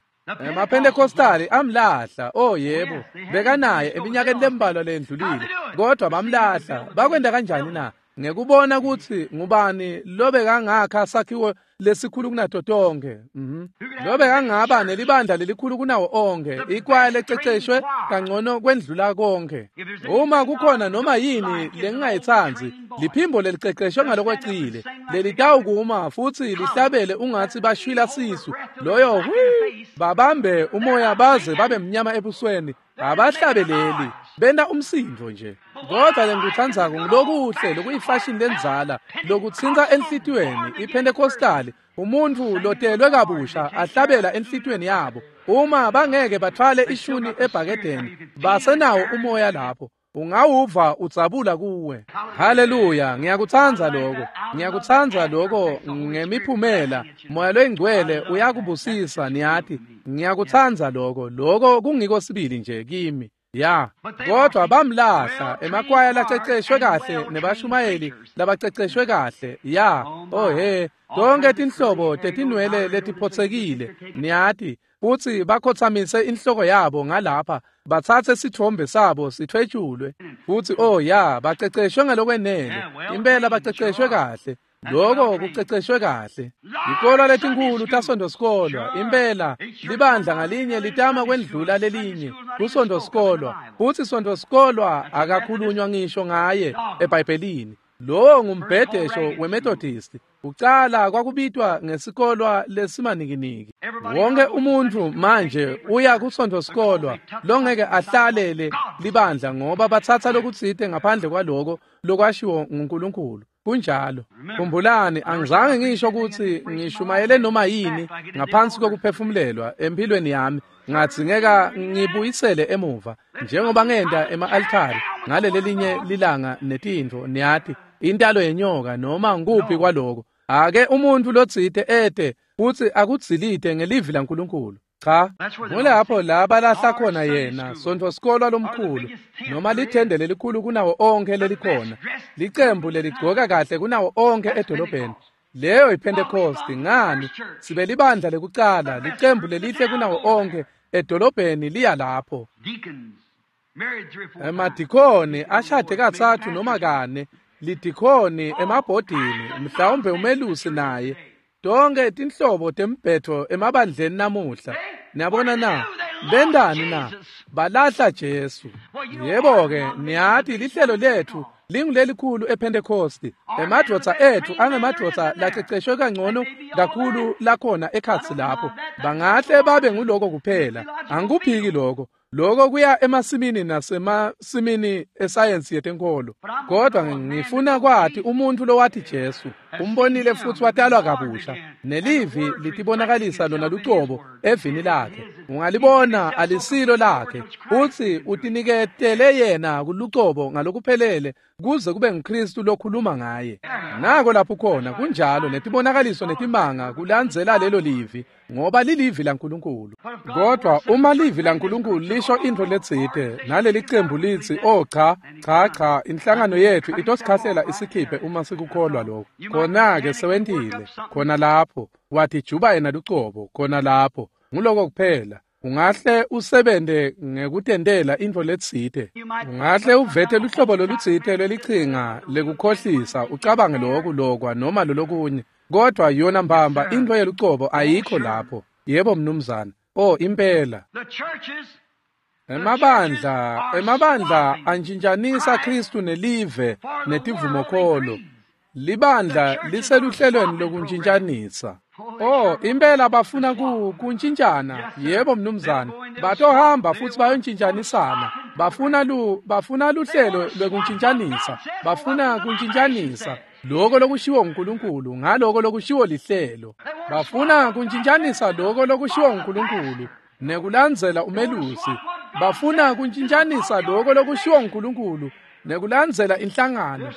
EmaPentecostali amlahla. Oh yebo, bekanaye eminyakeni lembalwa lendlulile, kodwa bamlahla. Bakwenta kanjani na? Ngekubona kutsi ngubani lobekangakha sakhiwo lesikhulu kunato tonkhe. Mhm. Lobekangaba nelibandla lelikhulu kunawo onkhe, ikwaya lececeshwe kangcono kwendlula konke. Uma kukhona noma yini lengingayitsandzi, liphimbo leliceceshwe ngalokwecile, lelitawukuma futsi lihlabele ungatsi bashwila sisu. Loyo hwi babambe umoya baze babe mnyama ebusweni. Abahlabeleli benta umsindvo nje. Kodwa lengikutsandzako ngulokuhle lokuyifashini lendzala lokutsintsa enhlitiyweni iPentecostal, umuntfu lotelwe kabusha ahlabela enhlitiyweni yabo. Uma bangeke batfwale ishuni ebhakedeni, basenawo umoya lapho. Ungawuva udzabula kuwe. Haleluya, ngiyakutsandza lokho. Ngiyakutsandza lokho ngemiphumela. Moya loyingcwele uyakubusisa niyati. Ngiyakutsandza lokho. Lokho kungiko sibili nje kimi. Ya, kodwa bamlahla emakwaya laceceshwe kahle nebashumayeli labaceceshwe kahle. Ya, oh he, tonke tinhlobo tetinwele letiphotsekile niyati, futsi bakhotsamise inhloko yabo ngalapha, batsatse sitfombe sabo sithwetshulwe. Futsi oh ya, baceceshwe ngalokwenele. Impela baceceshwe kahle. Lokho kuceceshwe kahle. Ikolwa letinkhulu tasondosikolwa, impela libandla ngalinye litama kwendlula lelinye kusondosikolwa. Futsi sondosikolwa akakhulunywa ngisho ngaye eBhayibhelini. Lowo ngumbhedesho weMethodist. Ucala kwakubitwa ngesikolwa lesimanikiniki. Wonke umuntfu manje uya kusondosikolwa longeke ahlalele libandla ngoba batsatsa lokutsite ngaphandle kwaloko lokwashiwo nguNkulunkulu. Kunjalo. Khumbulani, angizange ngisho kutsi ngishumayele noma yini ngaphansi kokuphefumulelwa empilweni yami. Ngadzingeka ngibuyisele emuva njengoba ngenta ema-altari ngalelelinye lilanga netintfo niyati, intalo yenyoka noma nguphi kwaloko. Ake umuntfu lotsite ete futsi akudzilite ngelivi laNkulunkulu. Cha, ngulapho la balahla khona yena sontfosikolwa lomkhulu noma lithende lelikhulu kunawo onkhe lelikhona, licembu leligcoka kahle kunawo onkhe edolobheni. Leyo iPentecost. Ngani sibe libandla lekucala, licembu lelihle kunawo onkhe edolobheni liya lapho. Emadikoni ashade katsatfu noma kane, lidikhoni emabhodini, mhlawumbe umelusi naye. Tonke tinhlobo tembhetho emabandleni namuhla. Niyabona na? Bentani na? Balahla Jesu. Yebo-ke, niyati lihlelo letfu lingulelikhulu ePentecost. Emadvodza etfu angemadvodza laceceshwe kangcono kakhulu lakhona ekhatsi lapho. Bangahle babe nguloko kuphela. Angikuphiki lokho. Lokho kuya emasimini nasemasimini esayensi yetenkolo. Kodwa ngifuna kwati umuntfu lowati Jesu, umbonile futsi watalwa kabusha, nelivi litibonakalisa lona lucobo evini lakhe. Ungalibona alisilo lakhe, futsi utiniketele yena kulucobo ngalokuphelele kuze kube nguKristu lokhuluma ngaye. Nako lapho khona kunjalo, netibonakaliso netimanga kulandzela lelo livi, ngoba lilivi laNkulunkulu. Kodwa uma livi laNkulunkulu lisho intfo letsite naleli cembu litsi, oh cha cha cha, inhlangano yetfu itosikhahlela isikhiphe uma sikukholwa lokho, khona-ke sewentile khona lapho, watijuba yena lucobo khona lapho. Nguloko kuphela. Ungahle usebente ngekutentela intfo letsite, ungahle uvete luhlobo lolutsite lwelichinga lekukhohlisa, ucabange loku lokwa noma lolokunye, kodwa yona mbamba intfo yelucobo ayikho lapho. Yebo mnumzana. Oh impela. Emabandla, emabandla antshintshanisa Kristu nelive netivumokholo. Libandla liseluhlelweni lokuntshintshanisa. Oh, impela bafuna ku kuntshintshana. Yebo mnumzana. Batohamba futsi bayontshintshanisana. Bafuna lu bafuna luhlelo lwekuntshintshanisa. Bafuna kuntshintshanisa lokho lokushiwo uNkulunkulu ngaloko lokushiwo lihlelo. Bafuna kuntshintshanisa lokho lokushiwo uNkulunkulu nekulandzela umelusi. Bafuna kuntshintshanisa lokho lokushiwo uNkulunkulu nekulandzela inhlangano.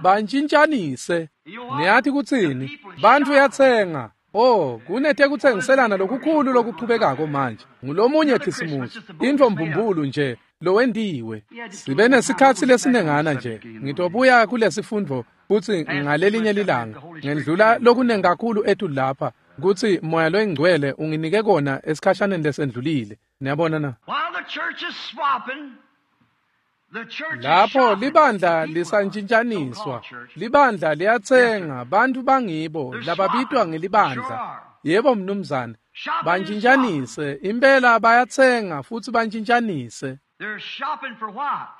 Bantshintshanise. Niyathi kutsini? Bantfu yatsenga. Oh, kunetekutsengiselana lokukhulu lokuchubekako manje. Ngulomunye Khisimusi, intfo mbumbulu nje lowentiwe. Sibe nesikhatsi lesinengana nje. Ngitobuya kulesifundvo futsi ngalelinye lilanga. Ngendlula lokunengi kakhulu ethu lapha kutsi Moya loyingcwele unginike kona esikhashaneni lesendlulile. Niyabona na? While the church is swapping, Lapho libandla lisantshintshaniswa, libandla liyatsenga, bantu bangibo lababitwa ngelibandla. Yebo mnumzane, bantshintshanise, impela bayatsenga futsi bantshintshanise.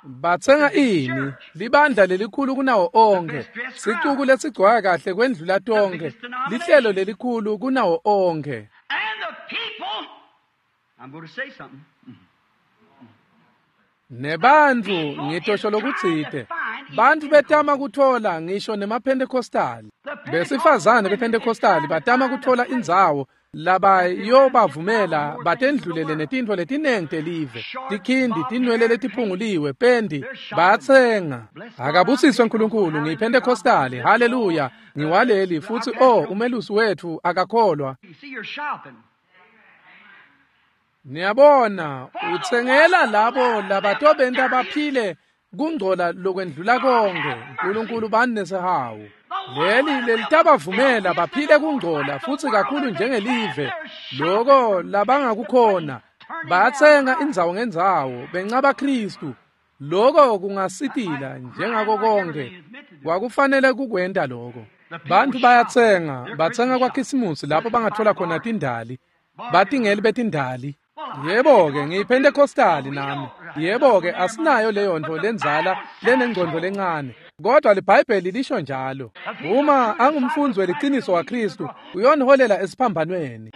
Batsenga ini? Libandla lelikhulu kunawo onkhe, sicuku lesigcwala kahle kwendlula tonkhe, lihlelo lelikhulu kunawo onkhe. Nebantfu ngitosho lokutsite, bantfu betama kutfola ngisho nemaPentecostali. Besifazane bePentecostali batama kutfola indzawo labayobavumela batendlulele netintfo letinengi telive, tikhindi, tinwele letiphunguliwe, pendi, batsenga. Akabusiswe Nkulunkulu, ngiyiPentecostali, haleluya, ngiwaleli futsi oh umelusi wetfu akakholwa. Niyabona, utsengela labo labatobenta baphile kungcola lokwendlula konke. Nkulunkulu bani nesihawu. Leli lelitabavumela baphile kungcola futsi kakhulu njengelive, loko labangakukhona. Batsenga indzawo ngendzawo, bencaba Khristu. Loko kungasitila njengako konke. Kwakufanele kukwenta loko. Bantu bayatsenga, batsenga kwaKhisimusi lapho bangathola khona tindali. Batingeli betindali. Yebo-ke, ngiyiPentecostali nami. Yebo-ke, asinayo leyo ntfo lendzala lenengcondvo lencane. Kodwa liBhayibheli lisho njalo. Uma angumfundzi weliciniso waKhristu, uyoniholela esiphambanweni.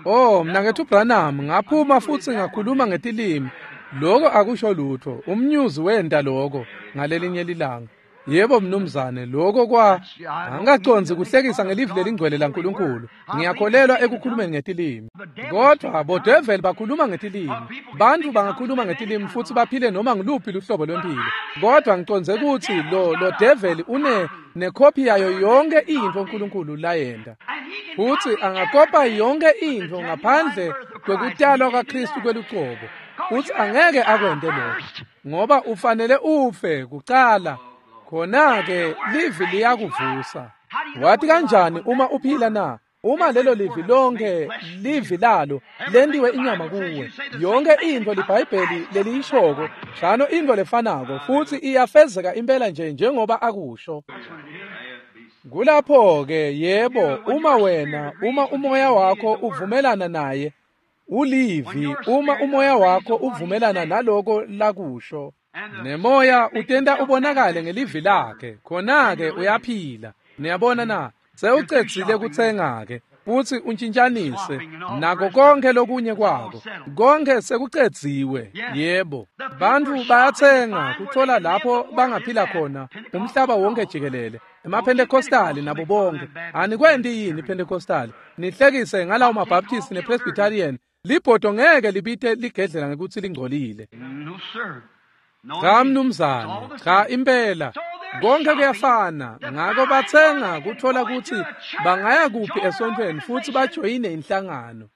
Oh, mnaketfu Branham, ngaphuma futsi ngakhuluma ngetilimi. Loko akusho lutfo. Umnyuzi wenta loko ngalelinye lilanga. Yebo mnumzane, loko kwa angacondzi kuhlekisa ngelivi lelingcwele laNkulunkulu. Ngiyakholelwa ekukhulumeni ngetilimi. Kodwa bodeveli bakhuluma ngetilimi. Bantu bangakhuluma ngetilimi futsi baphile noma ngiluphi luhlobo lwempilo. Kodwa ngicondze kutsi lo lo develi une nekhophi yayo yonke intfo uNkulunkulu layenta. Futsi angakopa yonke intfo ngaphandle kwekutalwa kwaKhristu kwelucobo. Futsi angeke akwente lokho, ngoba ufanele ufe kucala. Khona-ke livi liyakuvusa. Wathi kanjani uma uphila na? Uma lelo livi lonke livi lalo lentiwe inyama kuwe, yonke intfo liBhayibheli leliyishoko, shano intfo lefanako futsi iyafezeka impela nje njengoba akusho. Kulapho-ke yebo, uma wena, uma umoya wakho uvumelana naye, ulivi, uma umoya wakho uvumelana naloko lakusho. Nemoya utenta ubonakale ngelivi lakhe, khona-ke uyaphila. Niyabona na? Sewucedzile kutsenga-ke futsi untshintshanise nako konke lokunye kwako. Konke sekucedziwe. Yebo, bantfu bayatsenga kutfola lapho bangaphila khona umhlaba wonke jikelele. EmaPentecostali nabo bonke. Anikwenti yini iPentecostali? Nihlekise ngalawo maBaptist nePresbyterian. Libhodo ngeke libite ligedlela ngekutsi lingcolile. Cha mnumzane, cha impela. Konke kuyafana. Ngako batsenga kutfola kutsi bangaya kuphi esontfweni futsi bajoyine inhlangano.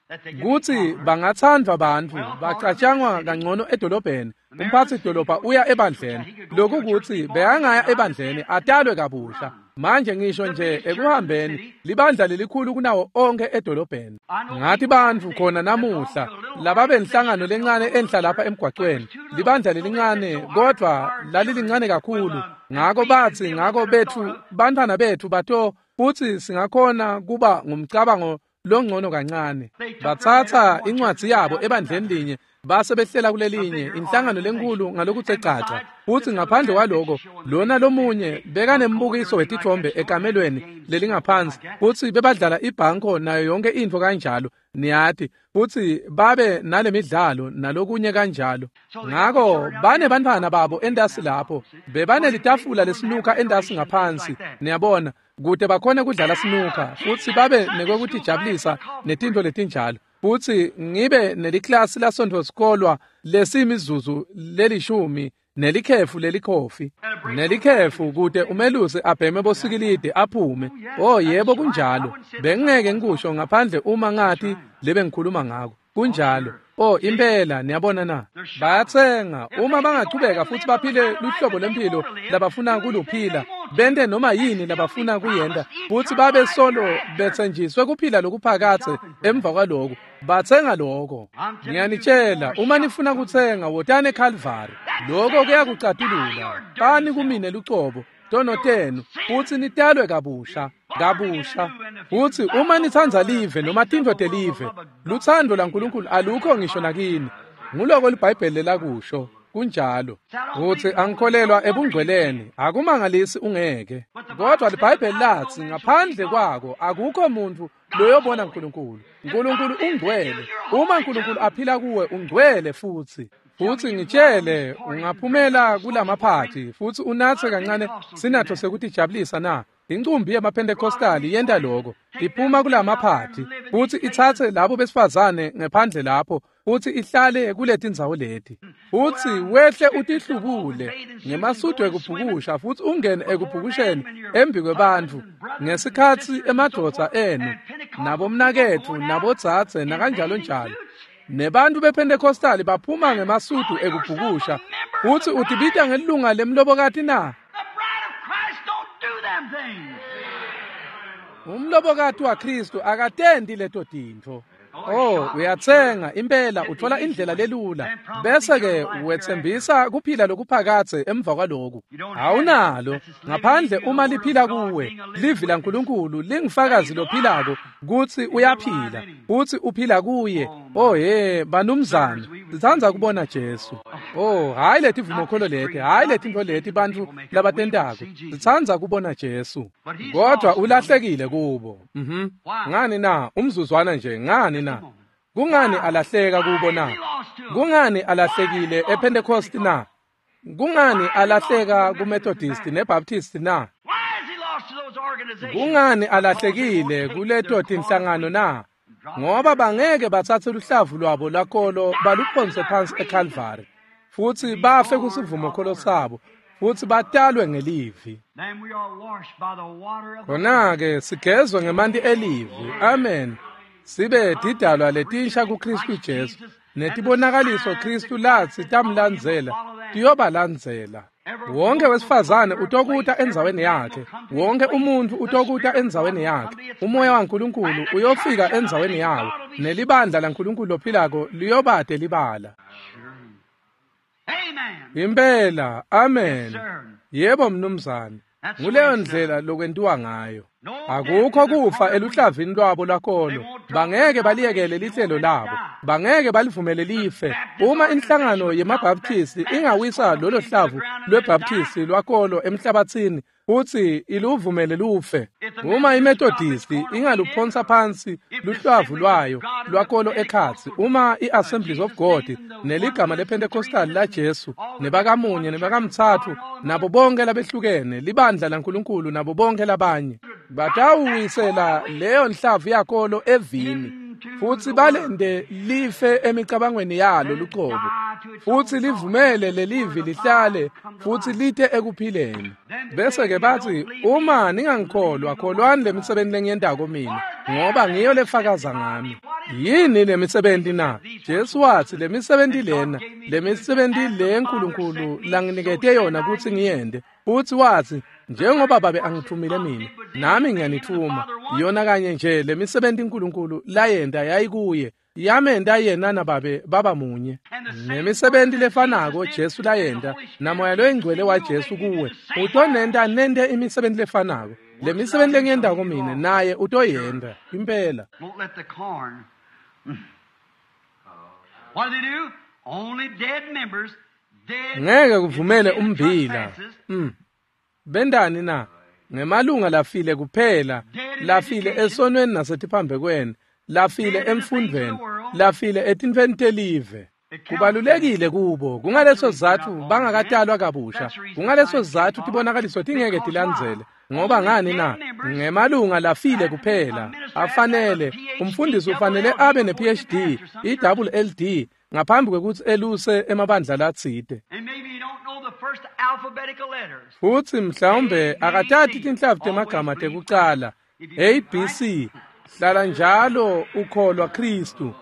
Kutsi bangatsandvwa bantfu, bacatshangwa kangcono edolobheni. Umphatsi dolobha uya ebandleni. Lokhu kutsi bekangaya ebandleni atalwe kabusha. Manje ngisho nje ekuhambeni libandla lelikhulu kunawo onke edolobheni. Ngathi bantfu khona namuhla lababenhlangano lencane enhla lapha emgwacweni, libandla lelincane kodwa lalilincane kakhulu. Ngako batsi ngako bethu bantfwana bethu bato futsi singakhona kuba ngumcabango longcono kancane. Batsatsa incwadzi yabo ebandleni linye base behlela kulelinye inhlangano lenkulu ngalokuthe caca. Futsi ngaphandle kwaloko lona lomunye bekanembukiso wetithombe ekamelweni lelingaphansi, futsi bebadlala ibhanko nayo yonke intfo kanjalo, niyati, futsi babe nalemidlalo nalokunye kanjalo. Ngako bane bantfwana babo entasi lapho, bebanelitafula lesinuka entasi ngaphansi, niyabona, kute bakhone kudlala sinuka futsi babe nekwekutijabulisa netintfo letinjalo. Futsi ngibe neliklasi lasontfo sikolwa lesimizuzu lelishumi nelikhefu lelikhofi nelikhefu kute umelusi abheme bosikilide aphume. Oh yebo, kunjalo. Bengingeke ngikusho ngaphandle uma ngathi lebe ngikhuluma ngako. Kunjalo. Oh impela, niyabona na? Bayatsenga. Uma bangachubeka futsi baphile luhlobo lempilo labafuna kuluphila, bente noma yini labafuna kuyenta, futsi babe solo betsenjiswe kuphila lokuphakatse emva kwaloko. Batsenga lokho. Ngiyanitshela, uma nifuna kutsenga, wotani eKalvari. Lokho kuyakucatulula. Bani kumine lucobo, tono tenu, futsi nitalwe kabusha, kabusha. Futsi uma nitsandza live noma tintfo telive, lutsandvo laNkulunkulu alukho ngisho nakini. Nguloko liBhayibheli lelakusho. Kunjalo. Utsi angikholelwa ebungcweleni, akumangalisi ungeke. Kodwa liBhayibheli latsi ngaphandle kwako akukho muntu loyobona uNkulunkulu. uNkulunkulu ungcwele. Uma uNkulunkulu aphila kuwe, ungcwele futsi. Futsi ngitshele, ungaphumela kulamaphathi futsi unatse kancane sinatho sekutijabulisa na? Incumbi yemaPentecostali yenta lokho. Iphuma kulamaphathi futsi itsatse labo besifazane ngephandle lapho futsi ihlale kuletindzawo leti. Futsi wehle utihlubule ngemasudu ekubhukusha futsi ungene ekubhukusheni embi kwebantfu ngesikhatsi emadvodza enu nabomnaketfu nabodzadze nakanjalo njalo. Nebantu bePentecostali baphuma ngemasudu ekubhukusha futsi utibita ngelilunga lemlobokati na? Umlobokati waKristu akatendi leto tintfo. Oh, uyatsenga impela, uthola indlela lelula, bese ke wetsembisa kuphila lokuphakatse emva kwaloku. Awunalo ngaphandle uma liphila kuwe. Livi laNkulunkulu lingufakazi lophilako kutsi uyaphila, futsi uphila kuye. Oh hey, banumzane, sitsandza kubona Jesu. Oh, hayi letivumokholo leti, hayi letintfo leti bantfu labatentako. Sitsandza kubona Jesu. Kodwa ulahlekile kubo. Mhm. Ngani na? Umzuzwana nje, ngani na? Kungani alahleka kubo na? Kungani alahlekile ePentecost na? Kungani alahleka kuMethodist neBaptist na? Kungani alahlekile kuleto tinhlangano na? Ngoba bangeke batsatse luhlavu lwabo lwakolo baluphonse phansi eKalvari, futsi bafe kusivumokholo sabo, futsi batalwe ngelivi. Khona-ke sigezwe ngemanti elivi. Amen. Sibe tidalwa letinsha kuKristu Jesu, netibonakaliso Kristu latsi tamlandzela tiyobalandzela. Wonke wesifazane utokuta endzaweni yakhe, wonke umuntfu utokuta endzaweni yakhe. Umoya waNkulunkulu uyofika endzaweni yawo, nelibandla laNkulunkulu lophilako liyobate libala. Impela, amen. Yebo mnumzane. Nguleyo ndlela lokwentiwa ngayo. Akukho kufa eluhlavini lwabo lwakolo. Bangeke baliyekele lihlelo labo, bangeke balivumele life. Uma inhlangano yemaBaptisti ingawisa lolo hlavu lweBaptisti lwakolo emhlabathini futsi iluvumele lufe, uma iMethodisti ingaluphonsa phansi luhlavu lwayo lwakolo ekhatsi, uma i-Assemblies of God neligama lePentecostal la Jesu nebakamunye nebakamtsatfu nabo bonke labehlukene libandla laNkulunkulu nabo bonke labanye batawuwisela leyo nhlavu yakolo evini futsi balende life emicabangweni yalo lucobo, futsi livumele lelivi lihlale futsi lite ekuphileni. Bese ke batsi, uma ningangikholwa, kholwani lemisebenti lengiyentako mina, ngoba ngiyo lefakaza ngami. Yini lemisebenti na? Jesu watsi lemisebenti lena, lemisebenti le Nkulunkulu langinikete yona kutsi ngiyente. Futsi watsi, njengoba babe angithumile mina, nami ngiyanithuma. Yona kanye nje lemisebenti uNkulunkulu layenta yayikuye, yamenta yena nababe baba munye. Nemisebenti lefanako Jesu layenta, namoya loyingcwele waJesu kuwe, utonenta nente imisebenti lefanako. Lemisebenti lengiyentako mina, naye utoyenta impela. Ngeke kuvumele umbila. Mm. Bendani na? Ngemalunga lafile kuphela, lafile esonweni nasetiphambekweni, lafile emfundvweni, lafile etintfweni telive. Kubalulekile kubo. Kungaleso sizatfu bangakatalwa kabusha. Kungaleso sizatfu tibonakaliso tingeke tilandzele. Ngoba ngani na? Ngemalunga lafile kuphela. Afanele umfundisi ufanele abe ne-P H D, i-double L D ngaphambi kwekutsi eluse emabandla latsite. Futsi mhlawumbe akatati tinhlavu temagama tekucala A B C. Hlala njalo ukholwa Kristu.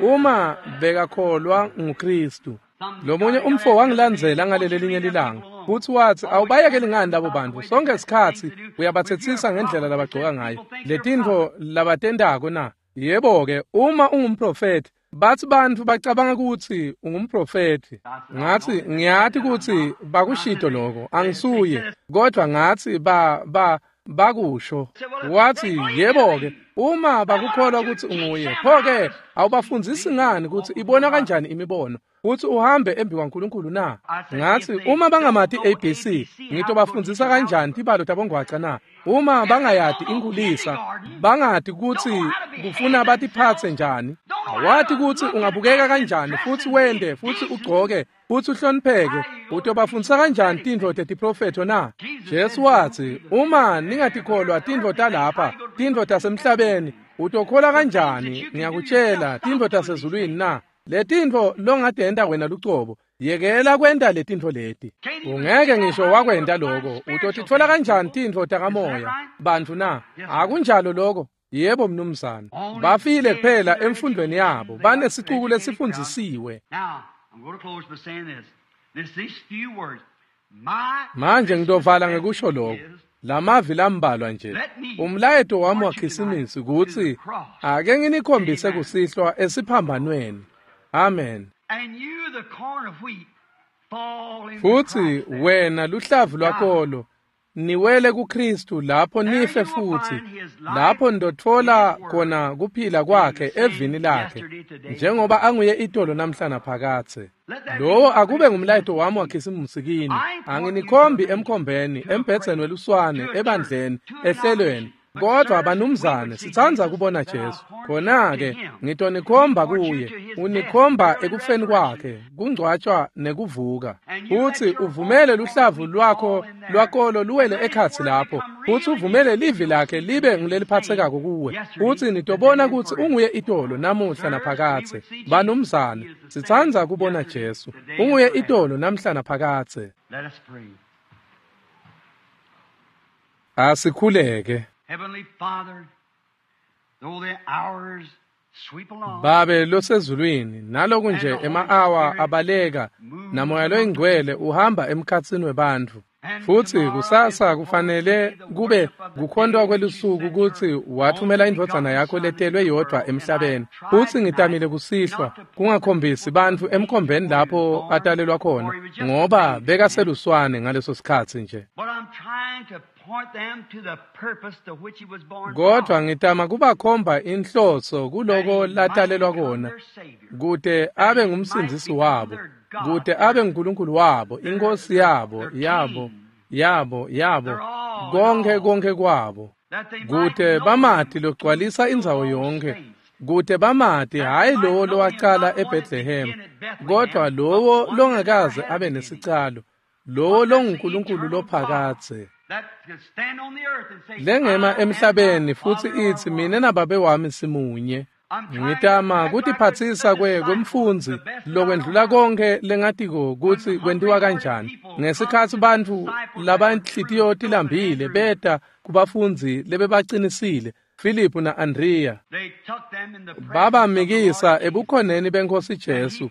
Uma bekakholwa nguKristu. Lomunye umfo wangilandzela ngaleli linye lilanga. Futsi watsi, awubayekeli ngani labo bantfu? Sonke sikhatsi uyabatsetsisa ngendlela labagcoka ngayo, letintfo labatentako na? Yebo-ke, uma ungumprofethi, bathi bantfu bacabanga kutsi ungumprofethi. Ngatsi, ngiyati kutsi bakushito loko, angisuye, kodvwa ngatsi ba ba bakusho. Watsi, yebo-ke, uma bakukholwa kutsi unguye, pho-ke awubafundzisi ngani kutsi ibona kanjani imibono, kutsi uhambe embi kwaNkulunkulu na? Ngatsi, uma bangamati A B C, ngitobafundzisa kanjani tibalo tabongwaca na? Uma bangayati inkulisa, bangati kutsi kufuna batiphatse njani, awati kutsi ungabukeka kanjani, futsi wende, futsi ugcoke, futsi uhlonipheke, utobafundzisa kanjani tintfo tetiprofetho na? Jesu watsi, uma ningatikholwa tintfo talapha, tintfo tasemhlabeni, utokholwa kanjani, ngiyakutjela, tintfo tasezulwini na? Letintfo longatenta wena lucobo, yekela kwenta letintfo leti. Ungeke ngisho wakwenta loko, utotitfola kanjani tintfo takamoya, bantfu na? Akunjalo loko. Yebo mnumzane. Bafile kuphela emfundweni yabo, banesicuku lesifundzisiwe. Manje ngitovala ngekusho lokho. Lamavi lambalwa nje. Umlayeto wami waKhisimusi kutsi ake nginikhombise kusihlwa esiphambanweni. Amen. Futsi wena luhlavu lwakolo niwele kuKristu lapho nife futhi, lapho ndotfola khona kuphila kwakhe evini lakhe, njengoba anguye itolo namhla naphakadze. Lowo akube ngumlayeto wami waKhisimusi kini. Anginikhombi emkhombeni, embhedzeni weluswane, ebandleni, ehlelweni, kodvwa banumzane sitsandza kubona Jesu. Khona-ke ngitonikhomba kuye, unikhomba ekufeni kwakhe, kungcwatshwa nekuvuka. Futsi uvumele luhlavu lwakho lwakolo luwele ekhatsi lapho, futsi uvumele livi lakhe libe nguleliphatsekako kuwe, futsi nitobona kutsi unguye itolo namuhla naphakadze. Banumzane, sitsandza kubona Jesu, unguye itolo namhla naphakadze. Asikhuleke. Heavenly Father, though the hours sweep along, Babe losezulwini, naloku nje ema-awa abaleka, namoya loyingcwele uhamba emkhatsini webantfu. Futsi kusasa kufanele kube kukhontwa kwelusuku kutsi wathumela indvodzana yakho letelwe yodvwa emhlabeni. Futsi ngitamile kusihlwa kungakhombisi bantfu emkhombeni lapho atalelwa khona, ngoba bekaseluswane ngaleso sikhatsi nje. Kodvwa ngitama kubakhomba inhloso kuloko latalelwa kona, kute abe ngumsindzisi wabo, kute abe nguNkulunkulu wabo, inkosi yabo, yabo, yabo, yabo, konke konke kwabo, kute bamati logcwalisa indzawo yonke, kute bamati hhayi lowo lowacala eBethlehem, kodvwa lowo longakaze abe nesicalo, lowo longuNkulunkulu lophakadze. Lengema emhlabeni futsi itsi mine nababe wami simunye. Ngitama kutiphatsisa kwe kwemfundzi lokwendlula konke lengatiko kutsi kwentiwa kanjani. Ngesikhatsi bantfu labanhlitiyo tilambile beta kubafundzi lebebacinisile, Filiphu na-Andrea, babamikisa ebukhoneni beNkhosi Jesu,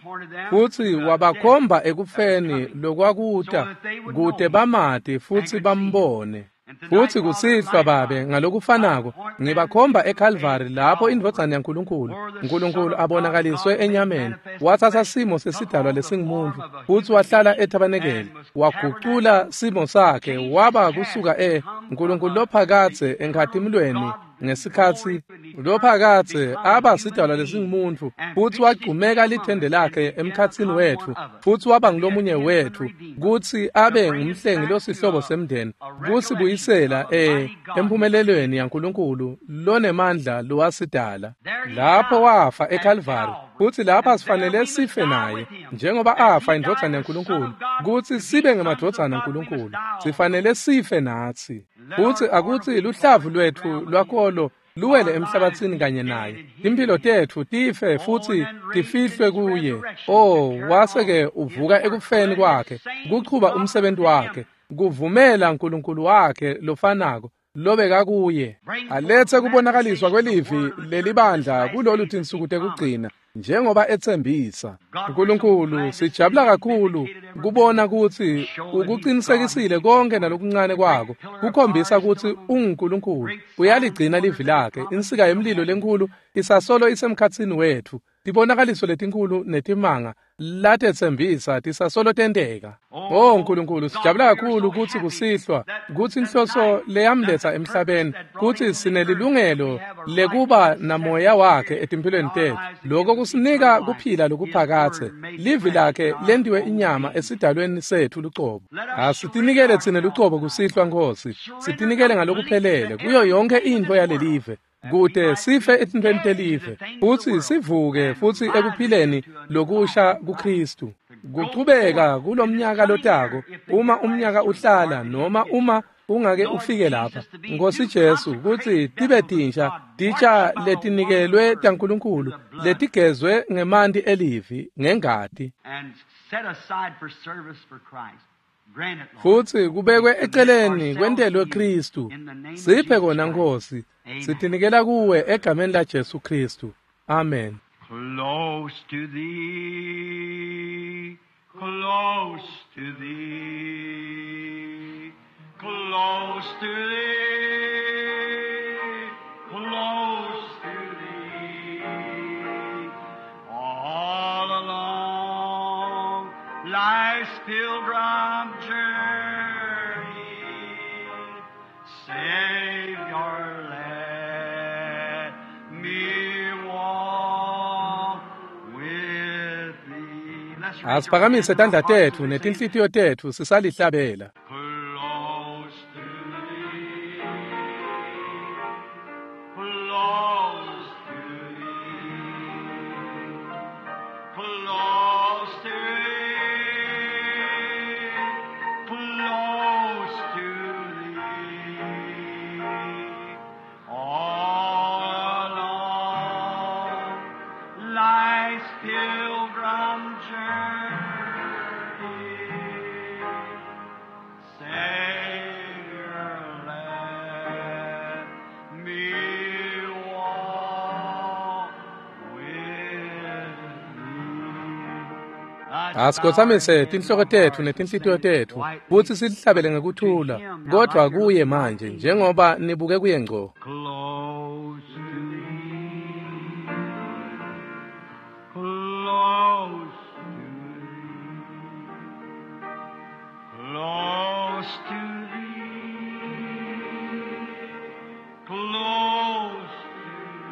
futsi wabakhomba ekufeni lokwakuta kute bamati futsi bambone. Futsi kusihlwa Babe ngalokufanako ngibakhomba eKalvari lapho indvodzana yaNkulunkulu, Nkulunkulu abonakaliswe enyameni, watsatsa simo sesidalwa lesingumuntfu futsi wahlala ethabanekeli, wagucula simo sakhe waba kusuka e Nkulunkulu lophakadze enkhatimulweni ngesikhatsi lophakadze aba sidalwa lesingumuntfu, futsi wagcumeka lithende lakhe emkhatsini wetfu, futsi waba ngulomunye wetfu, kutsi abe ngumhlengi losihlobo semndeni, kusibuyisela e emphumelelweni yaNkulunkulu lonemandla lowasidala. Lapho wafa eKalvari, futsi lapha sifanele sife naye, njengoba afa indvodzana yaNkulunkulu, kutsi sibe ngemadvodzana aNkulunkulu, sifanele sife natsi. Futsi akutsi luhlavu lwetfu lwakolo luwele emhlabatsini kanye naye, timphilo tetfu tife futsi tifihlwe kuye. Oh, wase-ke uvuka ekufeni kwakhe, kuchuba umsebenzi wakhe, kuvumela Nkulunkulu wakhe lofanako, lobekakuye alethe kubonakaliswa kwelivi lelibandla kulolu tinsuku tekugcina njengoba etsembisa. Nkulunkulu, sijabula kakhulu kubona kutsi ukuqinisekisile konke nalokuncane kwako kukhombisa kutsi unguNkulunkulu. Uyaligcina livi lakhe. Insika yemlilo lenkulu isasolo isemkhatsini wetfu. Tibonakaliso letinkulu netimanga latetsembisa tisasolo tenteka. Oh Nkulunkulu, sijabula kakhulu kutsi kusihlwa kutsi inhloso leyamletsa emhlabeni kutsi sinelilungelo lekuba namoya wakhe etimphilweni tetfu. Lokho kusinika kuphila lokuphakathe. Livi lakhe lentiwe inyama esidalweni setfu lucobo. Asitinikele tsine lucobo kusihlwa Nkosi. Sitinikele ngalokuphelele kuyo yonke intfo yalelive, kute sife etintfweni telive futsi sivuke futsi ekuphileni lokusha kuKristu. Kuchubeka kulomnyaka lotako, uma umnyaka uhlala noma uma ungake ufike lapha, Nkosi Jesu, kutsi tibe tinsha titsha letinikelwe taNkulunkulu letigezwe ngemanti elivi ngengati, futsi kubekwe eceleni kwentelwe Kristu. Siphe kona Nkosi. Sitinikela kuwe egameni la Jesu Kristu. Amen. Close to thee, close to thee, close to thee, close to thee, all along life's pilgrim journey, Savior, let me walk with thee. Asiphakamise tandla tetfu netinhlitiyo tetfu sisalihlabela. Close to thee, close to thee, close to thee, close to thee, all along life's pilgrim journey, Savior, let me walk with thee. Asikhothamise tinhloko tetfu netinhlitiyo tetfu futsi silihlabele ngekuthula, kodvwa kuye manje njengoba nibuke kuye ngco. Close to thee, close to thee, close to thee, close to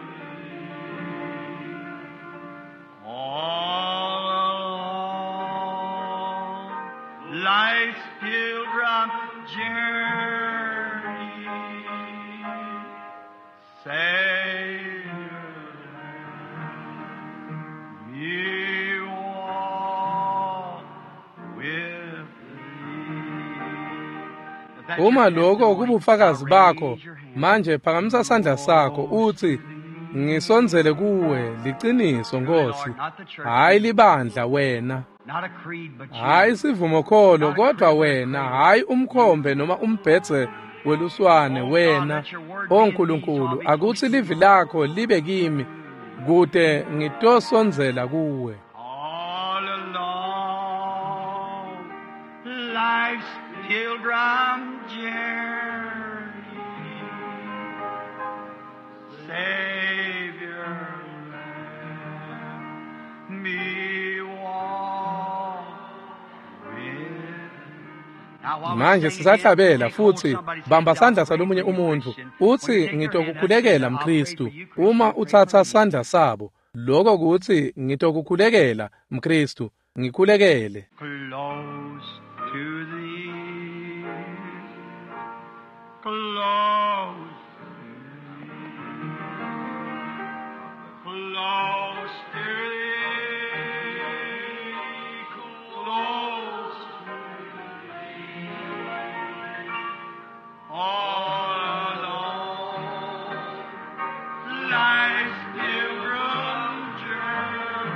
thee, all along life's pilgrim journey, Savior, let me walk with thee. If that's Uma your lokho testimony, kubufakazi now bakho, raise your hand. manje phakamisa sandla sakho uthi, ngisondzele kuwe, liciniso Nkosi, hayi libandla wena, Not a creed, but you. hayi sivumokholo kodwa wena, hayi umkhombe noma umbhedze weluswane wena. O Nkulunkulu, akutsi livi lakho libe kimi kute ngitosondzela kuwe. All along life's pilgrim journey, Savior, let me walk with. Now, while we're Manje singing sisahlabela again, take hold futhi of somebody's bamba hand. sandla I'll pray salomunye for you, umuntu Christian. When you uthi, take their hand, that's ngitokukhulekela it. I'll pray mKristu. for you, Christian. Uma Pray for utsatsa me. sandla sabo, lokho kutsi ngitokukhulekela mKristu, ngikhulekele. Close to thee, close to thee, close to thee, close to thee, all along life's pilgrim journey.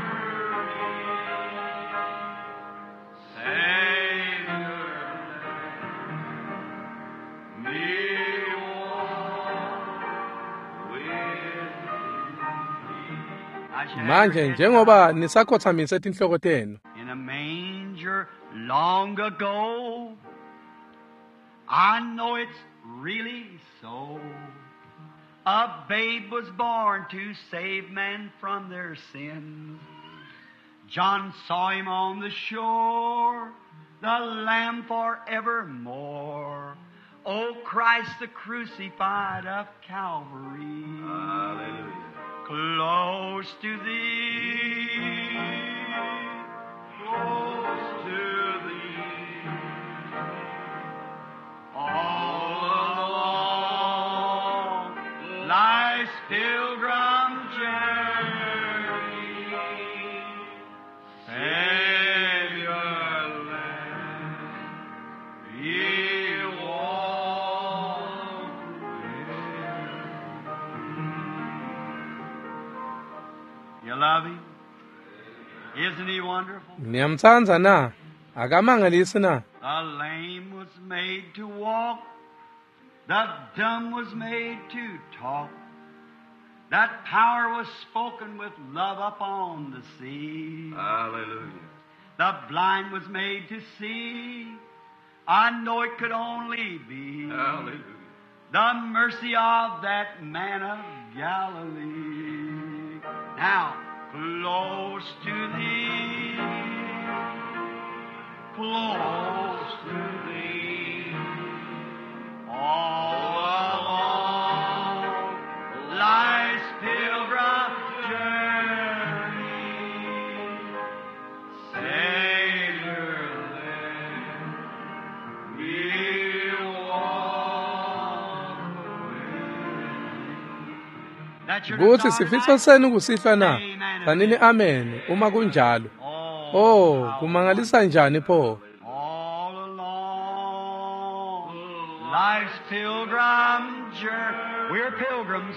Savior, let me walk Manje njengoba nisakhothamise tinhloko tenu. In a manger long ago, I know it's really so. A babe was born to save men from their sins. John saw him on the shore, the Lamb forevermore. O Christ the crucified of Calvary. Hallelujah. Close to thee, close to thee, all along life's pilgrim journey, Savior, let me walk with thee. You love him? Isn't he wonderful? Niyamtsandza na? Akamangalisi na? The lame was made to walk, the dumb was made to talk. That power was spoken with love upon the sea. Hallelujah. The blind was made to see. I know it could only be Hallelujah. the mercy of that man of Galilee. Now, close to thee, close to thee, all along life's pilgrim journey, Savior, let me walk with thee. That's your Kuthi desire sifiso tonight? senu kusihlwa na? Tsanini amen uma kunjalo. Oh, Oh, how kumangalisa njani pho? All along life's pilgrim journey, we're pilgrims.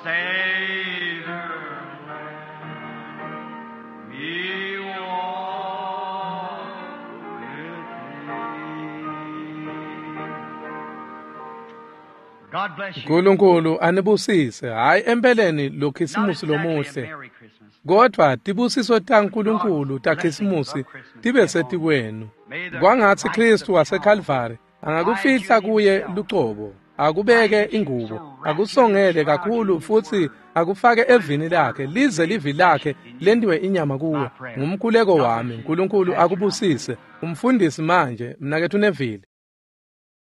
Savior, let me walk with thee. God bless you. uNkulunkulu anibusise. Hayi empeleni lo Not Khisimusi exactly a lomuhle. Merry Christmas. Kodwa tibusiso taNkulunkulu taKhisimusi tibe setikwenu. Kwangatsi Kristu waseKalvari angakufihla kuye lucobo, akubeke ingubo, akusongele kakhulu futhi akufake evini lakhe lize livi lakhe lentiwe inyama kuwe. Ngumkhuleko wami, uNkulunkulu akubusise. Umfundisi manje, mnaketfu Neville.